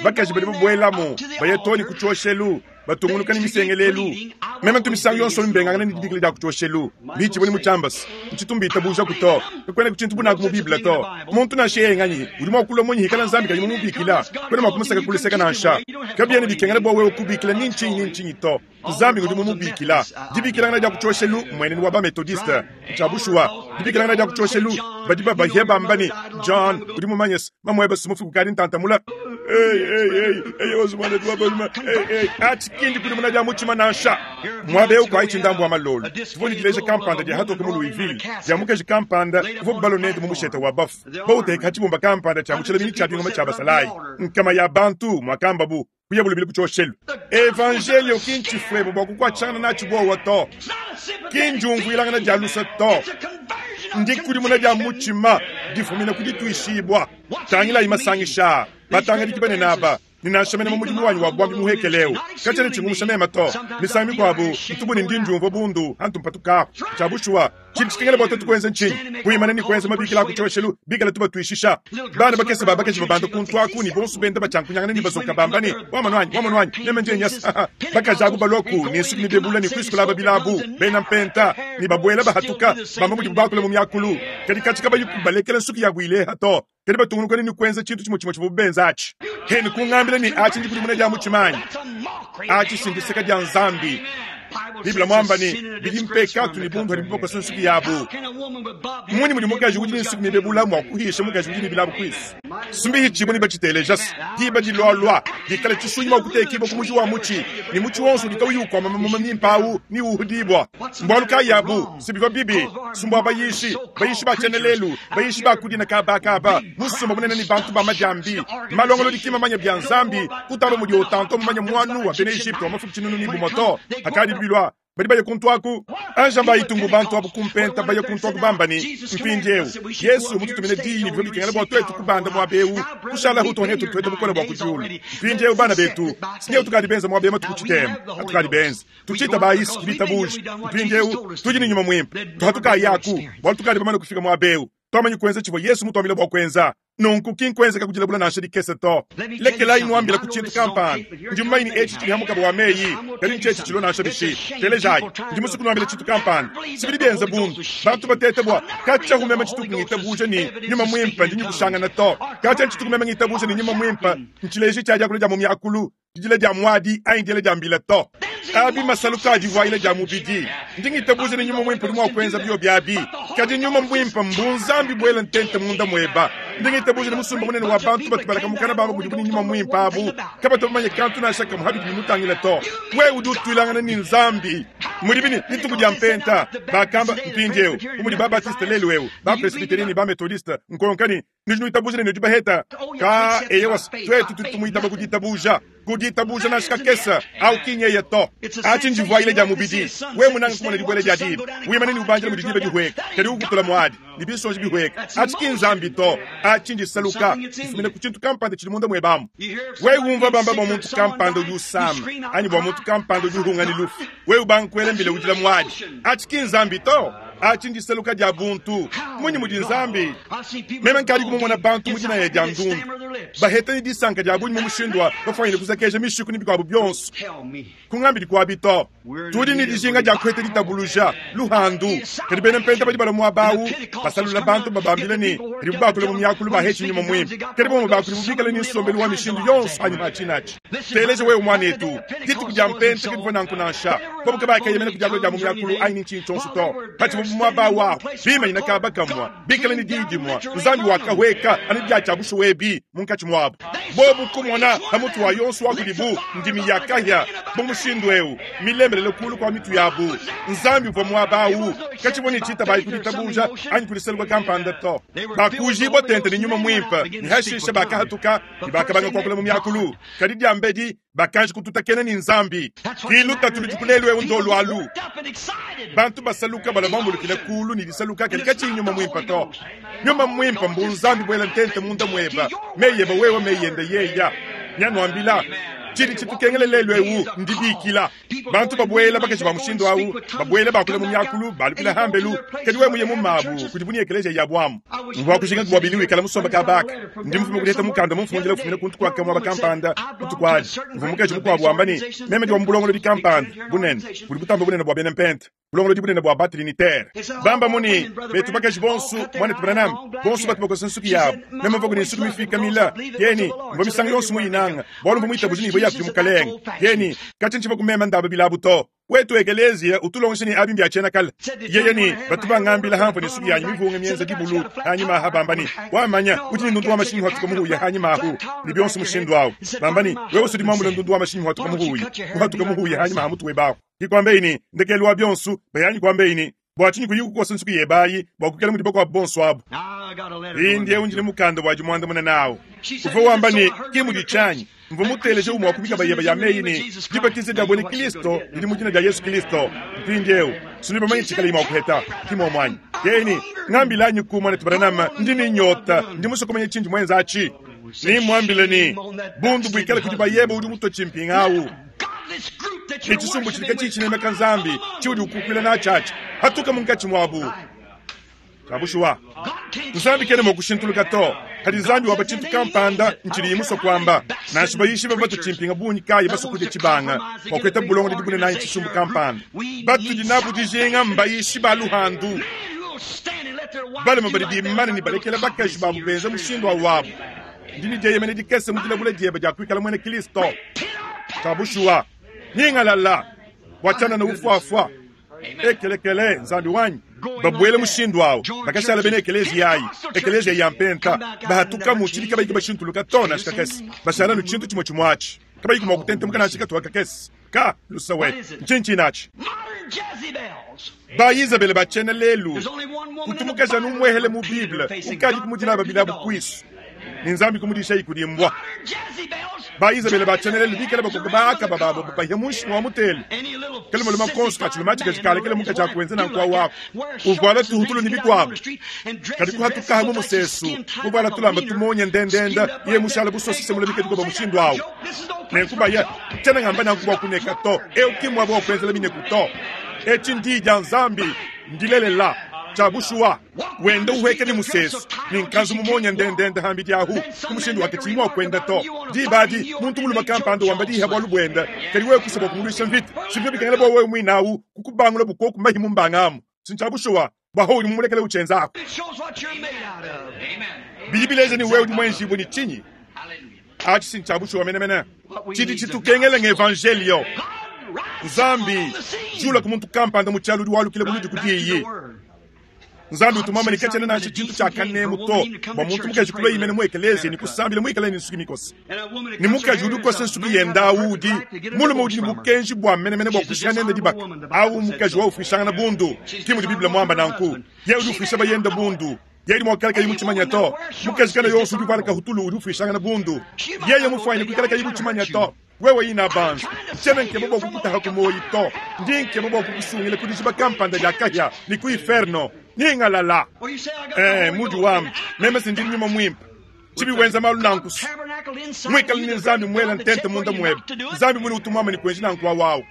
Bakaji badi babuelamu, baya too ne ku tshioshelu, batungunuka ne misengelelu. Meme ntu misangu yonso mbengangana ne dibikila dia ku tshioshelu. Bitshivua ne mu tshiambas, ntshitu mbitabujaku to. Kakuenaku tshintu bu nanku mu Bible to. Muntu nansha yeye nganyi udi mua kulua munyi hikala Nzambi kayi mumubikila? Kuena mua kumusaka ku luseke nansha. Kabiena bikengela bua wewe kubikila ni ntshinyi ni ntshinyi to. Nzambi ngudi mumubikila. Dibikilangana dia ku tshioshelu mmuenenu wa ba-Methodiste. Ntshia bushuwa. Dibikilangana dia ku tshioshelu, badi babahia bamba ne, John, udi mumanye se, mamuebe si mufue kukadi ntanta mule. Ei, ei, ei, ei, ozu muanetu wa balume, ei, ei, atshi ki ndikudimuna dia mutshima nansha. Muaba eu kuayi tshindambu wa malolo, tuvua ne dileja kampanda dia hatoke mu Louisville, dia mukaji kampanda uvuabu balue nende mu mushete wa bafue, bawuteka ha tshibumba kampanda tshia mu tshilaminu tshia bingoma tshia basalayi. Nkama ya bantu, muakambabu, kuyabu lubilu ku tshioshelu. Evanjeliyo ki ntshifuebo bua kukuatshangana natshi buowa to, ki ndiumvuilangana dia luse to, ndikudimuna dia mutshima difumina ku dituishibua. Tangilayi masangisha aa, batangadiki banene aba, ne nansha mene mu mudimu wanyi wa buambi muhekele eu, katshiena tshingumusha meme to. Misangu mikuabu ntu bu ne ndi ndiumvua bundu antu mpatukapu. Tshia bushuwa, Tshidi tshikengela bua tuetu kuenza ntshinyi? Kuimana ne kuenza mabikila a ku tshioshelu bikale tubatuishisha. Bana bakese ba bakaji babanda kuntu aku ne bonso benda batshiankunyangana ne bazoka bamba ne, Wamonu anyi, wamonu anyi, meme ndi nyasa. Bakaji abu balua ku ne nsuki mibebula ne kuisukula aba bilabu, bena mpenta, ne babuela bahatuka, bamba mudibu bakula mu miakulu. Kadi katshi kabayi balekela nsuki yabu ileha to. Kadi batungunuka ne kuenza tshintu tshimue tshimue tshivuabu benza atshi. Hene kungambila ne, Atshi ndikudimuna dia mutshima anyi? Atshi si ndiseka dia Nzambi. Bible muamba ne, bidi mpekatu ne bundu hadibu bakosa nsuki yabu. Mmunyi mudi mukaji udi ne nsuki mibebula mua kuhisha mukaji udi ne bilabu kuisu? Sumbihitshibue ne batshiteleja diba dilualua dikala tshisunyi mua kutekibua ku muji wa mutshi, ne mutshi wonso udi kauyi ukuama mamuma mimpe awu neuhudibua. Mbualu kayi abu? Si bivua bibi, si mbua bayishi, bayishi ba tshiena lelu, bayishi ba kudina kaba kaba, musumba munene ne bantu ba madiambi, malongolodi ki mamanya bia Nzambi, kutamba mudi Otanto mumanye muanu wa bena Egypte wa mafuku tshinunu ne bumue to. Hakadi bilua, badi baya kuntu aku. Anja mbayitumbu bantu abu ku mpenta baya kuntu aku bamba ne, Mpindieu, Yesu mututumine diyi ne bivua bikengela bua tuetu kubanda muaba eu, kushalahu too ne tutueta bukole bua ku diulu. Mpindieu bana betu, sineu tukadi benza muaba eu matuku tshitema, atukadi benza. Tutshiitabayi ku ditabuja. Mpindieu tudi ne nyuma muimpe. Tuhatukayi aku, bualu tukadi bamane kufika muaba eu. Tuamanyi kuenza tshivua Yesu mutuambile bua kuenza. Nunku ki nkuenzeka kudilabula nansha dikese to. Lekelayi nuambila ku tshintu kampanda. Ndi mumanye ne etshi tshidi ha mukaba wa meyi, kadi ntshietshi tshilua nansha bishi. Telejayi, ndi musue kunuambila tshintu kampanda. Si bidi bienza bundu bantu batete bua katshia meme tshituku ngitabuja ne nyuma muimpe ndi nyikushangana to. Katshia tshituku meme ngitabuja ne nyuma muimpe ntshileji tshia diakula dia mu miakulu. Didila dia muadi anyi diela dia mbila to. Abi masaluka a divuayila dia mubidi. Ndi ngitabuja ne Nyuma Muimpe udi mua kuenza biobi abi. Kadi Nyuma Muimpe mbunzambi buela ntente munda mueba. Ndi ngitabuja ne musumba munene wa bantu batu balaka mukana bamba mudibu ne Nyuma Muimpe abu kabatu bamanye kantu nansha kamue habidi bimutangila to. Wewe udi utuilangana ne Nzambi. Mudibi ne dituku dia Mpenta, bakamba mpindieu bu mudi ba-Baptiste lelu eu, ba-Presbyterian ne ba-Methodiste, nkonka ne, Nudi nuitabuja ne nudi baheta ka eyewa tuetu tudi tumuitaba ku ditabuja ku ditabuja nansha kakese au ki nyeye to atshi ndivuayile dia mubidi we munanga kumona dibuela dia diba wimane ne ubandila mudi diba dihueka kadi ukutula muadi ne binsonji bihueka atshi ki nzambi to atshi ndisaluka difumina ku tshintu kampanda tshidi munda muebamu we umva bamba bua muntu kampanda udi usama anyi bua muntu kampanda udi uhunga ne lufu we ubanga kuela mbila udila muadi atshi ki nzambi to atshi ndisaluka dia buntu munyi mudi nzambi Meme nkadi kumumona bantu mu dinaya dia ndundu baheta ne disanka dia bungi mu mushindu wa bafuanyine kuzakeja mishiku ne bikuabu bionso. Kungambidi kuabi to. Tudi ne dijinga dia kuheta ditabuluja, luhandu. Kadi bena mpenta badi balua muaba au, basalula bantu babambila ne padibu bakula mu miakulu bahetshi nyuma muimpe. Kadi bamue ba kudibu bikale ne nsombelu wa mishindu yonso anyima atshi. Teleja wewe muanetu, dituku dia mpenta kadivua nanku nansha. Bobu kabakeyemena ku diakula dia mu miakulu anyi ne ntshinyi tshionso to. Patshivuabu muaba awu, bimanyina kaba kamue, bikale ne diyi dimue, Nzambi wakahueka anu bia tshia bushuwa ebi munkatshi muabu. Bobu kumona pa mutu wa yonso wa kudibu ndimi ya kahia bu mushindu eu milemelele kulu kua mitu yabu. Nzambi uvua muaba awu, katshivua ne tshitabayi ku ditabuja anyi ku diseluka kampanda to. Bakuujibua tente ne Nyuma Muimpe, ne hashishe bakahatuka ne bakabanga kuakula mu miakulu. Kadi diambedi bakanji kututakena ne Nzambi. Ki lutatu ludiku lelu eu ndolu alu. Bantu basaluka balua bambulukila kulu ne disaluka kadi katshiyi Nyuma Muimpe to. Nyuma Muimpe mbu Nzambi buela ntente munda mueba, meyi eba wewe meyi ende yeya. Nyanuambila. Tshidi tshitukengela lelu eu ndibikila bantu babuela bakaji ba mushindu au, babuela bakula mu miakulu, balukila hambelu. Kadi wewe muye mu mabu kudi buni ekeleziya yabu amu. Mvua kujinga bua Billy wikala musomba kabaka. Ndi mufume kudiheta mukanda mumfundila ufumina kuntu kua muaba kampanda butuku adi. Mvua mukaji mukuabu wamba ne, meme ndi wa mu bulongolodi kampanda bunene budi butamba bunene bua bena mpenta, bulongolodi bunene bua batrinitaire. Bamba muni betu bakaji bonso mwanetu Branham bonso batu bakosa nsuki yabu. Meme mvua kuni nsuki mifika mila yeni mvua misangu yonso muyinanga bualu mvua muitabuja ne ivua ya mukalenge yeni katshi ntshivua kumema ndaba bilabu to. Wetu ekeleziya utulongesha ne abi mbia tshiena kale. Yeye ne batu bangambila hamvua ne nsuki yanyi mivunge mienza dibulu hanyima aha bamba ne wamanya udi ne ndundu wa mashinyi hatuka muhuya hanyima ahu ne bionso mushindu awu bamba ne wewe usudi muambule ndundu wa mashinyi hatuka muhuya kuhatuka muhuya hanyima ha mutu webahu. Kikwambe ini ndekelu wa bionso bayanyi kwambe ini bua tshinyi kuyi kukosa nsuki yebayi bua kukela mudi bakuabu bonso abu. Mpindieu ndi ne mukanda wa dimuandamuna nawu. Uvua wamba ne ki mudi tshianyi mvua muteleje umue wa ku mikaba yeba ya meyi ne dibatiza dia buena Kristo didi mu dina dia Yesu Kristo. Mpindieu sindi bamanye tshikala mua kuheta ki muomuanyi. Yeye ngambilanyi ku mwanetu Branham ndi ne nyota ndi musue kumanya tshindi muenza atshi. Nimwambile ne bundu buikale kudi bayeba udi mutue tshimpinga awu. Ne tshisumbu tshidi katshii tshinemeka Nzambi tshiudi ukukuila natshiatshi hatuka munkatshi muabu. Kabushuwa Nzambi kena mua kushintuluka to. Kadi Nzambi waba tshintu kampanda ntshidi musue kuamba. Nansha bayishi bava batu tshimpinga bungi kayi basue kudia tshibanga bua kueta bulongolodi bunene anyi tshisumbu kampanda. Batudi nabu dijinga mbayishi ba luhandu. Balume badi bimane ne balekela bakaji babu benza mushindu wa wabu. Ndi ne dieyemena dikese mu dilabula diebe dia kuikala muena Kristo. Kabushuwa nyingalala bua tshianana ufuafua. Ekelekele Nzambi wanyi babuele mushindu awu bakashala bena ekeleziya ayi ekeleziya ya mpenta bahatukamu tshidi kabayi bashintuluka to nansha kakese bashala nu tshintu tshimue tshimue atshi kabayi mua kutentemuka nansha katupa kakese ka lusawe ntshinyi natshi ba Izabele ba tshiena lelu kutu mukaji anu umuehele mu Bible ukadi kumudila babilabu kuisu ne Nzambi kumudisha ikudimbwa ba Izabele ba tshiena lelu bikale bakoka ba Akaba babo bapahia munshi wa mutelu kele muluma konso kachiluma chikachikale mukaji akuenza nanku wako uvuala tuhutulu ni bikuabu kadi kuhatukaha mu musesu kuvuala tulamba tumonye ndendenda iye mushala busosise mula bikadi kuba mushindu awu nenkubaya tshiena ngamba nanku bua kuneka to eu kimwa bua kuenzela mineku to etshi ndi dia Nzambi ndilelela tshiabushuwa wenda uweke ni musesu ni nkanzu mumonye ndendende hambi diahu kumushindu wake tshimwa kwenda to dibadi muntu muluma kampanda wamba diha bwalu bwenda kadi wewe kusaba kumulwisha mvita sivyo bikengela bwa wewe mwinawu kukubangula bukoku mahi mumbangamu sintshabushuwa bwa uli mumulekele uchenzako bidi bileja ni wewe udi mwenjibu ni chinyi achi sintshabushuwa menemene tshidi tshitukengela ngevangelio Nzambi jula kumuntu kampanda mu tshialo udi walukile buludi kudiyi Nzambi utumama ni kachana nansha tshintu tshia kanemu to bua muntu mukaji kulwa imene mu ekeleziya ni kusambila muikale ni nsuki mikosa ni mukaji udi ukosa nsuki yenda awu udi mulume udi ni bukenji bua menemene bua kushika nende dibaka awu mukaji wa ufwishangana bundu ki mudi Biblia mwamba nanku ye udi ufwisha bayenda bundu yeye mwakala kayi muchimanya to mukaji kana yonso udi uvuala kahutulu udi ufwishangana bundu yeye mufwanyine kuikala kayi muchimanya to wewe ina banza tshiena nkeba bua kukutaha ku moyi to ndi nkeba bua kukusungila ku dijiba kampanda dia kahia ni ku inferno ningalala mudi wamba meme sindi nyuma mwimpe tshibi wenza malu nankusu mwikala ni Nzambi mwela ntente munda mwebe Nzambi mwini utumwama ni kuenji nanku wawawu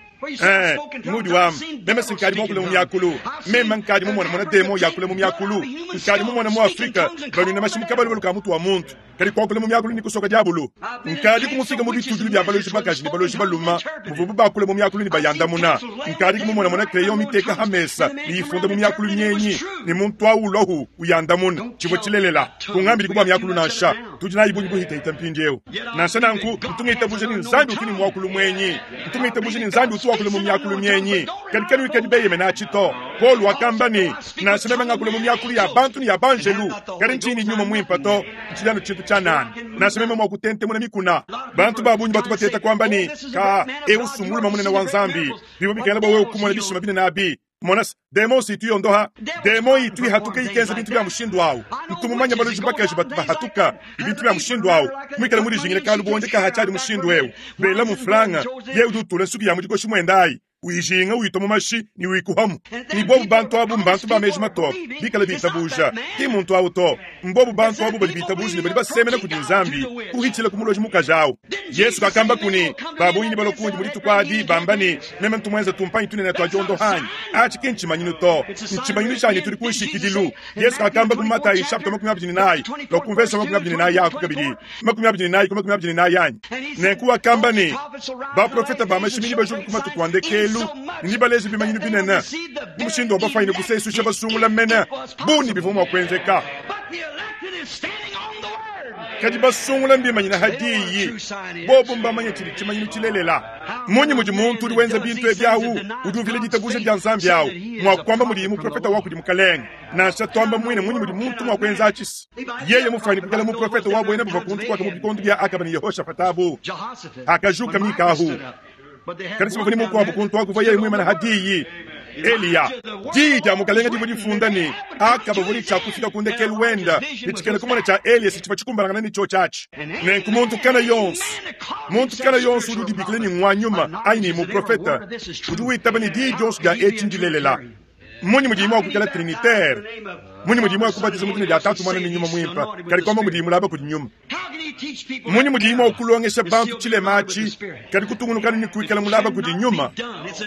mudi wamba meme sinkadi mwakule mu myakulu meme nkadi mumona mona demo yakule mu myakulu nkadi mumona mu Afrika banwina mashimuka balubalu ka mutu wa muntu kadi kwakule mu myakulu ni kusoka diabulu nkadi kumufika mu bitudulu bya baloji bakaji ni baloji baluma muvubu bakule mu myakulu ni bayandamuna nkadi kumumona mona crayon miteka hamesa ni ifunda mu myakulu nyenyi ni muntu awulohu uyandamuna chibwe chilelela kungambili kubwa myakulu nansha tudi nayi bunyi buhita mpindieu nansha nanku mtungita ni Nzambi utini mwakulu mwenyi mtungita ni Nzambi utu wakule mu myakulu myenyi kadi kanu ikadi beyeme nachito Paul wakamba ni nansha meme ngakule mu myakulu ya bantu ni ya banjelu kadi nchini nyuma mwimpa to nchilano chintu cha nani nansha meme mwakutentemuna mikuna bantu babunyi batu bateta kwamba ni ka eusumuluma munene wa Nzambi bibo bikala bwa wewe kumona bishima bine nabi monas demo si tu yondoha demo itu hatuka ikenza bintu bya mushindu awu ntumumanya baloji bakaji batu bahatuka ibintu bya mushindu awu mwikala muri jingile kalu bonde ka hachali mushindu ewu bela muflanga ye udutula nsuki ya mudikoshi mwendayi Uyijinga, uyitua mu mashi ne uyikuhamu. Ne bobu bantu abu mbantu ba meji matoke, bikale bitabuja. Ki mmuntu awu to. Mbobu bantu abu badi bitabuja ne badi basemena kudi Nzambi, kuhitshila ku muloji mukaji awu. Yesu kakambaku ne, Ba bungi nebalue kundi mu dituku adi, bamba ne, Meme ntu muenze tumpanyi tunene tua diondohanyi. Atshi ki ntshimanyinu to. Ntshimanyinu tshia ne tudi ku nshikidilu. Yesu kakambaku mu Matayi nshapita 24 lua ku mvese wa 24 aku kabidi, 24 ku 24 anyi? Nenku wakamba ne, Baprofete ba mashimi nebajuke ku matuku a ndekelu ne nebaleje bimanyinu binene mu mushindu wa bafwanyine kusesuisha basungula mene bu ne bivua mua kuenzeka. Kadi basungula mbimanyine ha diyi, bobu mbamanye tshidi tshimanyinu tshilelela. Mmunyi mudi muntu udi wenza bintu ebi awu, udi uvila ditabuja dia Nzambi awu, mua kuamba mudiye muprofete wa kudi Mukalenge? Nansha tuamba muine, mmunyi mudi muntu mua kuenza atshi? Yeye mufuane kuikala muprofete wa buena buvua kuntu kuaka mu bikondo bia Akaba ne Yehoshafata abu, hakajuka Mika ahu. Kadi si bavua ne mukuabu kuntu aku uvua yeye muimane ha diyi, Eliya. Diyi dia Mukalenge divua difunda ne, Akaba uvua ne tshia kufika ku ndekelu wenda, ne tshikena kumona tshia Eliya si tshivua tshikumbanangana ne tshiotshi atshi. Nenku muntu kana yonso, muntu kana yonso udi udibikila ne ngua nyuma anyi ne muprofete, udi witaba ne diyi dionso dia etshi ndilelela. Mmunyi mudiyi mua kuikala trinitaire? Mmunyi mudiyi mua kubatiza mu dina dia Tatu, Muana ne Nyuma Muimpe, kadi kuamba mudiyi mulaba kudi Nyuma? Mmunyi mudiyi mua kulongesha bantu tshilema atshi, kadi kutungunuka ne kuikala mulaba kudi Nyuma?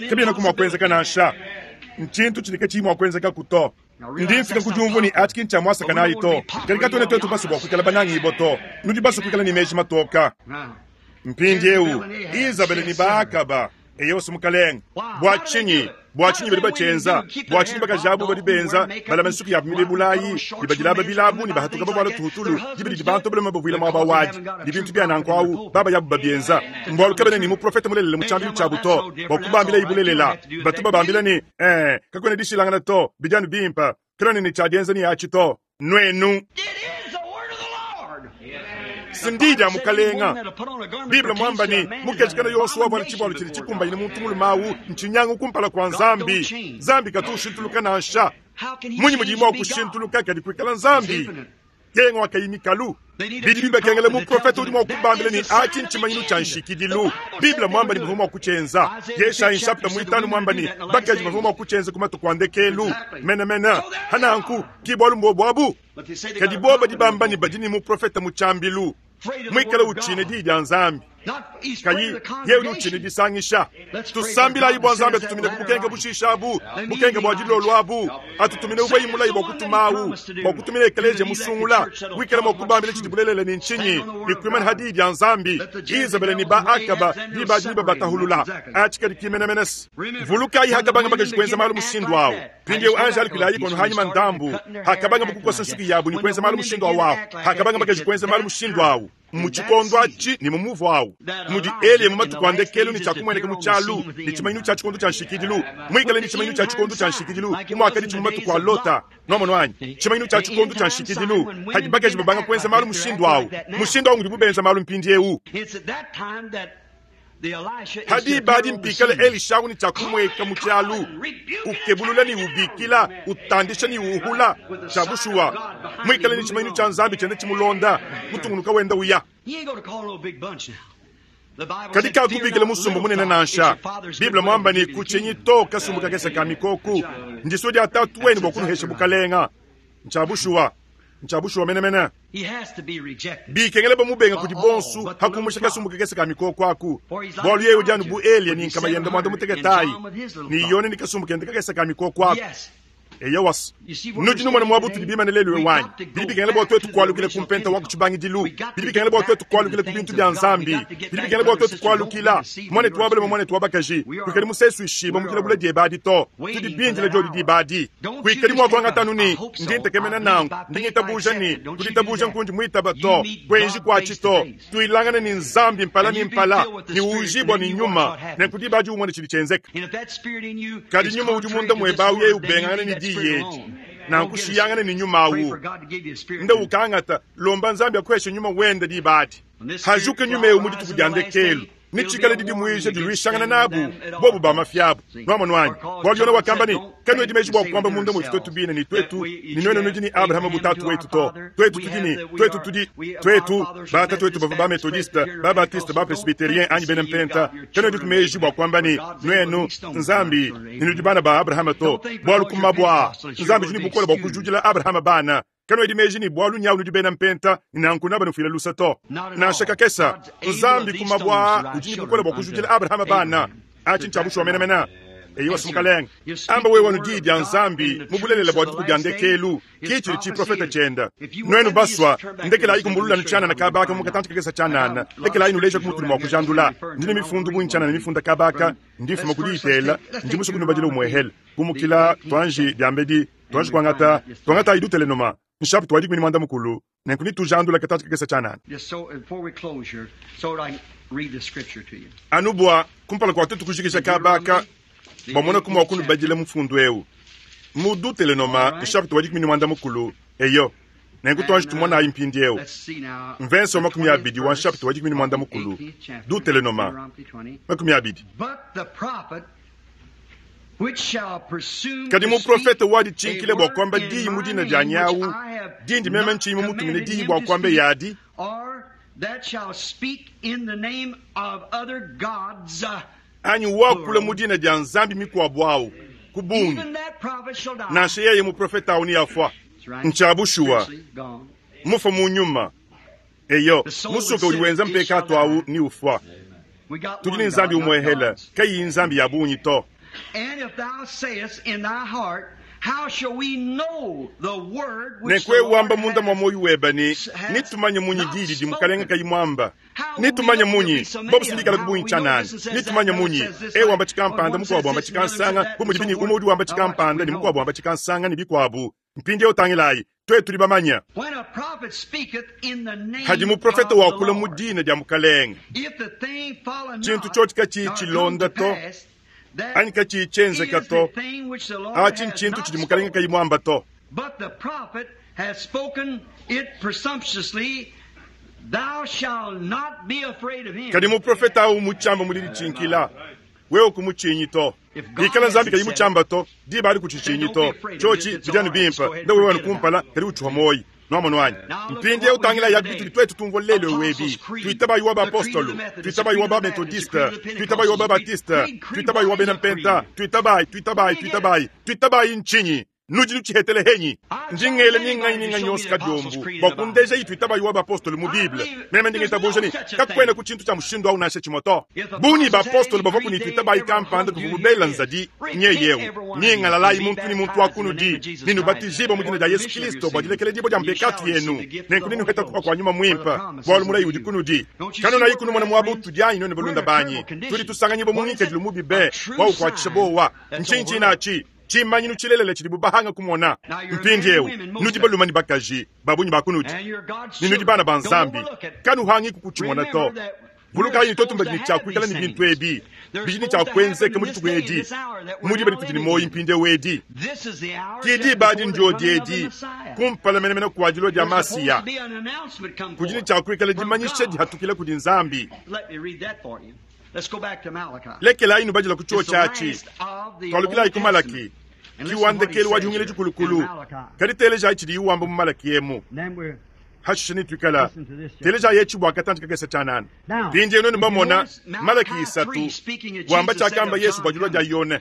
Kabienaku mua kuenzeka nansha. Ntshintu tshidi katshiyi mua kuenzekaku to. Ndi mfika ku diumvua ne, atshi ki ntshia muasakanayi to. Kadi katuena tuetu basue bua kuikala banangibue to. Nudi basue kuikala ne meji matoka. Mpindieu, Izabele ne ba-Akaba. Eyo's, mukalenge. Bua tshinyi? Bua tshinyi badi batshienza? Bua tshinyi bakaji abu badi benza, balama nsuki yabu milebulayi, ne badilaba bilabu, ne bahatuka bavuala tuhutulu, diba didi bantu balume bavuila muaba wadi, ne bintu bia nanku awu, baba yabu babienza? Mbualu kabena ne muprofete mulelela mu tshiambilu tshiabu to, bua kubambilayi bulelela. Batu babambila ne, Ee, kakuena dishilangana to, bidi anu bimpe. Kanuena ne tshia dienza ne atshi to, nuenu. Si ndiyi dia Mukalenga. Bible muamba ne, mukeji kana yonso wavuala tshivualu tshidi tshikumbanyine muntu mulume awu ntshinyangu kumpala kua Nzambi. Nzambi katu ushintuluka nansha. Mmunyi mudiye mua kushintuluka kadi kuikala Nzambi? Kenga wa kayi mikalu. Bidi bibakengela muprofete udi mua kubambila ne, atshi ntshimanyinu tshia nshikidilu. Bible muamba ne bavua mua kutshienza. Yeshayi nshapita muitanu muamba ne, bakaji bavua mua kutshienza ku matuku a ndekelu menemene. Hananku, ki bualu mbuobu abu. Kadi bobu badi bamba ne badi ne muprofete mu tshiambilu, muikale utshina diyi dia Nzambi. Kayi yeye udi utshina disangisha. Tusambilayi bua Nzambi atutumine ku bukenke bushisha abu, bukenke bua dilolo abu, atutumine uvuaye mulaye bua kutumawu, bua kutumina ekeleziya musungula, wikala mua kubambila tshidi bulelela ne ntshinyi, ne kuimana ha diyi dia Nzambi. Izabele ne ba Akaba diba adi nebabatahulula. Atshi kadi ki menemene se. Vulukayi hakabanga bakaji kuenza malu mushindu awu. Mpindieu anji alukilayi kono hanyima ndambu, hakabanga kukosa nsuki yabu ne kuenza malu mushindu awu awu, hakabanga bakaji kuenza malu mushindu awu. Mu tshikondo atshi ne mu muvu au mudi Eliya mu matuku a ndekelu ne tshiakumueneka mu tshialu ne tshimanyinu tshia tshikondo tshia nshikidilu, muikale ne tshimanyinu tshia tshikondo tshia nshikidilu bu muakaditshi mu matuku a Lota. Nuamonu anyi? Tshimanyinu tshia tshikondo tshia nshikidilu padi bakaji babanga kuenza malu mushindu au. Mushindu au ngudibu benza malu mpindieu. Ha diba adi mpikale Elisha ne tshia kumueka mu tshialu, ukebulula ne ubikila, utandisha ne uhula. Tshia bushuwa, muikale ne tshimanyinu tshia Nzambi tshienda tshimulonda, mutungunuka wenda uya. Kadi kakubikila musumba munene nansha. Bible muamba ne, Kutshinyi to, kasumbu kakese ka mikoku, ndisua dia Tatu wenu bua kunuhesha bukalenga. Ntshia bushuwa, ntshia bushuwa menemene. Bikengela bamubenga kudi bonsu, ha kumusha kasumbu kakese ka mikoko aku, bualu yeye udi anu bu Eliya ne nkama yende muanda mutekete ayi, ne Yone ne kasumbu kende kakese ka mikoko aku. Eyowa, nudi numona muaba utudi bimane lelu eu anyi? Bidi bikengela bua tuetu kualukila ku mpenta wa ku tshibangidilu. Bidi bikengela bua tuetu kualukila ku bintu bia Nzambi. Bidi bikengela bua tuetu kualukila, muanetu wa balume, muanetu wa bakaji, kuikadi musesuishibue mu dilabula diebe adi to. Tudi bindile diodi diba adi. Kuikadi mua kuangata anu ne, Ndi ntekemena nanku, ndi ngitabuja ne, ku ditabuja nkundi muitaba to. Kuenji kuatshi to. Tuilangane ne Nzambi mpala ne mpala ne uujibua ne Nyuma, nenku diba adi umone tshidi tshienzeka. Kadi nyuma udi munda muebe awu yeye ubengangana ne diyi edi, nanku shiyangana ne nyuma awu. Nda ukangata, lomba Nzambi akuheshe nyuma wende diba adi. Hajuka nyuma eu mu dituku dia ndekelu. Netshikale didimuija diluishangana nabu, bobu ba mafi abu. Nwamonu anyi? Bualu Yone wakamba ne, Kanuedi meji bua kuamba munda muetu tuetu bine ne, tuetu, ne nuenu nudi ne Abrahama bu tatu wetu to. Tuetu tudi ne, tuetu tudi, tuetu, batatuetu bavua ba-Metodiste, ba-Batiste, ba-Presbyterien anyi bena Mpenta. Kanuediku meji bua kuamba ne, nuenu, Nzambi, ne nudi bana ba Abrahama to. Bualu ku mabue aa, Nzambi udi ne bukole bua kujudila Abrahama bana. Kanuedi meji ne bualu nyawu nudi bena mpenta, ne nanku nabanufuila lusa to. Nansha kakesa. Nzambi ku mabue aa udi ne bukole bua kujudila Abrahama bana. Atshi ntshia bushuwa menemene. Eyowa, Mukalenge. Amba wewe anu Diyi dia Nzambi mu bulelela bua dituku dia ndekelu, ki tshidi tshiprofete tshienda. Nuenu basua, ndekelayi kumbulula anu tshianana kaba aka mu katantshi kakesa tshianana. Lekelayi nuleja ku mutudi mua kujandula. Ndi ne mifundu bungi tshianana mifunda kaba aka, ndi mfuma ku diyitela, ndi musue kunubadila umuehele. Kumukila tuanji diambedi. Tuanji kuangata, tuangatayi Dutelenoma, nshapita wa 15, nenku netujandula katantshi kakese tshianana. Anu bua, kumpala kua tuetu kujikija kaba aka, bua monaku mua kunubadila mufundu eu mu Dutelenoma, nshapita wa 15. Eyo. Nenku tuanji tumonayi mpindieu mvense wa 20 wa nshapita wa 15, Dutelenoma, 20. Kadi muprofete waditshinkile bua kuamba diyi mu dina dianyi awu, dindi meme ntshiyi mumutumine diyi bua kuamba yadi, anyi wakula mu dina dia nzambi mikuabu awu, ku bungi, nansha yeye muprofete awu neafua. Ntshia bushuwa, mufua mu nyuma. Eyo, musuka udi wenza mpekatu awu neufua. Tudi ne Nzambi umuehele, kayiyi nzambi ya bungi to. Nenku wewe wamba munda mua muoyo webe ne, Netumanye munyi diyi didi Mukalenge kayi muamba? Netumanye munyi? Bobu si bikalaku bungi tshianana. Netumanye munyi? Eu wamba tshikampanda, mukuabu wamba tshikansanga, bu mudibi ne umue udi wamba tshikampanda ne mukuabu wamba tshikansanga ne bikuabu. Mpindieu tangilayi, tuetu tudi bamanye. Hadi muprofete wakula mu dina dia Mukalenge, tshintu tshiotshi katshiyi tshilonda to, anyi katshiyi tshienzeka to, atshi ntshintu tshidi Mukalenge kayi muamba to. Kadi muprofete au mutshiamba mu diditshinkila, wewe kumutshinyi to. Bikala Nzambi kayi mutshiamba to, diba adi kutshitshinyi to. Tshiotshi bidi anu bimpe, nda wewe anu kumpala, kadi utshiwa muoyi. Nwamonu anyi? Mpindieu tangilayi abi bitudi tuetu tumvua lelu eu ebi. Tuitabayi wa bapostolo, tuitabayi wa ba-metodiste, tuitabayi wa ba-batiste, tuitabayi wa bena mpenta, tuitabayi, tuitabayi, tuitabayi, tuitabayi ntshinyi? Nudi nutshihetele henyi? Ndi ngela minganyi minganyi yonso kadiombu bua kundeja ituitabayi wa bapostolo mu Bible. Meme ndi ngitabuja ne kakuena ku tshintu tshia mushindu au nansha tshimue to. Bungi bapostolo bavuaku ne ituitabayi kampanda kuvubu bela nzadi nyeyeu, Nyingalalayi muntu ne muntu wa kunudi, ne nubatijibue mu dina dia Yesu Kilisto bua dilekeledibua dia mpekatu yenu, nenku nenuheta kupa kua Nyuma Muimpe, bualu mulayi udi kunudi. Kanunayi kunumona muaba utudi anyi nuenu balunda banyi? Tudi tusanganyibua mu ngikadilu mubi be wa ukuatshisha buowa. Ntshinyi tshinatshi? Tshimanyinu tshilelela tshidibu bahanga kumona mpindieu. Nudi balume ne bakaji, ba bungi ba kunudi, ne nudi bana ba Nzambi. Kanuhangiku kutshimona to. Vulukayi ne tuetu mbadi ne tshia kuikala ne bintu ebi bidi ne tshia kuenzeka mu dituku edi, mu diba ditudi ne muoyo mpindieu edi. Ki diba adi ndiodi edi, kumpala menemene kua dilua dia Masiya, kudi ne tshia kuikala dimanyisha dihatukila kudi Nzambi. Lekelayi nubadila ku tshiotshi atshi. Tualukilayi ku Malaki, ki wa ndekelu wa dihungila dikulukulu. Kadi telejayi tshidiyi wamba mu Malaki emu. Hashishe netuikala telejayi etshi bua katantshi kakese tshianana. Mpindieu nuenu bamona Malaki 3 wamba tshiakamba Yesu bua dilua dia Yone.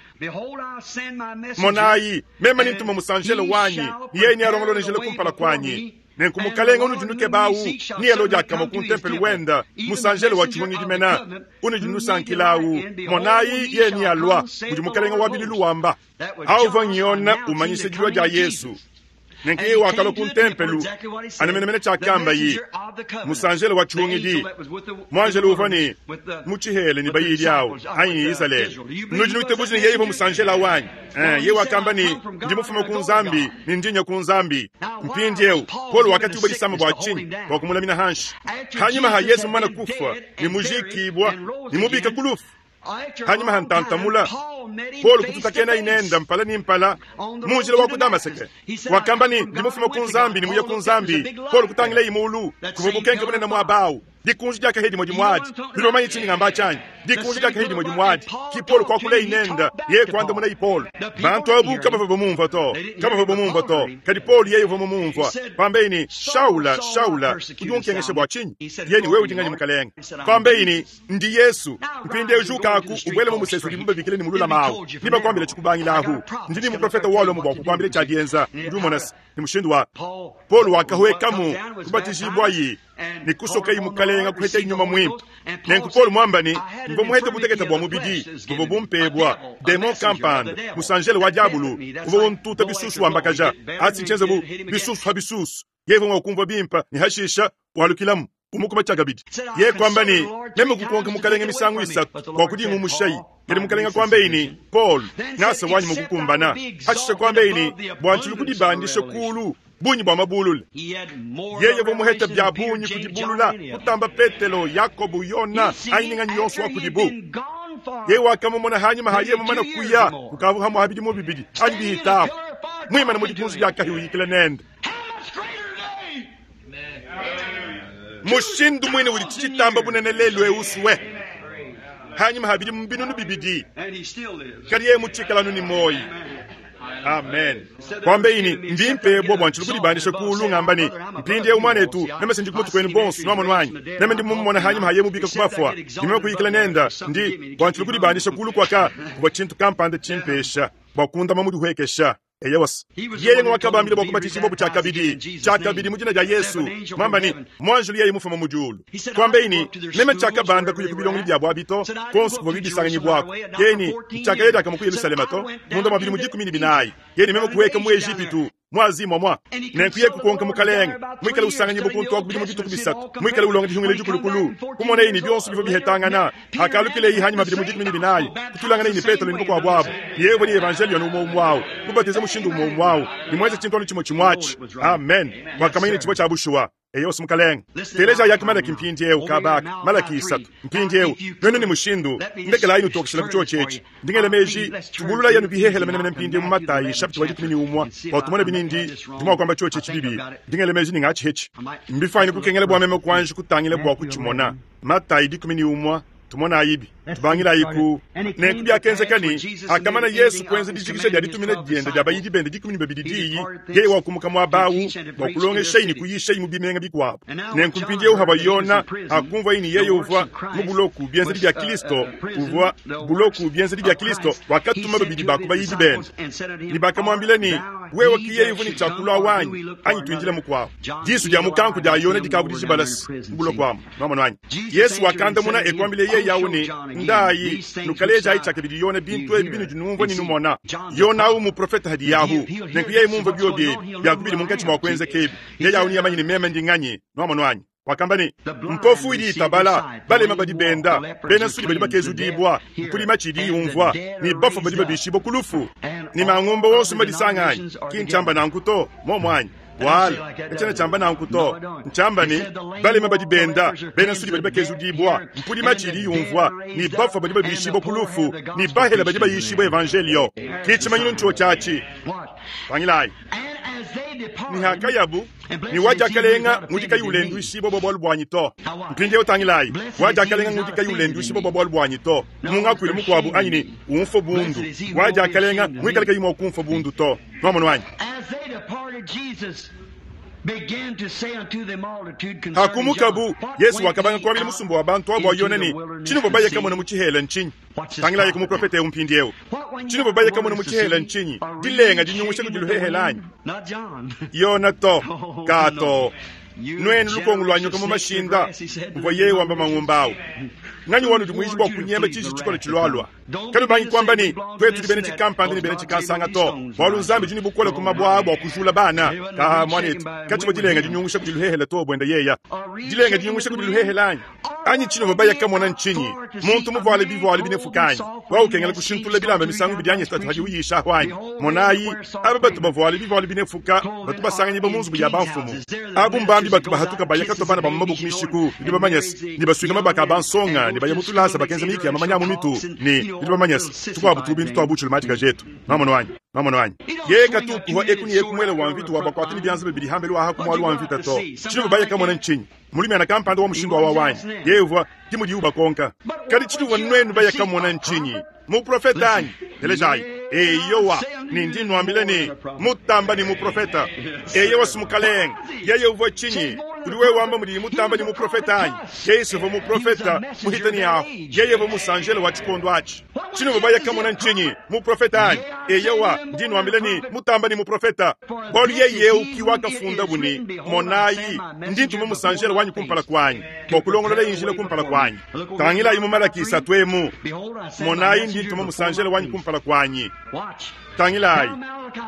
Monayi, meme nintuma musanjelo wanyi, ne yeye nealongolole njila kumpala kuanyi. Nenku mukalenge unudi nukeba awu nealue diakamue ku ntempelo wende, musanjelo wa tshihungidi mena unudi nusankila awu. Monayi, yeye nealua, mudi mukalenge wa bilulu wamba. Awu uvua Yone umanyisha dilua dia Yesu. Nenku yeye wakalua ku ntempelo anu menemene tshiakambaye, musanjelo wa tshihungidi. Muanjelo uvua ne mu tshihela ne bayidi awu anyi ne Izalele. Nudi nuitabuja ne yeye uvua musanjelo awu anyi? Yeye wakamba ne, Ndi mufume ku Nzambi ne ndi nya ku Nzambi. Mpindieu Paulo wakatuba disama bua tshinyi? Bua kumulamina hanshi. Hanyima ha Yesu mumane kufua ne mujikibua ne mubika ku lufu, hanyima ha ntantamula, Paulo kututakena inenda mpala ne mpala mu njila wa ku Damaseke. Wakamba ne, Ndi mufume ku Nzambi ne muye ku Nzambi. Paulo kutangilaye mulu, kuvua bukenke bunene muaba au. Dikunji dia kahia dimue dimue adi. Nudi bamanye tshindi ngamba tshianyi? Dikunji dia kahia dimue dimue adi. Ki Paulo kuakulayi nende, yeye kuandamunayi Paulo. Bantu abu kabavua bamumvua to, kabavua bamumvua to. Kadi Paulo yeye uvua mumumvua. Pambeyi ne, Shaula, Shaula, udi unkengesha bua tshinyi? Yeye ne, Wewe udi nganyi, Mukalenge? Pambeyi ne, Ndi Yesu. Mpindieu jukaku, ubuele mu musesu udibu babikila ne mululama awu. Nebakuambile tshikubangila ahu. Ndi ne muprofete wa Lomo bua kukuambila tshia dienza. Udi umona se, ne mushindu wa Paulo wakahuekamu, kubatijibuaye ne kusokayi Mukalenga, kuhetayi Nyuma Muimpe. Nenku Paulo muamba ne, Mvua muhete butekete bua mubidi buvua bumpebua, demon kampanda, musanjele wa diabulu, uvua untuta bisusu wambakaja, atshi ntshienza bu bisusu pa bisusu. Yeye uvua mua kumvua bimpe ne hashisha walukilamu kumukuma tshiakabidi. Yeye kuamba ne, Meme kukonka Mukalenge misangu isatu bua kudingumushayi. Kadi Mukalenge kuambaye ne, Paul, ngasa wanyi mukukumbana. Hashishe kuambaye ne, Bua ntshilu kudibandisha kulu bungi bua mabulula. Yeye uvua muhete bia bungi kudibulula kutamba Petelo, Yakobo, Yona anyi ne nganyi yonso wa kudibu. Yeye wakamumona hanyima ha yeye mumane kuya kukavua hamue ha bidimu bibidi anyi bihitapu, muimane mu dikunji dia kahia uyikila nende. Mushindu muine udi tshitamba bunene lelu eu usue hanyima ha bidimu binunu bibidi, kadi yeye mutshikala anu ne muoyo. Amen. Kuambeyi ne, Mbimpe bua bua ntshilu kudibandisha kulu ngamba ne, mpindieu muanetu, meme sindi ku mutu kuenu bonso, nuamonu anyi? Meme ndi mumumona hanyima ha yeye mubika ku bafua, ne meme kuyikila nenda, ndi bua ntshilu kudibandisha kulu kuaka kuvua tshintu kampanda tshimpesha bua kundama mudihuekesha. Eyowa, yeye ng'wakabambila bua kubatijibua tshiakabidi, tshiakabidi mu dina dia Yesu, muamba ne, muanjelu yeye mufuma mu diulu. Kuambeyi ne, Meme tshiakabanda kuya ku bilongelu biabu abi to, kuonso kuvua bibisanganyibuaku. Yeye ne, Ntshiakaya diakamue ku Yelushalema to, munda mua bidimu 14. Yeye ne, Meme kuhueka mu Ejipitu, mu Azi muamua. Nenku yeye kukonka Mukalenge, muikale usanganyibua kuntu aku bidimu dituku bisatu, muikale ulonga dihungila dikulukulu, kumonaye ne bionso bivua bihetangana. Hakalukileyi hanyima bidimu 14, kutulanganaye ne Petelo ne bakuabu abu, ne yeye uvua ne evanjeliyo anu umue umue au, kubatiza mushindu umue umue au, ne muenze tshintu anu tshimue tshimue atshi. Amen. Wakamanya ne tshivua tshia bushuwa. Eyo Mukalenge. Telejayi aku Malaki mpindieu, kaba aka, Malaki 3. Mpindieu, nuenu ne mushindu, ndekelayi nutokeshila ku tshiotshi etshi. Ndi ngela meji, tubululayi anu bihehele menemene mpindieu mu Matayi nshapita wa 11, bua tumone binindi ndi mua kuamba tshiotshi etshi bibi. Ndi ngela meji ne ngatshihetshi. Mbifuanyine kukengela bua meme kuanji kutangila bua kutshimona. Matayi 11, tumonayibi. Tubangilayi ku nenku biakenzeka ne, hakamana Yesu kuenza dijikisha dia ditumina diende dia bayidi bende 12 diyi, yeye wakumuka muaba au bua kulongeshayi ne kuyishayi mu bimenga bikuabu. Nenku mpindieu havua Yona hakumvuaye ne yeye uvua mu buloku bienzedi bia Kristo, uvua buloku bienzedi bia Kristo, wakatuma babidi ba ku bayidi bende ne bakamuambila ne, Wewe ki yeye uvua ne tshia kulua wanyi, anyi tuindile mukuabu? Disu dia mukanku dia Yona dikavua dijibalase mu buloko amu. Nuamonu anyi? Yesu wakandamuna e kuambila yeye au ne, Ndayi, nukalejayi tshiakabidi Yona bintu ebi binudi numvua ne numona. Yona au muprofete hadiyahu. Nenku yeye mumvue biobi ebi, biaku bidi munkatshi mua kuenzeka ebi, yeye au neamanye ne meme ndi nganyi. Nuamonu anyi? Wakamba ne, Mpofu idi itabala, balema badi benda, bena nsudi badi bakezudibua, mpudi matshi idi yumvua, ne bafue badi babishibua ku lufu, ne mangumba wonso mbadisanga anyi? Ki ntshiamba nanku to, muomu anyi? Bualu katshiena tshiamba nanku to. Ntshiamba ne, balema badi benda, bena nsudi badi bakezudibua, mpudi matshi idi yumvua, ne bafue badi babishibua ku lufu, ne bahele badi bayishibua evanjeliyo. Ki tshimanyinu ntshiotshi atshi. Pangilayi. Ne hakayabu ne wa diakalenga ngudi kayi ulenduishibua bua bualu buanyi to. Mpindieu tangilayi, wa diakalenga ngudi kayi ulenduishibua bua bualu buanyi to. Mu ngakuilu mukuabu anyi ne, umfua bundu. Wa diakalenga muikale kayi mua kumfua bundu to. Nuamonu anyi? Hakumukabu, Yesu wakabanga kuambila musumba wa bantu abu Yona ne, Tshinuvua baye kamona mu tshihela ntshinyi? Tangilayi ku muprofete eu mpindieu. Tshinuvua baye kamona mu tshihela ntshinyi? Dilenga dinyungusha kudi luhehele anyi? Yona to, kato. Nuenu lukongo lua nyoka mu mashinda, muvua yeye wamba mangumba au. Nganyi wanudi muiji bua kunyema tshiji tshikole tshilualua? Kanubangi kuamba ne, tuetu tudi bena tshikampanda ne bena tshikansanga to, bualu Nzambi udi ne bukole ku mabue aa bua kujula bana. Kaha, muanetu, katshivua dilenga dinyungusha kudi luhehele to buenda yeya. Dilenga dinyungusha kudi luhehele anyi? Anyi tshinuvua baya kamona ntshinyi? Muntu muvuale bivualu binefuka anyi? Wewe ukengela kushintulula bilamba misangu ibidi anyi isatu hadi uyisha ahu anyi? Monayi, aba batu bavuale bivualu binefuka batu basanganyibua mu nzubu ya bamfumu. Abu mbambi batu bahatuka baya katua bana ba mu maboko mishiku, nudi bamanye se, ne basuika mabaka a bansonga. ne baya mu tulasa bakenza miyiki ya mamanya a mu mitu, ne nudi bamanye se, tukuabu tu-bintu tua butshilu matshika etu. Nwamonu anyi? Nwamonu anyi? Yeye katu upuwa eku ne eku muele wa mvita wa bakuata ne bianza bibidi hambelu aha ku mualu wa mvita to. Tshinuvua baya kamona ntshinyi? Mulumiana kampanda wa mushindu wawa wanyi? Yeye uvua, ke mudiwu bakonka. Kadi tshinuvua nuenu baya kamona ntshinyi? Muprofete anyi? Telejayi. Eyowa, ne ndi nnuambila ne, mutamba ne muprofete. Eyowa, si mukalenge. Yeye uvua tshinyi? Udi wewe wamba mudiyi mutamba ne muprofete anyi? Yeye si uvua muprofete muhita ne ahu. Yeye uvua musanjele wa tshikondo atshi. Tshinuvua baya kamona ntshinyi? Muprofete anyi? Eyowa, ndi nnuambila ne, mutamba ne muprofete. Bualu yeye eu ki wakafundabu ne, Monayi, ndi ntuma musanjele wanyi kumpala kuanyi, bua kulongololaye njila kumpala kuanyi. Tangilayi mu Malaki isatu emu, Monayi, ndi ntuma musanjele wanyi kumpala kuanyi. Tangilayi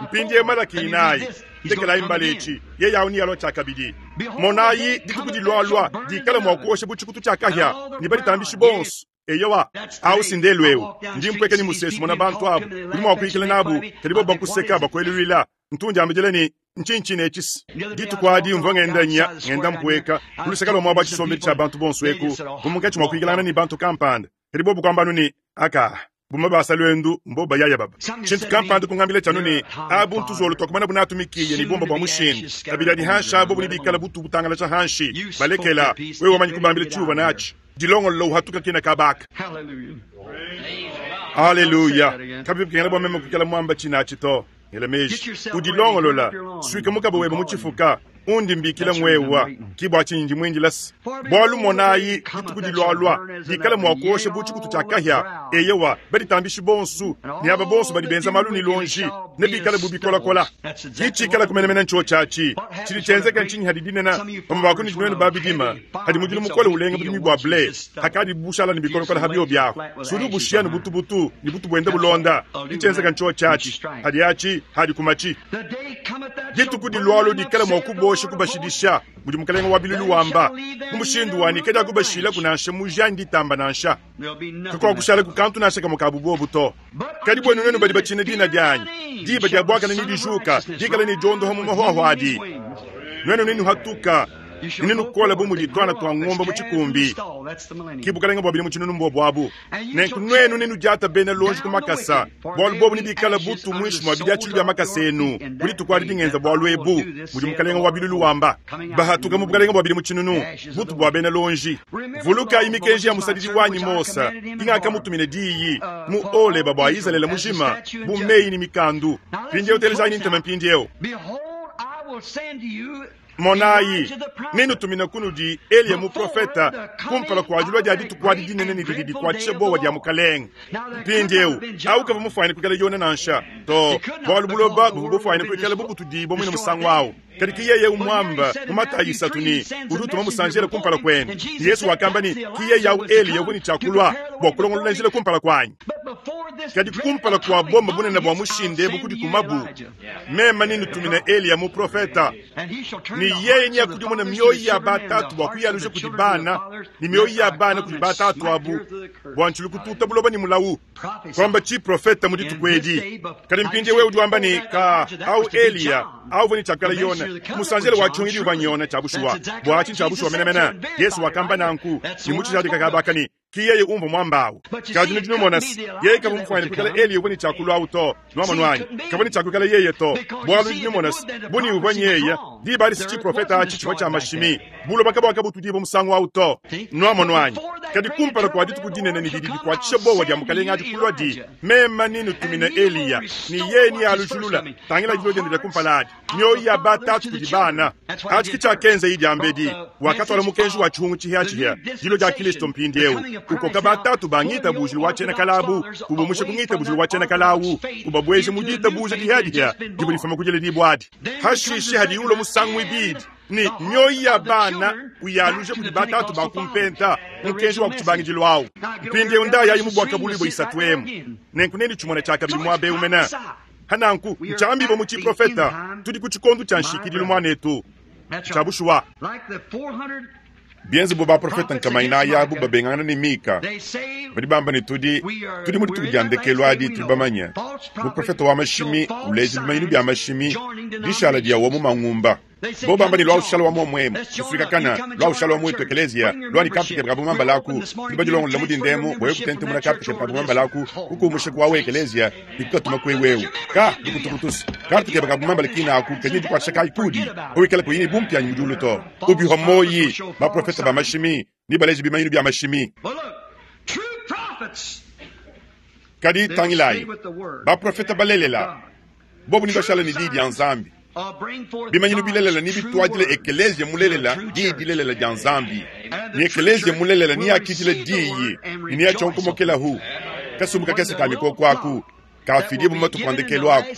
mpindieu Malaki inayi, ndekelayi mbala etshi, yeye au nealua tshiakabidi. Monayi, dituku dilualua dikala mua kuosha bu tshikutu tshia kahia, ne baditambishi bonso. Eyowa, au si ndelu eu. Ndi mpueka ne musesu mona bantu abu, udi mua kuyikila nabu, kadi bobu bakuseka, bakueluila. Ntu ndiambidila ne, Ntshinyi tshine etshi? Dituku adi mvua ngenda nya, ngenda mpueka ku luseke lua muaba wa tshisombedi tshia bantu bonso eku, mvua munkatshi mua kuyikilangana ne bantu kampanda, kadi bobu kuamba anu ne, Aka, bumue basa luendu mbobu bayaya baba. Tshintu kampanda kungambila tshianu ne, Abu ntuzolo tuakumana bu natu mikiya ne bumba bua mushinda. Kabidi adi hanshi abu bobu nebikale butu butangalaja hanshi. Balekela, wewe wamanyi kubambila tshiuvua natshi. Dilongolola uhatuka kena kabaka. Haleluya! Kabivua bikengela bua meme kuikala muamba tshine atshi to. Ngela meji, udilongolola, suika mukaba webe mu tshifuka, undi mbikila ngwewa, ki bua tshinyi ndi muindila se, bualu monayi, dituku dilualua dikala mua kuosha bu tshikutu tshia kahia, eyowa, baditambishi bonsu ne aba bonsu badi benza malu ne luonji nebikale bu bikolakola. Ki tshikalaku menemene ntshiotshi atshi. Tshidi tshienzeka ntshinyi hadi dinena, bamue ba kunudi nuenu ba bidima, hadi mudilu mukole ulenga budimi bua ble, hakadi bushala ne bikolakola ha biobi ahu, sudi ubushiya ne butubutu, ne butu buenda bulonda. Tshidi tshienzeka ntshiotshi atshi, hadi atshi hadi ku matshi. Dituku dilualua dikala mua kubosha kubashidisha, mudi Mukelenge wa bilulu wamba, mu mushindu wa ne kadiakubashilaku nansha muji anyi ditamba nansha. Kakuakushalaku kantu nansha kamue ka bubobu to. Kadi buenu nuenu badi batshina dina dianyi, diba dia buakane nedijuka, dikale ne diondoha mu mahuahua adi. Nuenu nenuhatuka ne nenukola bu mudi tuana tua ngombe mu tshikumbi. Ke bukalenge bua bidimu tshinunu mbuobu abu. Nenku nuenu nenudiate bena luonji ku makasa, bualu bobu nebikale butu muinshi mua bidiatshilu bia makasa enu ku dituku adi dingenza bualu ebu, mudi Mukalenge wa bilulu wamba. Bahatuka mu bukalenge bua bidimu tshinunu, butu bua bena luonji. Vulukayi mikenji ya musadidi wanyi Mose, ingakamutumina diyi mu Holeba bua Izalele mujima, bu meyi ne mikandu. Mpindieu telejayi ne ntema mpindieu. Monayi, nennutumine kunudi Eliya muprofete kumpala kua dilua dia dituku adi dinene ne didi dikuatshisha buowa dia Mukalenge. Mpindieu, au kavua mufuane kuikala Yona nansha, too, bualu buloba buvua bufuane kuikala bubutudibua muine musangu au. Kadi ki yeye umuamba mu Matayi isatu ne, udi utuma musanjele kumpala kuende. Ne Yezu wakamba ne, ki yeye au Eliya uvua ne tshia kulua bua kulongolola njila kumpala kuanyi. Kadi kumpala kua bomba bunene bua mushinda ebu kudikumabu, meme nennutumine Eliya muprofete, ne yeye neakudimune mioyo ya batatu bua kuyaluja kudi bana, ne mioyo ya bana kudi batatu abu, bua ntshilu kututa buloba ne mulawu. Kuamba tshiprofete mu dituku edi. Kadi mpindieu wewe udi wamba ne, Ka, au Eliya, au uvua ne tshia kuikala Yone, musanjele wa tshihungidi uvua n'Yone tshia bushuwa. Bua atshi ntshia bushuwa menemene. Yesu wakamba nanku, ne mu tshijadika kaba ne, Ki yeye umvua muamba awu. Kadi nudi numona se, yeye kavua mufuane kuikala Eliya uvua ne tshia kulua awu to. Nuamonu anyi? Kavua ne tshia kuikala yeye to. Bualu nudi numona se, bu ne uvua nyeye, diba adi si tshiprofete atshi tshivua tshia mashimi. Buloba kabuakabutudibua musangu awu to. Nuamonu anyi? Kadi kumpala kua dituku dinene ne didi dikuatshisha buowa dia Mukalenge adi kulua di, meme nenutumine Eliya, ne yeye nealujulula. Tangila dilua diende dia kumpala adi, mioyo ya batatu kudi bana. Atshi ke tshiakenzaye diambedi. Wakatuala mukenji wa tshihungu tshihiatshihia, dilua dia Kilisto mpindieu, ukoka batatu ba ngitabujilu wa tshiena kale abu, ubumusha ku ngitabujilu wa tshiena kale awu, ubabueja mu ditabuja dihiadihia divua difuma ku diledibua adi. Hashishe hadiye ulua musangu muibidi ne mioyo ya bana uyaluja kudi batatu ba ku mpenta, mukenji wa ku tshibangidilu awu. Mpindieu ndayayi mu Buakabuluibua isatu emu, nenku nenditshimone tshiakabidi muaba eu mene. Pa nanku, ntshiambibua mu tshiprofeta, tudi ku tshikondo tshia nshikidilu, muanetu. Ntshia bushuwa. Bienze bu baprofete nkama inayi abu babengangana ne Mika, badi bamba ne, tudi tudi mu dituku dia ndekelu adi, tudi bamanye. Muprofete wa mashimi uleja bimanyinu bia mashimi, dishala dia wa mu mangumba. Bobo bamba ne, Lwa ushala wa muomwe emu, kusuikakana, lwa ushala wa muetu ekeleziya, lwa ne karte kebe ka bumambala aku, tudi badilongolola mu dinda emu bua wewe kutentemuna karte kebe ka bumambala aku, kukuumusha ku wawu ekeleziya ne kukatuma ku ewu ewu. Ka, lukutukutu's. Karte kebe ka bumambala kine aku kadi ne dikuatshisha kayi kuudi pawikala kuyi ne bumpianyi mu diulu to? Ubihua muoyi, baprofete ba mashimi nebaleje bimanyinu bia mashimi. Kadi tangilayi, baprofete balelela, bobu nebashale ne Diyi dia Nzambi. Bimanyinu bilelela nebituadile ekeleziya mulelela Diyi dilelela dia Nzambi, ne ekeleziya mulelela neakidile Diyi ne neatshionkomokelahu. Kasumbu kakese ka mikoko aku kaafidibua mu matuku a ndekelu aku,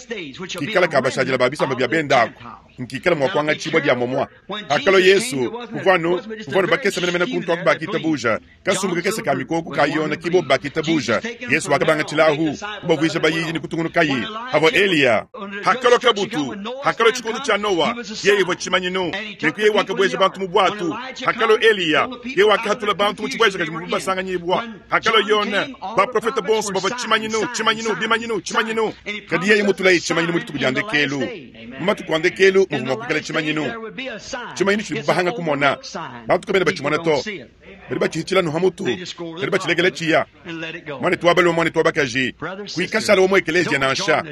kikala ka bashadile ba bisamba bia bende aku, nkikala mua kuangatshibua dia momua. Pakalua Yesu, kuvua anu, kuvua anu bakese menemene kuntu aku bakitabuja. Kasumbu kakese ka mikoko ka Yone ki bobu bakitabuja. Yesu wakabangatshilahu, kubavuija bayidi ne kutungunukayi. Pavua Eliya. Hakalua kabutu, hakalua tshikondo tshia Noa, yeye uvua tshimanyinu, nenku yeye wakabueja bantu mu buatu. Hakalua Eliya, yeye wakahatula bantu mu tshibuejakaji muvuabu basanganyibua. Hakalua Yone, baprofete bonso bavua tshimanyinu, tshimanyinu, bimanyinu, tshimanyinu. Kadi yeye mutulaye tshimanyinu mu dituku dia ndekelu. Mu matuku a ndekelu muvua mua kuikala tshimanyinu, tshimanyinu tshidibu bahanga kumona. Bantu kabena batshimona to, badi batshihitshila anu ha mutu, badi batshilekela tshiya. Muanetu wa balume, muanetu wa bakaji, kuikashala wa mu ekeleziya nansha.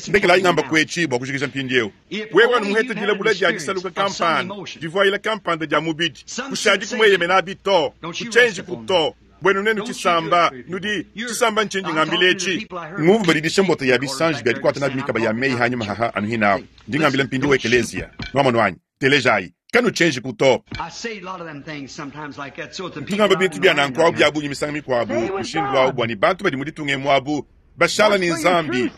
Ndekelayi ngamba kuetshi bua kujikija mpindieu. Wewe anu muhete dilabula dia disaluka kampanda, divuayila kampanda dia mubidi, kushadi kumueyemenabi to, kutshienjiku to. Buenu nenu tshisamba, nudi tshisamba ntshindi ngambila etshi. Ngumvu badidisha mbota ya bisanji bia dikuata nabi mikaba ya meyi hanyima haha anu hinahu. Ndi ngambila mpindieu ekeleziya. Nuamonu anyi? Telejayi. Kanutshienjiku to. Ntu ngamba bintu bia nanku awu bia bungi misangu mikuabu mushindu awu bua ne bantu badi mu ditunga emu abu bashala ne Nzambi.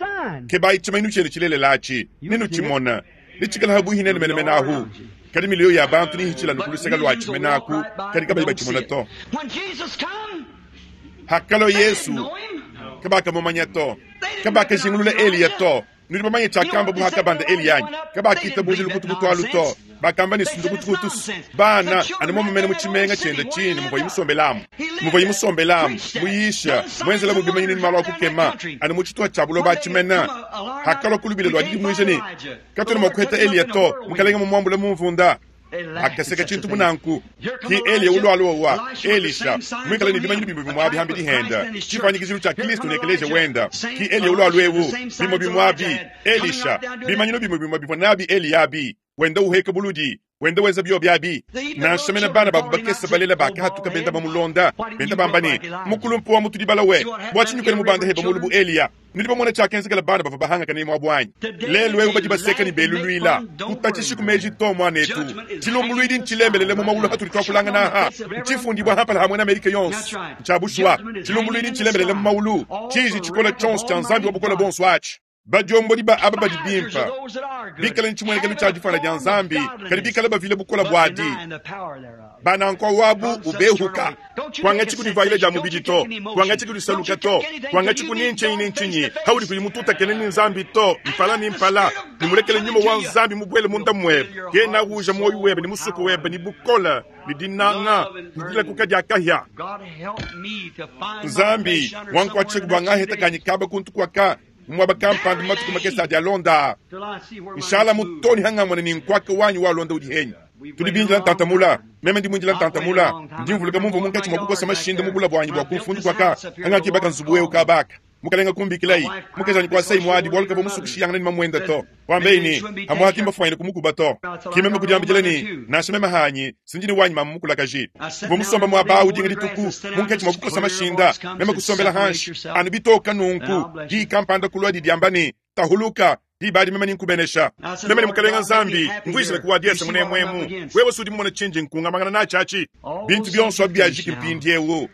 Kebayi tshimanyinu tshienu tshilelela atshi, nenutshimona. Netshikale habuihi nenu menemene ahu. Kadi miliyo ya bantu nehitshile anu ku luseke luatshi mene aku, kadi kabayi batshimona to. Hakalua Yesu, kabakamumanya to. Kabakajingulula Eliya to. Nudi bamanye tshiakambabu hakabanda Eliya anyi? Kabakitabuja lukutukutu alu to. Bakamba ne, Ndukutukutu. Bana, anu momu mene mu tshimenga tshiende tshine muvuaye musombelamu, muvuaye musombelamu, muyisha, muenzelamu bimanyinu ne malu a kukema, anu mu tshituha tshia buloba atshi mene. Hakalua ku lubila lua didimuija ne, Katuena mua kuheta Eliya to, Mukelenge mumuambule mu mvunda. Akaseka tshintu bu nanku. Ki Eliya ulualua wa Elisha, muikale ne bimanyinu bimue bimue abi hambidi henda, tshifuanyikijilu tshia Kilisto ne ekeleziya wenda. Ki Eliya ulualua ewu, bimue bimue abi, Elisha, bimanyinu bimue bimue bivua nabi Eliya abi, wenda uheka buludi, wenda wenza biobi abi. Nansha mene bana babu bakese balela bakahatuka benda bamulonda, benda bamba ne, Mukulumpe wa mutudi balawe, bua tshinyi kuena mubanda heba mulu bu Eliya? Nudi bamona tshiakenzekela bana bavua bahangakane muabu anyi? Lelu eu badi baseka ne beluluila. Kutatshishi ku meji to, muanetu. Tshilumbuluidi ntshilembelele mu mawulu hatudi tuakulangana aha. Ntshifundibua hampala ha muena Amerika yonso. Ntshia bushuwa. Tshilumbuluidi ntshilembelele mu mawulu. Tshiji tshikole tshionso tshia Nzambi wa Bukole Buonso atshi. Badiombodi ba aba badi bimpe, bikale ne tshimuenekelu tshia difuana dia Nzambi, kadi bikale bavile bukole buadi. Ba nanku wabu ubehuka. Kuangatshi ku divuayila dia mubidi to, kuangatshi ku disaluka to, kuangatshi ku ni ntshinyi ni ntshinyi haudi kuyi mututakene ne Nzambi to, mpala ne mpala, ne mulekele nyuma wa Nzambi mubuele munda muebe. Kena uja muoyo webe ne musuku webe ne bukole ne dinanga ne dilakuka dia kahia. Nzambi wankuatshishaku bua ngaheta kanyi kaba kuntu kuaka mu muaba kampanda mu matuku makese adi alonda aa. Nshalamu too ne hangamona ne nkuaka wanyi walonda udi henyi. Tudi bindila ntanta mula. Meme ndi muindila ntanta mula. Ndi mvuluka mumvua munkatshi mua kukosa mashinda mu bula buanyi bua ku mfundu kuaka hangakibaka nzubu eu kaba aka. Mukalenga kumbikilayi, mukajanyi kuasayi muadi bualu kavua musue kushiyangana ne mamuenda to. Kuambaye ne, Amuha ki mbafuanyine kumukuba to. Ki meme kudiambidila ne, Nansha meme hanyi, si ndi ne wanyi mamu mukulakaji. Mvua musomba muaba au dinga dituku, munkatshi mua kukosa mashinda, meme kusombela hanshi, anu bitoka nunku, diyi kampanda kuluadi diamba ne, Tahuluka, diba adi meme ninkubenesha. Meme ne Mukalenga Nzambi, mvuijile ku wa diese munemu emu. Wewe si udi mumone tshindi nkungamangana natshi atshi? Bintu bionso abi biajiki mpindieu.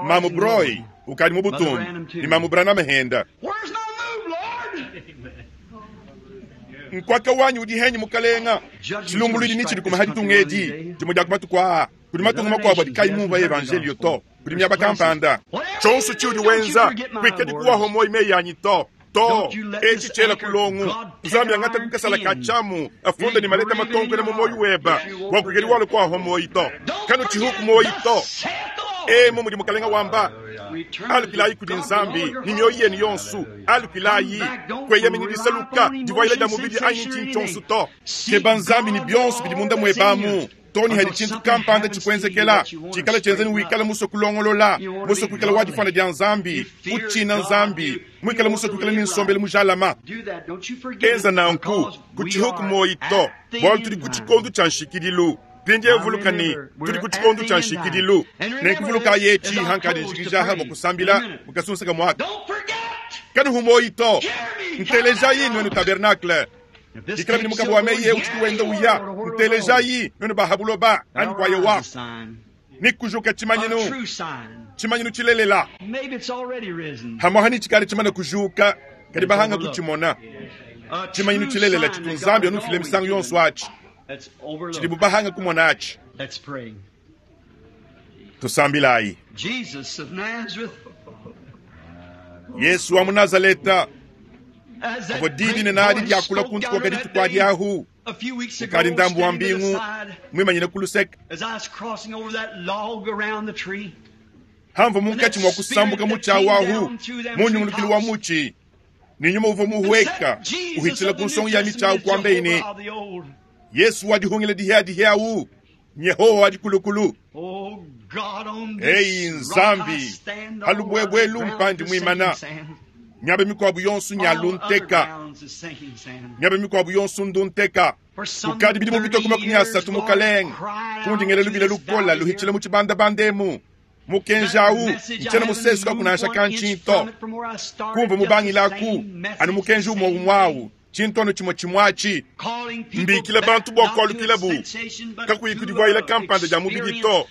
Mamu Broy ukadi mu butumbi, ne Mamu Branham henda. Nkuaka wanyi udi henyi, Mukalenga? Tshilumbuluidi netshidikume ha ditunga edi dimue dia ku matuku aa. Kudi matunga makuabo adi kayi mumvua evanjeliyo to. Kudi miaba kampanda. Tshionso tshiudi wenza, kuikadi kuwahua muoyo meyi anyi to. To, etshi tshiela ku longu. Nzambi angata ku kasala ka tshiamu, afunda ne maleta matonkona mu muoyo weba, bua kuikadi walua kuahua muoyo to. Kanutshihu ku muoyo to. Emu mudi Mukalenga wamba. Alukilayi kudi Nzambi ne mioyo yenu yonso. Alukilayi, kueyemeni disaluka divuayila dia mubidi anyi ntshinyi tshionso to. Keba Nzambi ne bionso bidi munda muebe amu. Too ne hadi tshintu kampanda tshikuenzekela, tshikale tshienza ne wikale musue kulongolola, musue kuikala wa difuana dia Nzambi, utshina Nzambi, muikale musue kuikala ne nsombelu mujalama. Enza nanku, kutshihuku muoyi to, bualu tudi ku tshikondo tshia nshikidilu. Mpindieu vuluka ne, tudi ku tshikondo tshia nshikidilu. Nenku vulukayi etshi, hankadi njikija aha bua kusambila mu kasunsa kamue aka. Kanuhu muoyi to. Ntelejayi, nuenu tabernakle. Bikala bidi mukaba wa meyi eu utshidi wenda uya, ntelejayi, nuenu ba ha buloba, anyi kua Yehowa. Ne kujuka tshimanyinu, tshimanyinu tshilelela. Hamuaha ne tshikale tshimane kujuka, kadi bahanga kutshimona. Tshimanyinu tshilelela tshitu Nzambi anufile misangu yonso atshi, tshidibu bahanga kumona atshi. Tusambilayi. Yesu wa mu Nazaleta, pavua di dinene adi diakula kuntu kuaka dituku adi ahu, ukadi ndambu wa mbingu muimanyine ku luseke. Hamvua munkatshi mua kusambuka mutshi awu ahu, mu nyungulukilu wa mutshi, ne nyuma uvua muhueka uhitshila ku nsongo ya mitshi awu, kuambeyi ne, Yesu wa dihungila dihiadihi awu, nYehowa wa dikulukulu. Eyi Nzambi, ha lubuebue elu mpandi muimana, miaba mikuabu yonso nya lunteka, miaba mikuabu yonso ndunteka. Kukadi bidimu bitue ku 30, Mukalenge, kundi ngela lubila lukola luhitshila mu tshibandabanda emu. Mukenji au ntshiena musesukaku nansha kantshinto. Kumvua mubangilaku anu mukenji umue umue au, tshintu anu tshimue tshimue atshi. Mbikila bantu bua kualukilabu, kakuyi ku divuayila kampanda dia mubidi to,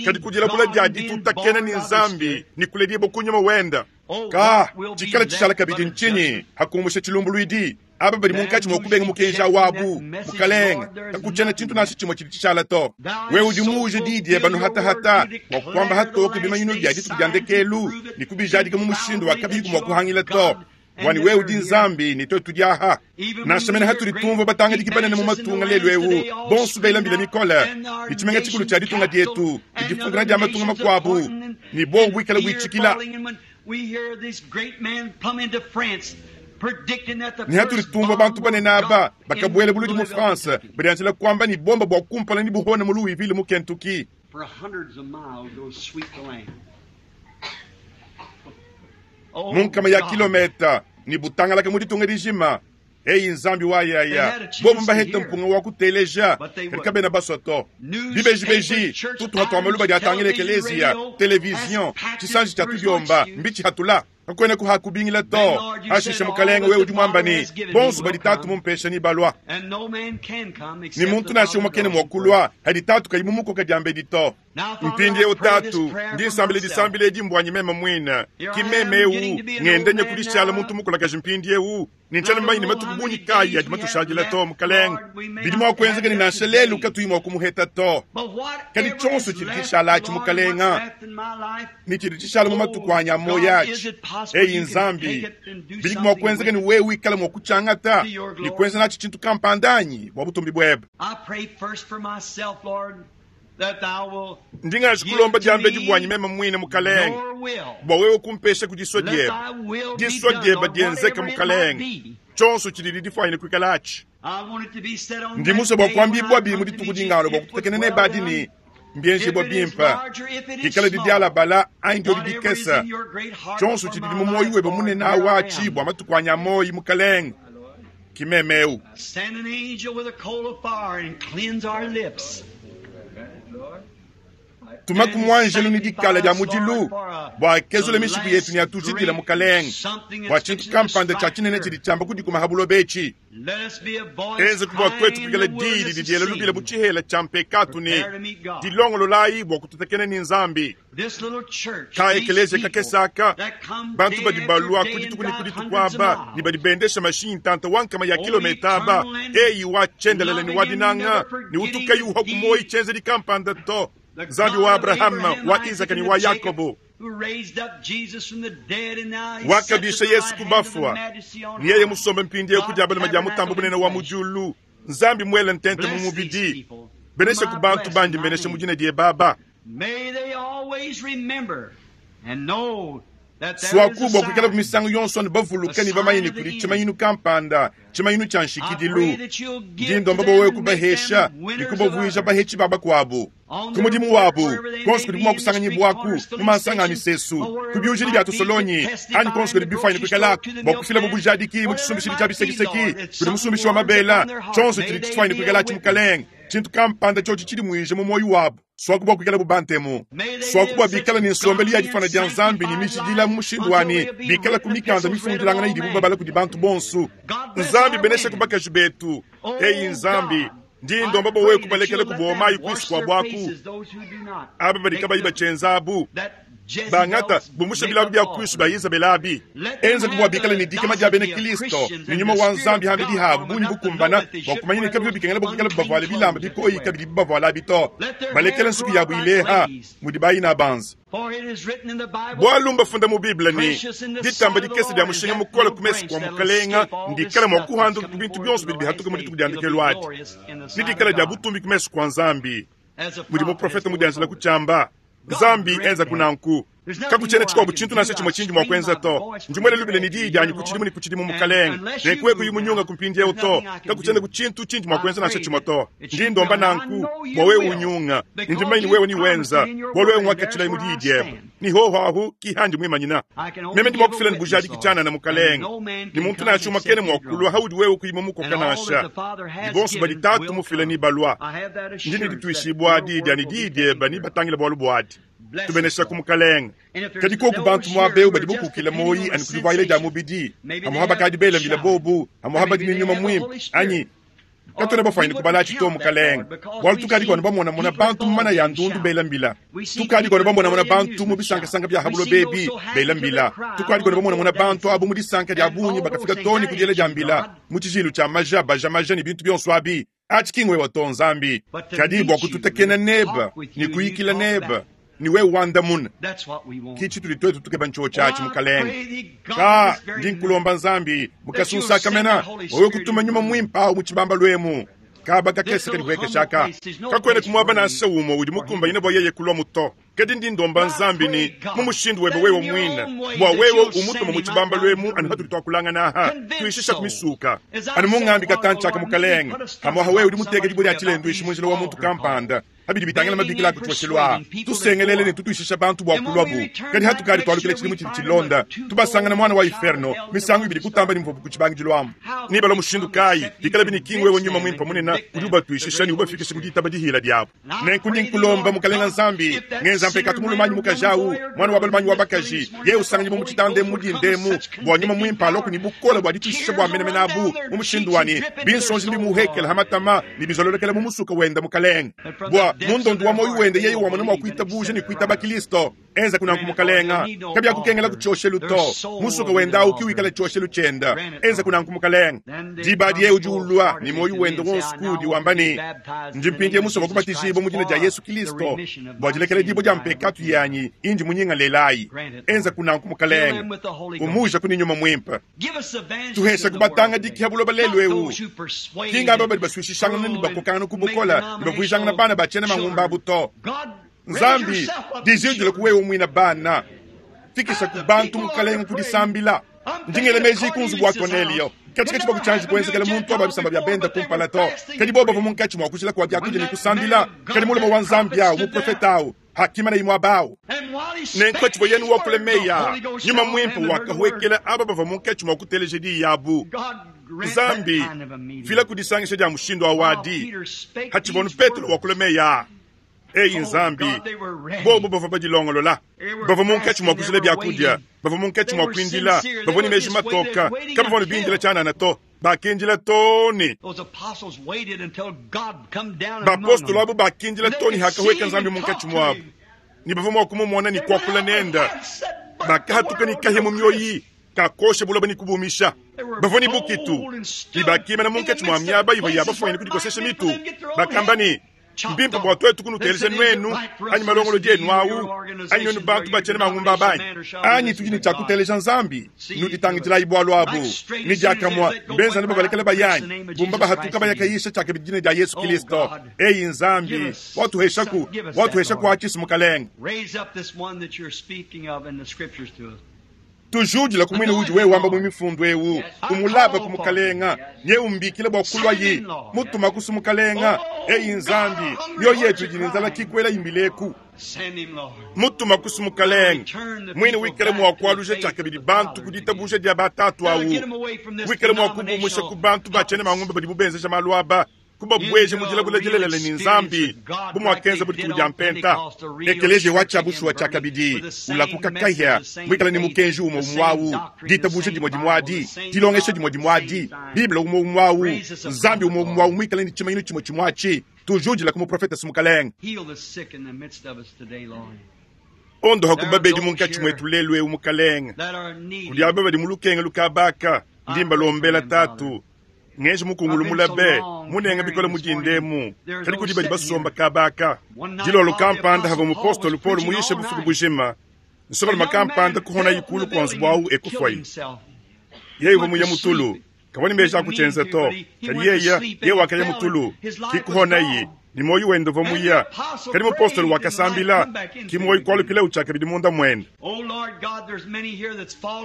kadi ku dilabula dia ditutakena ne Nzambi ne kuledibua ku nyuma wenda. Ka, tshikala tshishala kabidi ntshinyi hakumbusha tshilumbuluidi? Aba badi munkatshi mua kubenga mukenji awu abu, Mukalenge, kakutshiena tshintu nansha tshimue tshidi tshishala to. Wewe udi muuje diyi diebe anu hatahata bua kuamba hatoke bimanyinu bia dituku dia ndekelu ne kubijadika mu mushindu wa kabiyiku mua kuhangila to. Bua ne wewe udi Nzambi ne tuetu tudi aha. Nansha mene hatudi tumvua batangadiki banene mu matunga lelu eu bonso bela mbila mikole ne tshimenga tshikulu tshia ditunga dietu ne difungana dia matunga makuabu ne buowa buikale buitshikila. Ne hatudi tumvua bantu banene aba bakabuela buludi mu France badianjila kuamba ne bomba bua kumpala ne buhone mu Louisville mu Kentucky. Mu nkama ya kilometa ne butangalaka mu ditunga dijima. Eyi Nzambi wa yaya, bobu mbahete mpunga wa kuteleja, kadi kabena basua to. Bibejibeji, tutuha tua maluba diatangila ekeleziya, televizion, tshisanji tshia tudiomba, mbitshihatula. Kakuena kuha kubingila to. Hashishe Mukalenge, wewe udi muamba ne, bonso badi Tatu mumpesha ne balua. Ne muntu nansha umue kena mua kulua hadi Tatu kayi mumukoka diambedi to. Mpindieu Tatu, ndi nsambila disambila edi mbuanyi meme muine, ki meme eu ngenda nya kudishala muntu mukulakaji mpindieu, ne ntshiena mumanye ne matuku bungi kayi adi matushadila to. Mukalenge, bidi mua kuenzeka ne nansha lelu katuyi mua kumuheta to. Kadi tshionso tshidi tshishala atshi, Mukalenge, ne tshidi tshishala mu matuku anyi a muoyo atshi, eyi Nzambi, bidi mua kuenzeka ne wewe wikala mua kutshiangata ne kuenza natshi tshintu kampanda anyi bua butumbi buebe. Ndi nganji kulomba diambedi buanyi meme muine, Mukalenge, bua wewe kumpesha ku disua diebe. Disua diebe dienzeke, Mukalenge, tshionso tshididi difuanyine kuikala atshi. Ndi musue bua kuambibuabi mu dituku dingalua bua kututakena nebe adi ne, mbienjibua bimpe, dikala didialabala anyi diodi dikese, tshionso tshididi mu muoyo webe munene awu atshi bua matuku anyi a muoyo, Mukalenge, ki meme eu. Tumaku muanjelu ne dikala dia mudilu bua akezule mishiku yetu ne atujidile, Mukalenge, bua tshintu kampanda tshia tshinene tshidi tshiamba kudikuma ha buloba etshi. Enzeku bua tuetu kuikala diyi didi diela lubila bu tshihela tshia mpekatu ne dilongololayi bua kututakena ne Nzambi. Ka ekeleziya kakese aka, bantu badi balua ku dituku ne ku dituku aba ne badi bendesha mashinyi ntanta wa nkama ya kilometa aba, eyi wa tshiendelele ne wa dinanga ne utu kayi uhua ku muoyo tshienzedi kampanda to, Nzambi wa Abrahama, wa Izaka ne wa Yakobo, wakabisha Yesu ku bafua, ne yeye musombe mpindieu ku dia balume dia Mutambe Bunene wa mu diulu, Nzambi muele ntente mu mubidi. Benesha ku bantu bandi mbenesha mu dina diebe aba. Suaku bua kuikala misangu yonso anu bavuluka ne bamanye ne kudi tshimanyinu kampanda, tshimanyinu tshia nshikidilu. Ndi ndomba bua wewe kubahesha ne kubavuija bahetshi ba bakuabu ku mudimu wabu, konso kudibu mua kusanganyibuaku mu mansanga a misesu, ku biujidi bia tusolonyi, anyi konso kudi bifuanyine kuikalaku bua kufila bu bujadiki mu tshisumbishidi tshia bisekiseki kudi musumbishi wa mabela. Tshionso tshidi tshifuanyine kuikalatshi, Mukalenge, tshintu kampanda tshiotshi tshidimuije mu muoyo wabu. Suaku bua kuikala bu bantemu, suaku bua bikala ne nsombelu ya difana dia Nzambi ne mijidila mu mushindu wa ne bikala ku mikanda mifundilangana idibu babala kudi bantu bonso. Nzambi benesha ku bakaji betu. Eyi Nzambi, ndi ndomba bua wewe kubalekela kubowa mayi kuinshi kua buaku. Aba badi kabayi batshienza abu bangata bumusha bilabu bia kuinshi bia Yezabele abi. Enza bua bikale ne dikema dia bena Kristo ne nyuma wa Nzambi ham'bidi habu bungi bukumbana bua kumanya ne kabivua bikengela bua kuikala bavuale bilamba bikoyi kabidi bibavuala abi to. Balekela nsuki yabu ileha mudi bayina banza. Bualu mbafunda mu Bible ne, ditamba dikese dia mushinga mukole ku mesu kua Mukalenga ndikala mua kuhanduka ku bintu bionso bidi bihatuka mu dituku dia ndekelu adi, ne dikala dia butumbi ku mesu kua Nzambi, mudi muprofete mudianjila kutshiamba. Nzambi enza ku nanku. Kakutshiena tshikuabu tshintu nansha tshimue tshindi mua kuenza to. Ndi muele lubila ne diyi dianyi ku tshidimu ne ku tshidimu, Mukalenge. Nenku wewe kuyi munyunga ku mpindieu to. Kakutshiena ku tshintu tshindi mua kuenza nansha tshimue to. Ndi ndomba nanku bua wewe unyunga. Ne ndi mumanye ne wewe niwenza, bualu wewe nguakatshilayi mu diyi diebe. Ne hoho ahu ki handi muimanyina. Meme ndi mua kufila ne bujadiki tshianana, Mukalenge, ne muntu nansha umue kena mua kulua haudi wewe kuyi mumukoka nansha. Ne bonso badi Tatu mufila nebalua. Ndi ne dituishibua di dia ne diyi diebe nebatangile bualu buadi. Tubeneshaku, Mukalenge. Kadi koku bantu muaba eu badi bukukila muoyi anyi kudivuayila dia mubidi, amuha bakadi bela mbila bobu, amuha badi ne nyuma muimpe, anyi katuena bafuanyine kubalatshi to, Mukalenge, bualu tukadi kuanu bamonamona bantu mu mana ya ndundu bela mbila, tukadi kuanu bamonamona bantu mu bisankasanka bia habulo bebi bela mbila, tukadi kuanu bamonamona bantu abu mu disanka dia bungi bakafika too ne ku diela dia mbila mu tshijilu tshia maja baja maja ne bintu bionso abi. Atshi ki ngwewa to, Nzambi, kadi bua kututekena nebe ne kuyikila nebe ne wewe wandamuna. Ki tshitudi tuetu tukeba ntshiotshi atshi, Mukalenge. Ka ndi nkulomba Nzambi mukasunsa akamena wewe kutuma nyuma muimpe awu mu tshibambalu emu. Kaba kakese kadi kuhekesha aka kakuena ku muaba nansha umue udi mukumbanyine bua yeye kulua muto. Kadi ndi ndomba Nzambi ne mu mushindu webe wewe muine bua wewe umutuma mu tshibambalu emu anu hatudi tuakulangana aha tuishisha ku misuka anu mungambi katantshi aka Mukalenge. Pamuaha wewe udi muteke dibue dia tshilenduishi mu njila wa muntu kampanda habidi bitangila mabikila a ku tshioshelu aa. Tusengelele ne tutuishisha bantu bua kuluabu. Kadi hatukadi tualukila tshidimu tshidi tshilonda, tubasangana muana wa iferno misangu ibidi kutamba ne muvuabu ku tshibangidilu amu. Nebalua mushindu kayi bikalabi ne ki ngwewe nyuma muimpe munene udi ubatuishisha ne ubafikisha ku ditaba dihila diabu? Nenku ndi nkulomba, Mukalenga Nzambi, ngenza mpekatu mulume anyi mukaji awu, muana wa balume anyi wa bakaji, yeye usanganyibua mu tshitanda emu mu dinda emu, bua nyuma muimpe aloku ne bukole bua dituishisha bua menemene abu, mu mushindu wa ne binsonji nebimuhekele ha matama ne bizololokela mu musuka wende, Mukalenge, bua mu ndondo wa muoyo wende yeye wamona mua kuitabuja ne kuitaba Kilisto. Enza kunanku, Mukalenga. Kabiakukengela ku tshioshelu to. Musuka wenda awu ki wikala tshioshelu tshienda. Enza kunanku, Mukalenga. Diba adi yeye udi ulua ne muoyo wende wonso kuudi wamba ne, Ndi mpindieu musue bua kubatijibua mu dina dia Yesu Kilisto bua dilekela dibue dia mpekatu yanyi indi munyingalelayi. Enza kunanku, Mukalenga. Umuujaku ne Nyuma Muimpe. Tuheshaku batangadiki ha buloba lelu eu, ki ngaba badi basuishishangana ne bakokangana ku bukole ne bavuijangana bana ba tshiena mangumba abu to. Nzambi, dijidila ku wewe muina bana, fikisha ku bantu Mukalenga ku disambila. Ndi ngela meji ku nzubu wa Konelio. Katshikatshi bua kutshianji kuenzekela muntu wa ba bisamba bia benda kumpala to. Kadi bobo bavua munkatshi mua kujila kua biakudia ne kusambila. Kadi mulume wa Nzambi awu, muprofete awu, hakimana imue aba awu. Nenku patshivua yeye wakula meyi aa, Nyuma Muimpe wakahuekela aba bavua munkatshi mua kuteleja diyi abu. Nzambi, fila kudisangisha dia mushindu awu adi. Hatshivua anu Petelo wakula meyi aa, Eyi Nzambi, bobu bavua badilongolola, bavua munkatshi mua kujila biakudia, bavua munkatshi mua kuindila, bavua ne meji matoka, kabavua ne bindila tshianana to, bakindila too ne bapostolo abu bakindila too ne hakahueka Nzambi munkatshi muabu, ne bavua mua kumumona ne kuakula nenda. Bakahatuka ne kahia mu mioyi kakosha buloba ne kubumisha. Bavua ne bukitu ne bakimana munkatshi mua miaba ivua ya bafuanyine kudikosesha mitu, bakamba ne. Mbimpe bua tuetu kunuteleja nuenu anyi malongolodi enu awu, anyi nuenu bantu batshiena mangumba banyi, anyi tudi ne tshia kuteleja Nzambi. Nuditangidilayi bualu abu. Ne diakamue benzana babalekela bayanyi, bumba bahatuka bayakayisha tshiakabidi dina dia Yesu Kristo. Eyi Nzambi, watuheshaku, watuheshaku atshisi Mukalenge. Tujudila ku muine udi wewe wamba mu mifundu eu, umulaba ku mukalenga, nye umbikila bua kulua yi, mutuma kusu mukalenga. Eyi Nzambi, mioyo yetu idi ne nzala kikuela imbileku. Mutuma kusu mukalenga, muine wikale mua kualuja tshiakabidi bantu ku ditabuja dia batatu awu, wikale mua kubumusha ku bantu batshiena mangumba badibu benzeja malu aba, kubabueja mu dilabula dilelela ne Nzambi, bu muakenza bu dituku dia Mpenta. Ekeleziya wa tshia bushuwa tshiakabidi ulakuka kahia, muikale ne mukenji umue umue awu, ditabuja dimue dimue adi, dilongesha dimue dimue adi, Bible umue umue awu, Nzambi umue umue awu, muikale ne tshimanyinu tshimue tshimue atshi. Tujudila ku muprofete su Mukalenge. Ondoha ku babedi munkatshi muetu lelu eu, Mukalenge. Kudi aba badi mu lukenga lukabaka, ndi mbalombela Tatu. Ngenji mukungulu mulabe, munenga bikole mudinda emu, kadi kudi badi basomba kabaka. Dilolo kampanda havua mupostolo Paulo muyishe bufuku bujima, nsongalume kampanda kuhonayi kulu kua nzubu awu e kufuaye. Yeye uvua muye mu tulu, kavua ne meji a kutshienza to, kadi yeye, yeye wakaya mu tulu, ki kuhonayi, ne muoyo wende uvua muya. Kadi mupostolo wakasambila, ki muoyo kualukilawu tshiakabidi munda muende.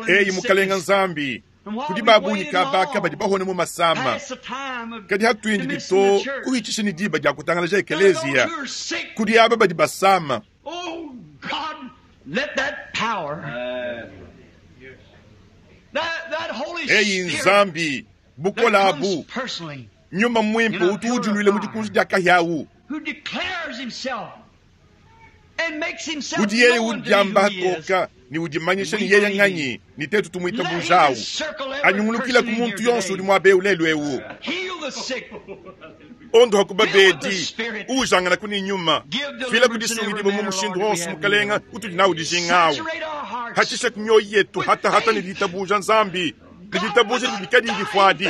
Eyi Mukalenga Nzambi, kudi ba bungi kabaka badi bahone mu masama, kadi hatuindidi to kuhitshisha ne diba dia kutangalaja ekeleziya kudi aba badi basama. Eyi Nzambi, bukole abu, Nyuma Muimpe utu ujuluila mu dikunji dia kahia awu, udi yeye udiamba hatoka ne udimanyisha ne yeye nganyi, ne tetu tumuitabujawu. Anyungulukila ku muntu yonso udi muaba eu lelu eu. Ondoha ku babedi, uujangana ku ne nyuma, fila ku disungidibua mu mushindu wonso, Mukalenga, utudi nawu dijinga awu. Hatshisha ku mioyo yetu hatahata ne ditabuja Nzambi, ne ditabuja didi kadiyi difuadi,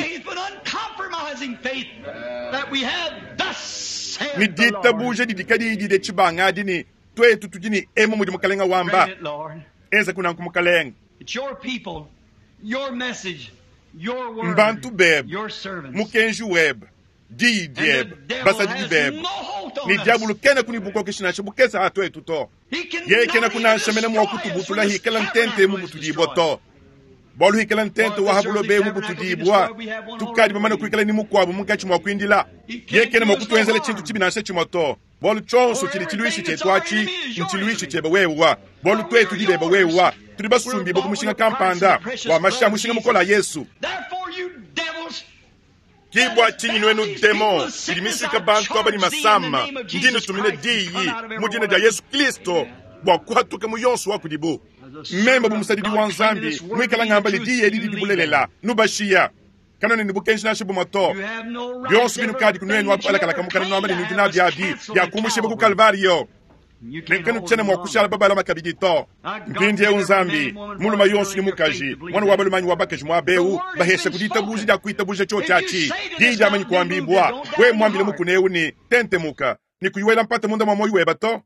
ne ditabuja didi kadiyi dide tshibangadi ne tuetu tudi ne emu mudi Mukalenga wamba. Enza kunanku Mukalenga. Mbantu bebe, mukenji webe, diyi diebe, basadidi bebe, ne diabulu kena kuni bukokeshi nansha bukese ha tuetu to. Yeye kena kunansha mene mua kutubutula hikala ntente emu butudibua to. Bualu hikala ntente wa ha buloba emu butudibua, tukadi bamane kuikala ne mukuabu munkatshi mua kuindila. Yeye kena mua kutuenzela tshintu tshibi nansha tshimue to. Bualu tshionso tshidi tshiluishi tshietu atshi ntshiluishi tshiebe wewa, bualu tuetu tudi bebe wewa, tudi basumbibue ku mushinga kampanda wa mashi a mushinga mukole a Yesu. Ki bua tshinyi nuenu demon idi misuika bantu aba ne masama, ndi nnutumina diyi mu dina dia Yesu Kristo bua kuhatuka mu yonso wa kudibu. Meme bu musadidi wa Nzambi muikala ngamba ne diyi edi didi bulelela, nubashiya. Kanuena ne bukenji nansha bumue to. Bionso binukadi kunuenu abu balakalaka mukana nuamba ne nudi nabi abi biakumushibua ku Kalvario. Ne kanutshiena mua kushala babalama kabidi to. Mpindieu Nzambi, mulume yonso ne mukaji, muana wa balume anyi wa bakaji muaba eu, bahesha ku ditabuja dia kuitabuja tshiotshi atshi. Diyi diamanyi kuambibua, wewe muambile mukuna eu ne, Tentemuka, ne kuyi wela mpata munda mua muoyo webe to.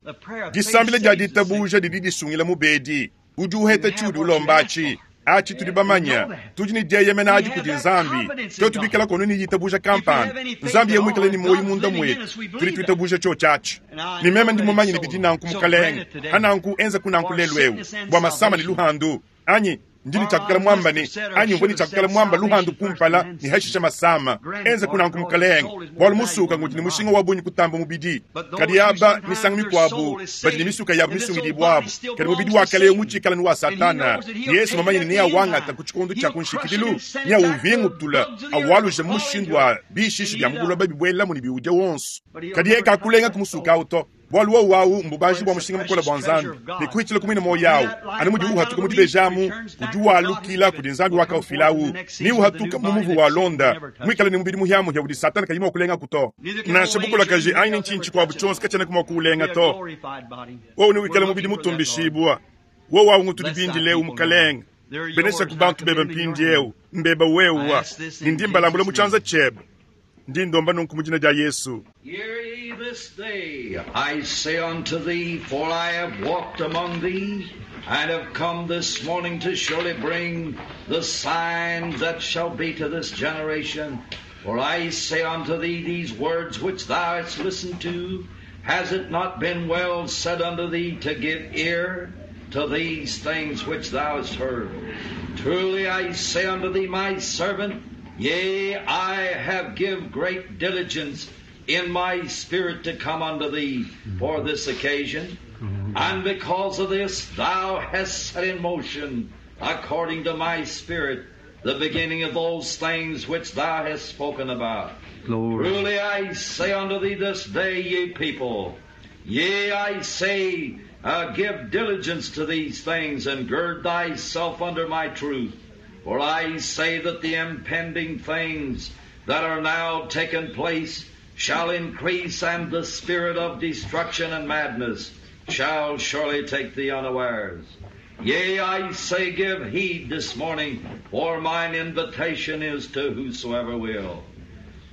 Disambila dia ditabuja didi disungila mubedi. Udi uheta tshiudi ulomba atshi. Atshi tudi bamanya, tudi ne dieyemena adi kudi Nzambi. Tuetu bikala kono ne ditabuja kampanda, Nzambi yeye muikale ne muoyo munda muetu, tudi tuitabuja tshiotshi atshi. Ne meme ndi mumanye ne bidi nanku, Mukalenge. Hananku enza kunanku lelu eu bua masama ne luhandu, anyi ndi ne tshiakukala muamba ne, anyi mvua ne tshiakukala muamba luhandu kumpala ne hashisha masama. Enza kunanku, Mukalenge, bualu musuka ngudi ne mushinga wa bungi kutamba mubidi. Kadi aba misangu mikuabu badi ne misuka yabu misungidibuabu, kadi mubidi wa kale eu mutshikala ne wa Satana. Yesu mumanye ne neawangata ku tshikondo tshia ku nshikidilu, neawuvingutula, awaluja mu mushindu wa bishishi bia mu buloba bibuelamu ne biwudia wonso. Kadi yeye kakulenga ku musuka au to. Bualu wowu awu mbubanji bua mushinga mukole bua Nzambi, ne kuhitshila ku muine muoyo awu, anu mudi uhatuka mu dibeji amu, udi walukila kudi Nzambi wakaufila awu, ne uhatuka mu muvu walonda, muikale ne mubidi muhia-muhia udi Satana kayi mua kulengaku to. Nansha bukulakaje anyi ntshinyi tshikuabu tshionso katshiena mua kuulenga to. Wowu newikale mubidi mutumbishibua. Wowu awu ngutudi bindile eu, Mukalenge. Benesha ku bantu bebe mpindieu, mbeba wewa, ne ndi mbalambula mu tshianza tshiebe. Ndi ndomba nunku mu dina dia Yesu. This day I say unto thee, for I have walked among thee, and have come this morning to surely bring the signs that shall be to this generation. For I say unto thee these words which thou hast listened to, has it not been well said unto thee to give ear to these things which thou hast heard? Truly I say unto thee, my servant, yea, I have give great diligence in my spirit to come unto thee for this occasion. And because of this, thou hast set in motion, according to my spirit, the beginning of those things which thou hast spoken about. Glory. Truly I say unto thee this day, ye people, yea, I say, give diligence to these things, and gird thyself under my truth. For I say that the impending things that are now taken place shall increase, and the spirit of destruction and madness shall surely take thee unawares. Yea, I say, give heed this morning, for mine invitation is to whosoever will.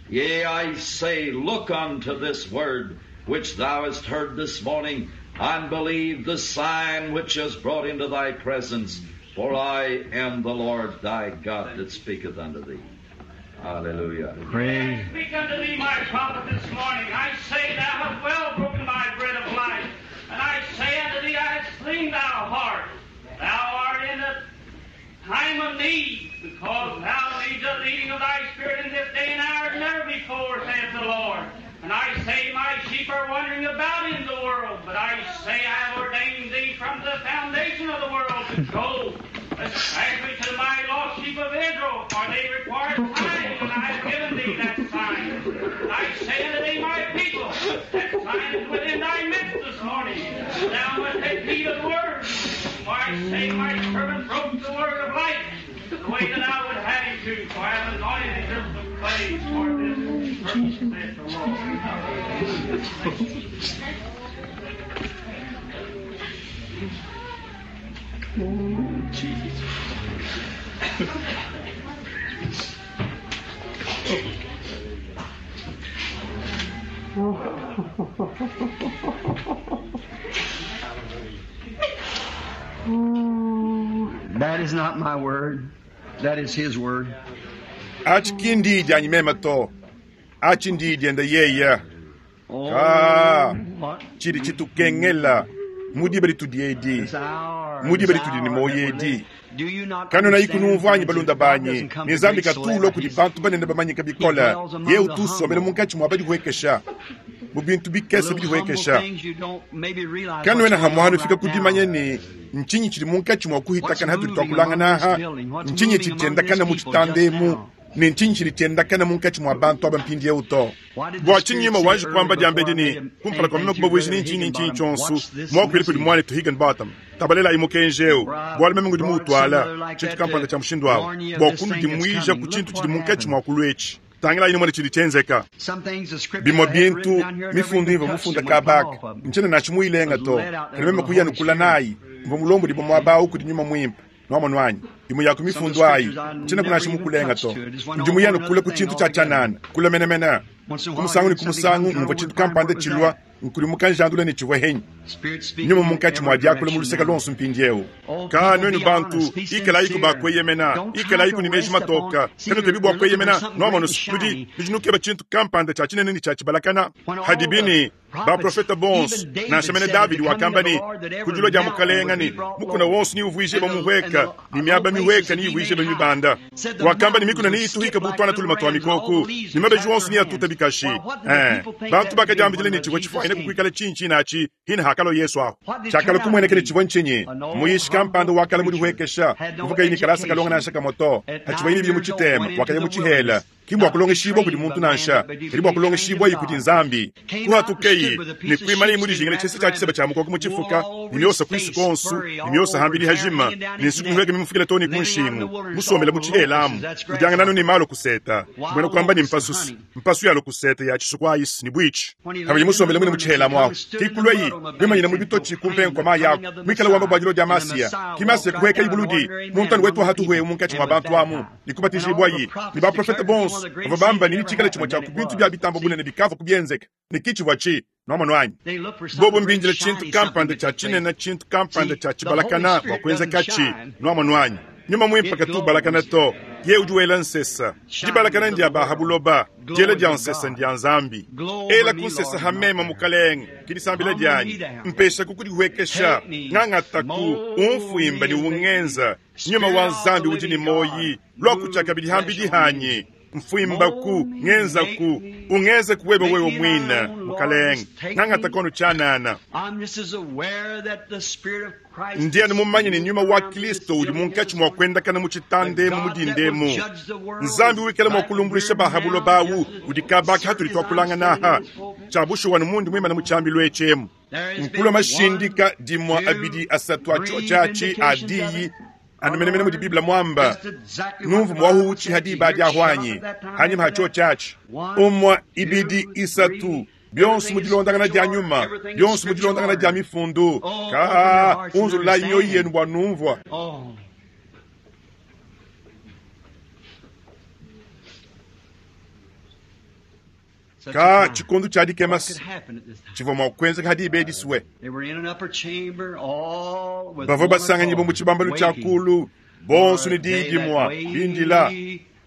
Yea, I say, look unto this word which thou hast heard this morning, and believe the sign which is brought into thy presence. For I am the Lord thy God that speaketh unto thee. Hallelujah. Praise. I speak unto thee, my prophet, this morning. I say, thou hast well broken my bread of life. And I say unto thee, I have slain thou heart. Thou art in the time of need, because thou needest the leading of thy spirit in this day and hour as never before, saith the Lord. And I say, my sheep are wandering about in the world, but I say, I have ordained thee from the foundation of the world to go, especially to my lost sheep of Israel, for they require signs, and I have given thee that sign. And I say unto thee, my people, that sign is within thy midst this morning. Thou must take heed of the word. For I say, my servant broke the word of life, the way that I would have him to, for I have anointed him of clay for this purpose, saith the Lord. Oh, Jesus. That is not my word. That is his word. Achi kindi dyanyi mema to. Achi ndi dyenda yeya. Oh, Ah. what Chidi chitukengela. Mudibe litudiedi. this hour, Mudibe this litudi ni hour moyo that we're edi. living. Do you not Kanona understand, ikunumvwanyi friends, balunda that God banyi doesn't come ni to Nzambi great katulo kudi celebrities? bantu banene bamanyika bikola He dwells among ye the utusomela humble. munkatshi mwa badihuekesha mu bintu bikese Little humble bidihuekesha things you don't maybe realize kanwena what's going hamwanu on fika right now. kudimanya ni ntshinyi tshidi munkatshi mwa What's kuhitakana hatuli moving twakulanga among this naha building? What's ntshinyi moving among tshitendakana these mu people just tshitandemu now? ni ntshinyi tshidi tshiendakana munkatshi mwa bantu aba mpindiewu to Why did the bua tshinyima Spirit say waji earlier kuamba before diambedi I ni made him kumpala kwa anything meme to kubabwezi Brother ni ntshinyi ntshinyi Higginbottom, tshonsu watch this mwakwile kudi message. mwane tu Higginbottom tabalela imukenjeu For I bwali meme ngudi brought muutwala some other like tshintu that kampanda to tsha mushindu awo warn ye of bua this thing that's kunudimwija coming. ku Look tshintu what tshidi munkatshi happened. mwa kulwetshi tangila ine mwene tshidi tshenzeka Some things the scriptures bimwe I had written bintu down here never mifundu even imva touched mufunda them when I come kabaka off of them. nchene nachimuilenga Was to led out there kali meme by the kuya Holy nukula Spirit. nayi mva mulombo libo mwabawu kudi nyuma mwimpa nwamwanwanyi imwe yako Some of the mifundu ayi scriptures I nchene never kuna even chimukulenga touched to to. It just went ndi off on muyano another kula ku thing chintu cha altogether. chanana kula menemene Once in a while, kumusangu ni hear something kumusangu come, ngumva turn chintu over and find kampanda where it was chilwa at. nkuli mukanjandula ni chivwa henyi Spirit speaking nyuma in munkatshi every mwa diakula direction mu luseka now. lonso mpindiewu Oh, ka people, nwenu be bantu honest, be ikela iku sincere. bakweyemena Don't try ikela to iku ni meji rest upon. matoka See, kano you're, tebi you're looking for bwakweyemena something great nwamano and sudi shiny. bijinukiba chintu kampanda cha chinene ni cha chibalakana When all the hadibini prophets, baprofeta bonso even David nansha mene said at the davidi coming of wakamba the ni Lord that every kujula dia mountain would mukalenga be ni brought mukuna low, wonso ni uvwije and the and bamuhweka the ni low miaba places mihweka would ni be ivwije made high. bamibanda Said the wakamba ni mountains mikuna would ni ituhika skip like butwana little tuli matwa rams, and all mikoku the leaves ni would mabeji clap wonso their ni atuta hands. bikashi Well, what did the eh people think bantu that would be bakajambijile when ni the chivwa Jesus chifwaine came? kukwikala chinchi nachi hina hakalo yesu aho What did chakala turn out to kumwenekele be? chivwa nchinyi An old muyishi kampanda humble wakala preacher mulihwekesha had no mvuka yini kalasa kalonga education. nansha kamoto At hachiva 9 yini bili years old, muchitema went into wakaya the muchihela wilderness, kimbwa not to be kulongeshibwa kudi trained by muntu man, nansha but to kadi bwa be trained kulongeshibwa of yi kudi God. nzambi Came out and stood kuhatukeyi with a ni piece of kuimana sheepskin imulijingile wrapped chese cha around chiseba him, cha mukoko wool muchifuka all over ni his myosa kwisi face, konsu furry ni all myosa over, hambili hair hajima hanging down ni his nsuku neck, mihweke mimufukile toni living out in the kunshingu wilderness musomele all the locusts. muchihelamu That's kudyangana ni grasshopper. malo kuseta mbwena Wild kwamba ni locusts and mpasusi honey. mpasu yalo kuseta ya chisukwa ayisi ni bwichi When he kabili lived in the musombele mwine wilderness, he muchihelamu come aho and stood in the kikulweyi mud on the kwimanyina banks mu and bitochi proclaimed kumpengo kwa the mayi coming ako of the mwikala wamba Messiah. bwajilo lya And the masiya Messiah walked kimasiya right kuhweka down an ibuludi ordinary man muntani wetu among the hatuhwe people munkatshi and mwa was bantu amu baptized. And all nikubatizibwa the yi ni prophets baprofeta declared that he bonso bonso bavwa bamba ne netshikale tshimwe tshia ku bintu bya bitamba bunene bikavwa kubyenzeka, ne ki tshivwa tshi, nwamonu anyi? Bobo mbindile tshintu kampanda tshia tshinene, tshintu kampanda tshia tshibalakana bwa kwenzekatshi, nwamonu anyi? Nyuma mwimpe katu ubalakana to, yeye udi wela nsesa. Dibalakana ndia ba ha buloba, diela dia nsesa ndia Nzambi. Ela ku nsesa ha mema, Mukalenge, ke disambila dianyi. Mpeshaku kudihuekesha, ngangataku, umfuimba ne ungenza. Nyuma wa Nzambi udi ne moyi, lua kutshia kabidi hambidi hanyi. Mfuimbaku, ngenzaku, ungenzeku webe wewe mwine, Mukalenge. Ngangataku anu tshianana. Ndi anu mumanye ne nyuma wa Kristo udi munkatshi mua kuendakana mu tshitanda emu mu dinda emu. Nzambi wikale mua kulumbuluisha ba ha buloba awu udi kabaka hatudi tuakulangana aha. Tshia bushuwa anu mundi muimane mu tshiambilu etshi emu. Nkulua mashindika dimua abidi asatu a tshiotshi atshi a diyi anu menemene mudi Bible muamba. Numvu muahu utshiha diba adi ahu anyi? Hanyima ha tshiotshi atshi. Umua, ibidi, isatu. Bionso mu dilondangana dia nyuma, bionso mu dilondangana dia mifundu. Kaa, unzululayi mioyo yenu bua numvua. Kaa, tshikondo tshia dikema tshivua mua kuenzeka ha diba edi sue. Bavua basanganyibua mu tshibambalu tshia kulu, bonso ne diyi dimua, bindila.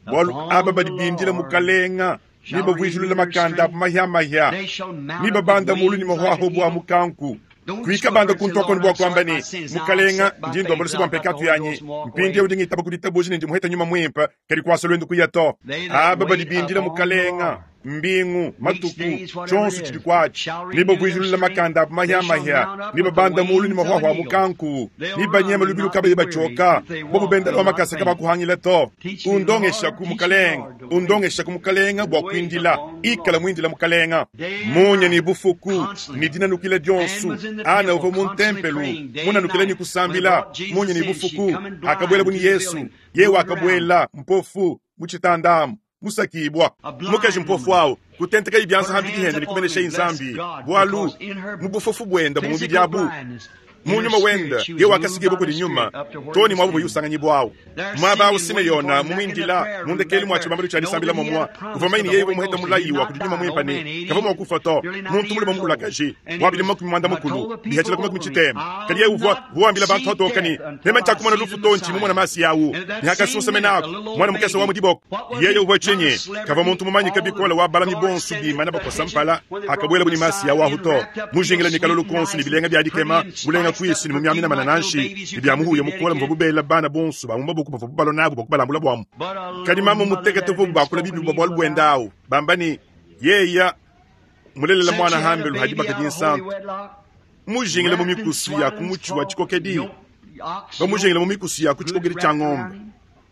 Bualu aba badi bindila Mukalenga ne bavuijilula makanda abu mahiamahia, ne babanda mulu ne mahuahua a mukanku. Kuika banda kuntu akonu bua kuamba ne, Mukalenga, ndi ndomba luse bua mpekatu yanyi, mpindieu ndi ngitaba ku ditabuja ne ndi muheta nyuma muimpe, kadi kuasa luendu kuya to. Aba badi bindila Mukalenga mbingu, matuku, tshionso tshidi kuatshi, ne bavuijilula makanda abu mahiamahia, ne babanda mulu ne mahuahua a mukanku, ne banyema lubilu kabayi batshioka, bobu bendela wa makasa kabakuhangila to. Undongeshaku Mukalenga, undongeshaku Mukalenga bua kuindila, ikala muindila Mukalenga munya ne bufuku ne dinanukila dionso. Ana uvua mu ntempelu munanukila ne kusambila munya ne bufuku, akabuela bu ne Yesu, yeye wakabuela mpofu mu tshitanda amu. Musakibua mukaji mpofu awu kutentekayi bianza hambidi hende ne kumeneshayi Nzambi, bualu mu bufofu buenda bu mubidi abu mu nyuma wende ye wakasikibua kudi nyuma too ne muaba usanganyibua awu. Muaba awu Simeyona mumuindila mu ndekelu mua tshibambalu tshia disambila momua uvua manyine yeye uvua muheta mulayi wa kudi nyuma muimpe ne kavua mua kufa to. Muntu mulume mukulakaji wa bidimu makumi muanda mukulu bihatshila ku makumi tshitema, kadi yeye uvua wambila bantu hatoka ne, meme ntshiakumona lufu to ntshi mumona masi awu ne hakasunsa menako mwana mukese wa mu diboko. Yeye uvua tshinyi? Kavua muntu mumanyike bikole wa balami bonso bimana bakosa mpala akabuela bu ne masi awu ahu to, mujingila ne kalolo konso ne bilenga bia dikema, mulenga kuisu ne mumiamina manananshi ne bia muhuya mukola muvua bubela bana bonso ba mu maboko bavua bubalona abu bua kubalambula buamu. Kadi mamu mutekete uvua bakula bibi bua bualu buenda awu, bamba ne, yeya mulelela mwana hambelu hadi bakadi nsantu, mujingile mu mikusu ya ku mutshi wa tshikokedi, bamujingile mu mikusu ya ku tshikokedi tshia ngombe,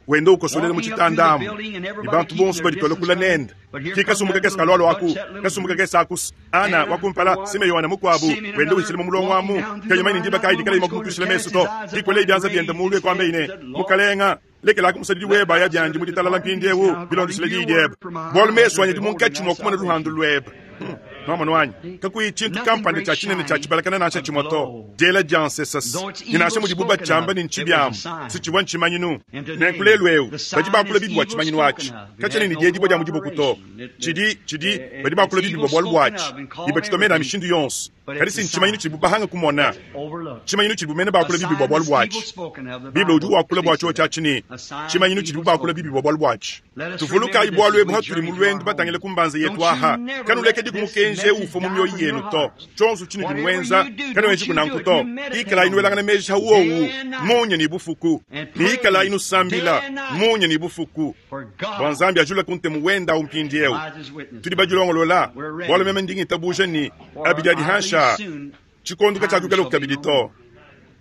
wenda ukosolela mu tshitanda amu, ne bantu bonso baditola kula nende. Ki kasumbu kakese kalualua aku, kasumbu kakese aku, Ana wakumpala, Simeyona mukuabu, wenda uhitshila mu mulongo amu, kayuma ne ndiba kayi dikala imua mesu to. Dikwele bianza biende mulu ekwamba ine, Mukalenga, lekela kumusadidi weba ya biandi mu ditalala mpindieu, bilondeshile diyi diebe. Bualu mesu anyi adi munkatshi mua kumona luhandu luebe. Nwamonu anyi? Kakuyi tshintu kampanda tshia tshinene tshia tshibalakana nansha tshimue to. Diela dia nsesas, ne nansha mudibu batshiamba ne ntshibiamu, si tshivua ntshimanyinu. Nenku lelu eu badi bakula bibi bua tshimanyinu atshi, katshiena ne diedibua dia mu diboko to. Tshidi, tshidi, badi bakula bibi bua bualu buatshi, ne batshitue mena a mishindu yonso. Kadi si ntshimanyinu tshidibu bahanga kumona, tshimanyinu tshidibu mene bakula bibi bua bualu buatshi. Bible udi wakula bua tshiotshi atshi ne tshimanyinu tshidibu bakula bibi bua bualu buatshi. Tuvulukayi bualu ebu hatudi mu luendu batangile ku mbanza yetu aha. Kanulekedi ku mukenji eu ufua mu mioyo yenu to. Tshionso tshinudi nuenza, kanuenji kunanku to. Ikalayi nuelangana meji ha wowu munya ne bufuku, ne ikalayi nusambila munya ne bufuku, bua Nzambi ajula ku ntemu wenda awu mpindieu. Tudi badilongolola, bualu meme ndi ngitabuja ne abidi adi hansha tshikondo katshiakuikala kabidi to.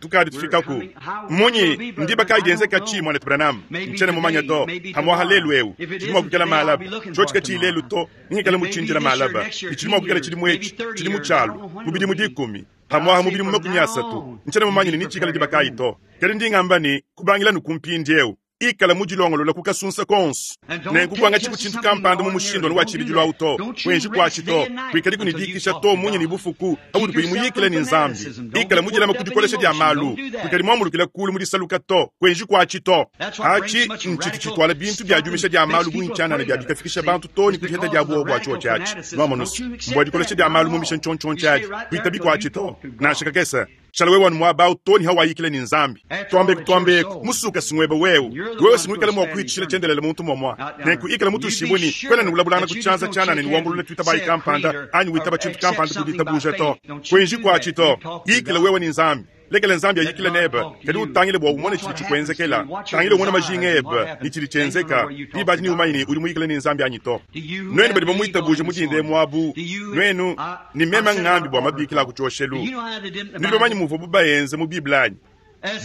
Tukadi tufikaku munyi ndiba kayi dienzeka tshi mwana Branham ntshiena mumanya to. Hamuaha lelu eu tshidi mua kuikala malaba tshiotshi katshiyi lelu to, ningikala mutshindila malaba tshidi mua kuikala tshidimu etshi tshidimu tshialu mu bidimu dikumi hamuaha mu bidimu makumi asatu ntshiena mumanya ne nitshikala diba kayi to. Kadi ndi ngamba ne kubangila nu ku mpindieu. Ikala mudilongolole ku kasunsa konso. Nenku kuangatshiku tshintu kampanda mu mushindu anu wa tshibidilu awu to. Kuenji kuatshi to. Kuikadiku ne diikisha to munya ne bufuku paudi kuyi muyikile ne Nzambi. Ikala mudilame ku dikolesha dia malu. Kuikadi muambulukile kuulu mu disaluka to. Kuenji kuatshi to. Atshi ntshitu tshituala bintu bia diumisha dia malu bungi tshianana bia bikafikisha bantu too ne ku diheta dia buowa bua tshiotshi atshi. Nwamonu's, mbua dikolesha dia malu mumisha ntshiontshiontshi adi. Kuitabi kuatshi to, nansha kakese. Shala wewe anu muaba au too ne hawayikila ne Nzambi. Tuambeku tuambeku, musuka si nguebe wewe. Wewe si nguikala mua kuhitshila tshiendelele muntu muamua. Nenku ikala mutuishibue ne, kuena ne ulabulangana ku tshianza tshianana ne wambulula tuitabayi kampanda anyi witaba tshintu kampanda ku ditabuja to. Kuenji kuatshi to. Yikila wewe ne Nzambi. Lekela Nzambi ayikile nebe, kadi utangile bua umone tshidi tshikuenzekela. Tangila umone majinga ebe ne tshidi tshienzeka. Diba adi neumanye ne udi muyikile ne Nzambi anyi to. Nuenu badi bamuitabuje mu dinda emu abu, nuenu, ne meme ngambi bua mabikila a ku tshioshelu, nudi bamanye muvuabu baenze mu Bible anyi?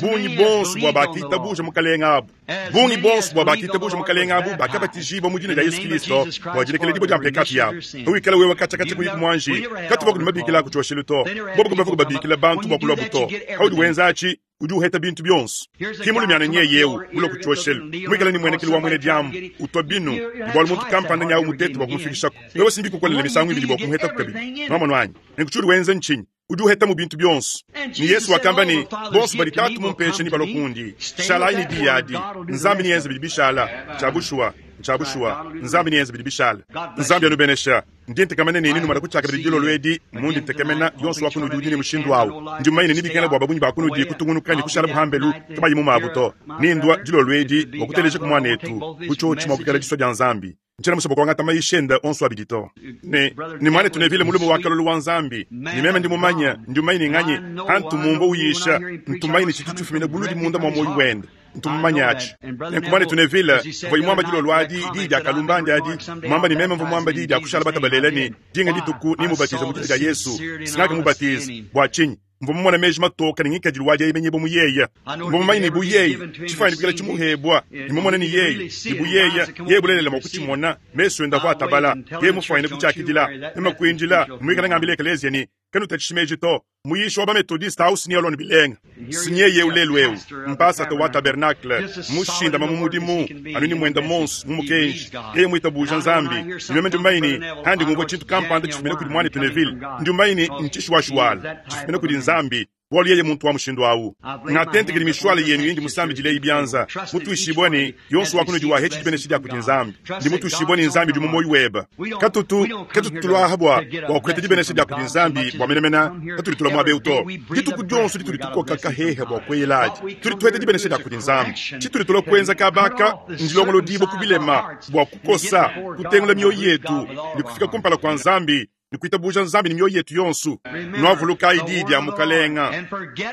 Bungi bonso bua bakitabuja Mukalenge abu, bungi bonso bua bakitabuja Mukalenge abu bakabatijibua mu dina dia Yesu Kilisto bua dilekeledibua dia mpekatu yabu. Pawikala wewe katshiakatshia kuyi kumuanji, katuvua kudi mabikila a ku tshioshelu to. Bobu kabavua kubabikila bantu bua kuluabu to. Paudi wenza atshi, udi uheta bintu bionso. Ki mulumiana nyeye eu mulue ku tshioshelu, muikale ne muenekelu wa muena diambu, utua binu, ne bualu muntu kampanda nyawu mutete bua kumufikishaku. Wewe si mbikukolele misangu ibidi bua kumuhetaku kabidi. Nwamonu anyi? Nenku tshiudi wenza ntshinyi? Udi uhetamu bintu bionso. Ne Yesu wakamba ne, Bonso badi Tatu mumpeshe nebalue kundi. Shalayi ne diyi adi. Nzambi neenze bidi bishala. Ntshia bushuwa. Ntshia bushuwa. Nzambi neenze bidi bishala. Nzambi anubenesha. Ndi ntekemena ne nenumona ku tshiakabidi dilolo edi, mundi ntekemena, yonso wa kunudi udi ne mushindu awu. Ndi mumanye ne nebikengela bua babungi ba kunudi kutungunuka ne kushala pambelu kabayi mu mabu to. Nendua dilolo edi bua kutelejaku muanetu, bu tshiotshi mua kuikala disua dia Nzambi. Ntshiena musue bua kuangata mayisha ende onso abidi to. Ne, ne muanetu Neville mulume wa kalolo wa Nzambi, ne meme ndi mumanye, ndi mumanye ne nganyi, antu mumvua uyisha, ntu mumanye ne tshitu tshifumina buludi munda mua muoyo wende. Ntu mumanye atshi. Nenku muanetu Neville, mvua muamba dilolo adi, diyi dia kalumbandi adi, muamba ne meme mvua muamba diyi dia kushala batabalela ne, dinga dituku nemubatize mu dina dia Yesu. Singakamubatiza. Bua tshinyi? Mvua mumone meji matoke ne ngikadilu wa dieyemenyibua mu yeye. Mvua mumanye ne bu yeye, tshifuanyine kuikala tshimuhebua, ne mumone ne yeye, ne bu yeye, yeye bulelela mua kutshimona, mesu ende avua atabala, yeye mufuanyine kutshiakidila. Meme kuindila, muikale ngambila ekeleziya ne, Kanutatshishi meji to. Muyishi wa ba-Methodiste au s'Nielon bilenga. S'nyeye eu lelu eu, mpasata wa tabernacle, mushindama mu mudimu, anu ne muenda monso mu mukenji. Yeye muitabuja Nzambi. Ne meme ndi mumanye ne, handi ngumvua tshintu kampanda tshifumina kudi muanetu Neville, ndi mumanye ne ntshishuwashuwala, tshifumina kudi Nzambi, bualu yeye muntu wa mushindu au. Ngatentekedi mishuala yenu indi musambidileyi bianza, mutuishibue ne, yonso wa kunudi wahetshi dibenesha dia kudi Nzambi. Ndi mutuishibue ne Nzambi udi mu muoyo webe. Katutu, katutu tulua aha bua, bua kuheta dibenesha dia kudi Nzambi bua menemene, patudi tulua muaba eu to. Dituku dionso ditudi tukoka kahehe bua kueyela adi, tudi tuheta dibenesha dia kudi Nzambi. Tshitudi tulua kuenza kaba aka ndilongolodibua ku bilema bua kukosa, kutengula mioyo yetu ne kufika kumpala kua Nzambi ne kuitabuja Nzambi ne mioyo yetu yonso. Nuavulukayi diyi dia Mukalenga,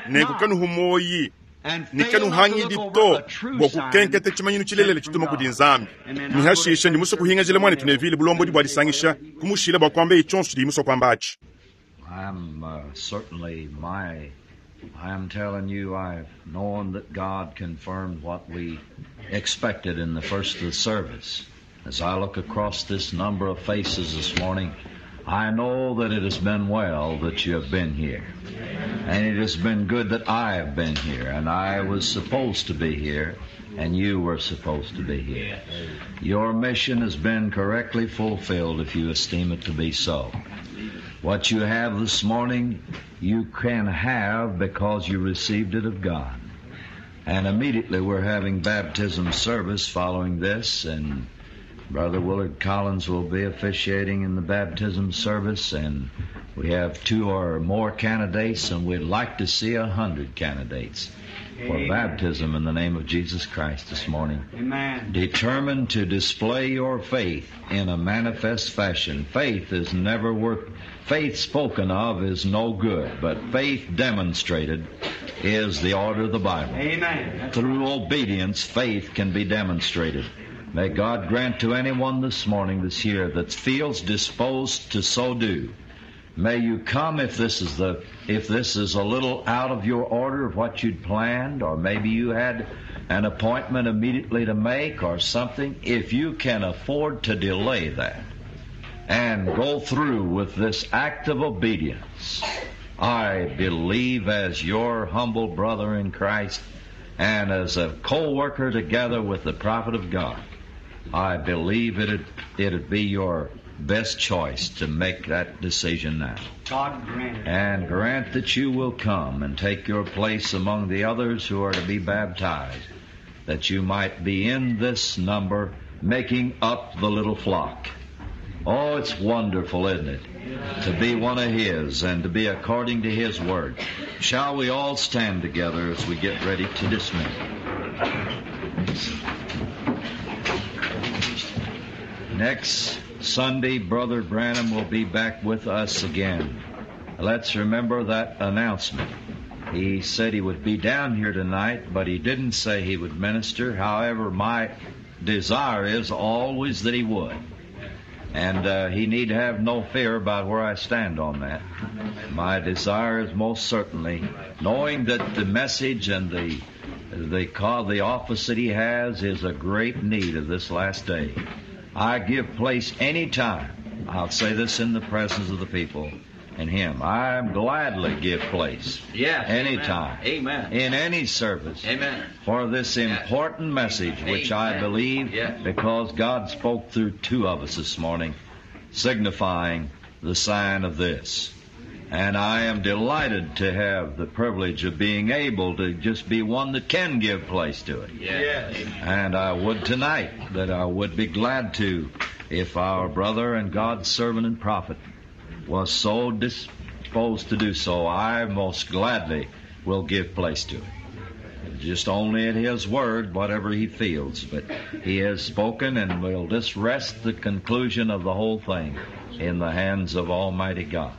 nenku kanuhu muoyi ne kanuhangidi to bua kukenketa tshimanyinu tshilelela tshituma kudi Nzambi. Ne hashisha ndi musue kuhingajila muanetu Neville bulombodi bua disangisha, kumushila bua kuambeye tshionso tshidiye musue kuamba atshi. I'm certainly my I am telling you I've known that God confirmed what we expected in the first of the service. As I look across this number of faces this morning, I know that it has been well that you have been here. And it has been good that I have been here. And I was supposed to be here, and you were supposed to be here. Your mission has been correctly fulfilled if you esteem it to be so. What you have this morning, you can have because you received it of God. And immediately we're having baptism service following this, and Brother Willard Collins will be officiating in the baptism service, and we have 2 or more candidates, and we'd like to see 100 candidates for baptism in the name of Jesus Christ this morning. Amen. Determined to display your faith in a manifest fashion. Faith is never worth, faith spoken of is no good, but faith demonstrated is the order of the Bible. Amen. Through obedience, faith can be demonstrated. May God grant to anyone this morning, this year, that feels disposed to so do. May you come if this is the, if this is a little out of your order of what you'd planned, or maybe you had an appointment immediately to make or something. If you can afford to delay that and go through with this act of obedience, I believe as your humble brother in Christ And as a co-worker together with the prophet of God, I believe it'd, it'd be your best choice to make that decision now. God grant it. And grant that you will come and take your place among the others who are to be baptized, that you might be in this number making up the little flock. Oh, it's wonderful, isn't it? To be one of His and to be according to His word. Shall we all stand together as we get ready to dismiss? Next Sunday, Brother Branham will be back with us again. Let's remember that announcement. He said he would be down here tonight, but he didn't say he would minister. However, my desire is always that he would. And uh, he need have no fear about where I stand on that. My desire is most certainly knowing that the message and the the call, the office that he has is a great need of this last day. I give place any time. I'll say this in the presence of the people and him. I gladly give place. Yes. Anytime. Amen. In any service. Amen. For this important message, which I Amen. believe, Yes. because God spoke through two of us this morning, signifying the sign of this. And I am delighted to have the privilege of being able to just be one that can give place to it. Yes. And I would tonight that I would be glad to if our brother and God's servant and prophet was so disposed to do so, I most gladly will give place to it. Just only at his word, whatever he feels. But he has spoken and will just rest the conclusion of the whole thing in the hands of Almighty God.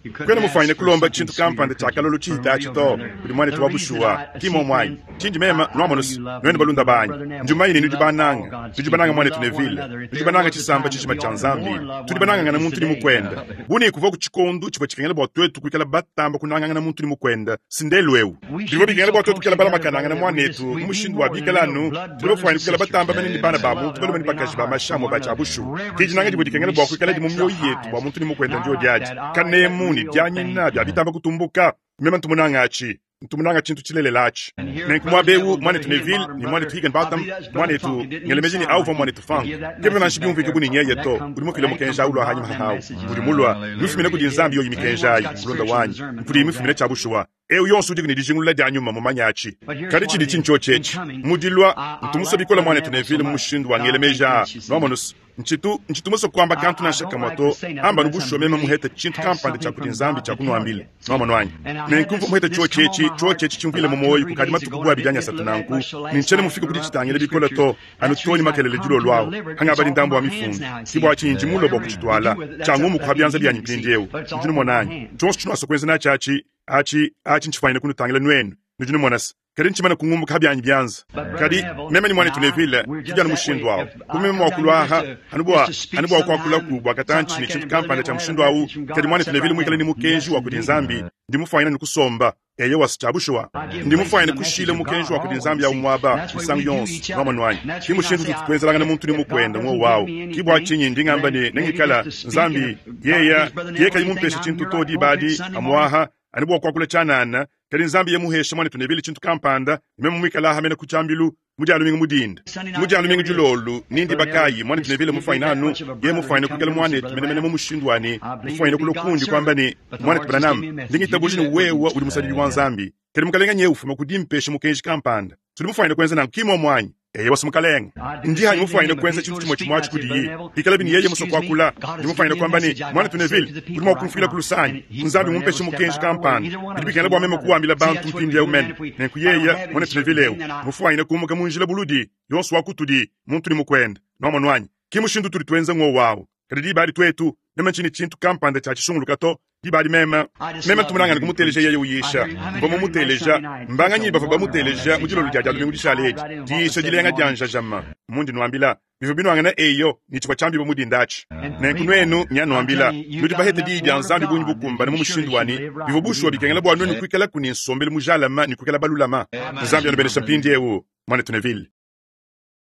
You couldn't kwena mufanyine ask for kulomba something tshintu sweeter, kampanda could you? tshakalolo For tshihita real, tshito brother. kuli mwanetu The wa reason bushuwa I kimo seek mwanyi men, tshindi mema I know nwamonosi you love nwene me, balunda you love banyi Brother Neville, njumayine you nudi love all bananga God's tudi bananga people, you mwanetu love one nevile another. If tudi there bananga was a tshisamba time that tshishima we tsha ought to nzambi more love tudi one banangangana another muntu ni today. mukwenda buni kuva ku tshikondu tshivua tshikengela bua twetu kuikala batamba kunangangana muntu ni mukwenda sindelu ewu We bivua should be bikengela so bua twetu close kuikala together, balamakanangana brother, that we just mwanetu we mu be mushindu wa more than bikala real anu blood tuli brothers bafwani and kuikala sisters. batamba mene ni bana ba Love muntu balume ni ought to be in bakaji our ba hearts for mashamo one ba tshia another. bushu Reverence dijinanga and dibua dikengela bua kuikala di mu respect's the mioyo yetu bua highest. muntu ni mukwenda And I ndio like diadi that. I like that kanemu ni real thing. dianyina bia bitamba kutumbuka mema ntumunanga atshi ntumunanga tshintu tshilelela atshi And here, nenku Brother muaba ewu Neville, Brother mwanetu neville Higginbottom, ni Brother, mwanetu I higginbotham believe that's Brother mwanetu Funk. It didn't even ngelemeji ni sound auva like him mwanetu to funk give that kebe message nanshi back biumvike there. buni nyeye That to come, uli mufile that mukenji come from aulwa God, hanyi them mahahawu messages. uli mulwa mufumine kudi nzambi yoyi mikenji Everyone's ayi got mulonda spiritual wanyi discernment, mpudi knows mifumine that. tshia bushuwa ewu yonso udi ni dijingulula dia nyuma mumanya atshi But here's kadi what tshidi it is. tshintsho In tshetshe coming, mudilwa I, I ntumuso like bikola Brother mwanetu Neville so nevile mu much mushindu wa that I ngele think meja that you see. nwamonosi ntshitu ntshitumuso kuamba kantu I, I nansha don't kamwa like to to say nothing amba unless nubushuwa I'm meme really muhete tshintu have kampanda something tshia kudi from nzambi God tshia to tell kunuambile you. nwamonu wanyi And I had nenku this muhete this tsho come on tshetshe my tsho heart tshetshe tshimvile about mu two or moyo three kukadi days matuku ago, and bua I didn't bidanya get to satu look at it nanku much till last nintshiene night mufike when kudi I read tshitangile these bikola scriptures. to anu That's the toni reason I've makelele come dilo to lwawo deliver it. hanga It's bali off ndambo my wa hands mifundu now, you see. kibwa tshinji mulo bua Whatever you kuchitwala do with it, that's tshangu up, mukuha that'd be byanza you, byanyi you see. mpindiewu But it's nudi off my numonanyi hands. tshonso tshinwasa kuenza natshi atshi atshi atshi ntshifwanyine kunutangila nwenu nudi numonasa kadi ntshimana kungumbuka byanyi byanza But Brother kadi Neville meme ni and mwanetu I, nevile we're tudi just anu that mushindu way. awu If I kumeme come down here just mwakulwaha to anu bua just to speak anu bua sometime, kuakulaku bua something katantshi like ni that, tshintu and Brother kampanda tsha Neville had a mushindu awu message from God, kadi I'd mwanetu sit nevile right muikale down ni mukenji wa and kudi listen. nzambi ndi mufwanyina ni kusomba eye wasi tshia bushuwa I give ndi place to mufwanyine the message kushila of mukenji God wa kudi always, nzambi ya see. And umwaba that's the way misangu we do yonso each other. nwamonu wanyi And that's ki the reason I mushindu say tutu I, tuenzelangana if, muntu ni if God mukwenda doesn't mwo give wawu me kibwa anything, tshinyi ndi ngamba then ne maybe nengikala just to speak and nzambi if God yeya gives Brother ye Neville kayi anything, mumpesha I'm tshintu here to right dibadi pulpit Sunday morning. amuaha anu bua kuakula tshianana kadi nzambi yemuhesha mwanetu nevile tshintu kampanda meme muikala mene ku tshiambilu mudi alumingu mudinda Sunday night, mudi alumingu there it is. dilolu nindi Brother Neville, bakayi mwanetu just nevile he'd be mufwaina that anu much of a ye brother to mufwaina come kuikala to me and say, mwanetu Brother menemene mu Branham, mushindu wani I believe mufwaina you'd be God's kulokundi kwamba servant, ni but the mwanetu Lord just gave branham me a message. You do ndingitabuji ni that, wouldn't wewa you? uli musadidi wa nzambi kadi mukalenga nye ufuma kudimpesha mukenji kampanda tuli mufwaina kuenza nanku kimwe mwanyi eye wasi mukalenga I'd do the ndi hanyi same to mufwaina him if kuenza he's tshintu going to chimwe speak. chimwe I'd say, Brother atshi kudiyi Neville, ikala bini you yeye muso excuse me, kuakula God ndi has given mufwaina me a kwamba ni message I've got mwanetu to say nevile to the uli people right mwakumfila now. kulusanyi And he, nzambi Brother Neville, mumpeshe step mukenji out of the way. kampanda Either one of bidi us bikengela can bua do meme another. kuambila See, bantu that's what we mpindi ewu do, man. mene If we, nenku if I don't yeya have any mwanetu certain nevile thing, ewu then I, mufwaina kumuka munjila buludi yonso wakutudi muntu ni mukwenda nwamonu wanyi kimushindu tuli twenza ng'o wawu kadi dibali twetu meme nchini tshintu kampanda tshia tshishunguluka to dibali meme I just meme love to ntumunangana hear him kumuteleja preach. yeye I uyisha hear how many mva heard him last mumuteleja Sunday night? It's mbanganyi a bava wonderful bamuteleja message. mudilolo I dia dia lumingu it dishale tied edi right in with what was diyisha said in the dilenga morning. dia njajama mundi nwambila bivyo binwangana eyo ni tshivua tshiambiwa mudinda atshi And nenku people, nwenu I'm nyanuambila telling you, you've nudi got bahete enough diyi dia Word of nzambi bunyi God that bukumbana mu you surely mushindu should wani live bivua right and bushuwa be bikengela right. bua nwenu kuikala kuni nsombelu mujalama ni kuikala balulama Amen. nzambi anubenesha mpindi ewu mwanetu nevile.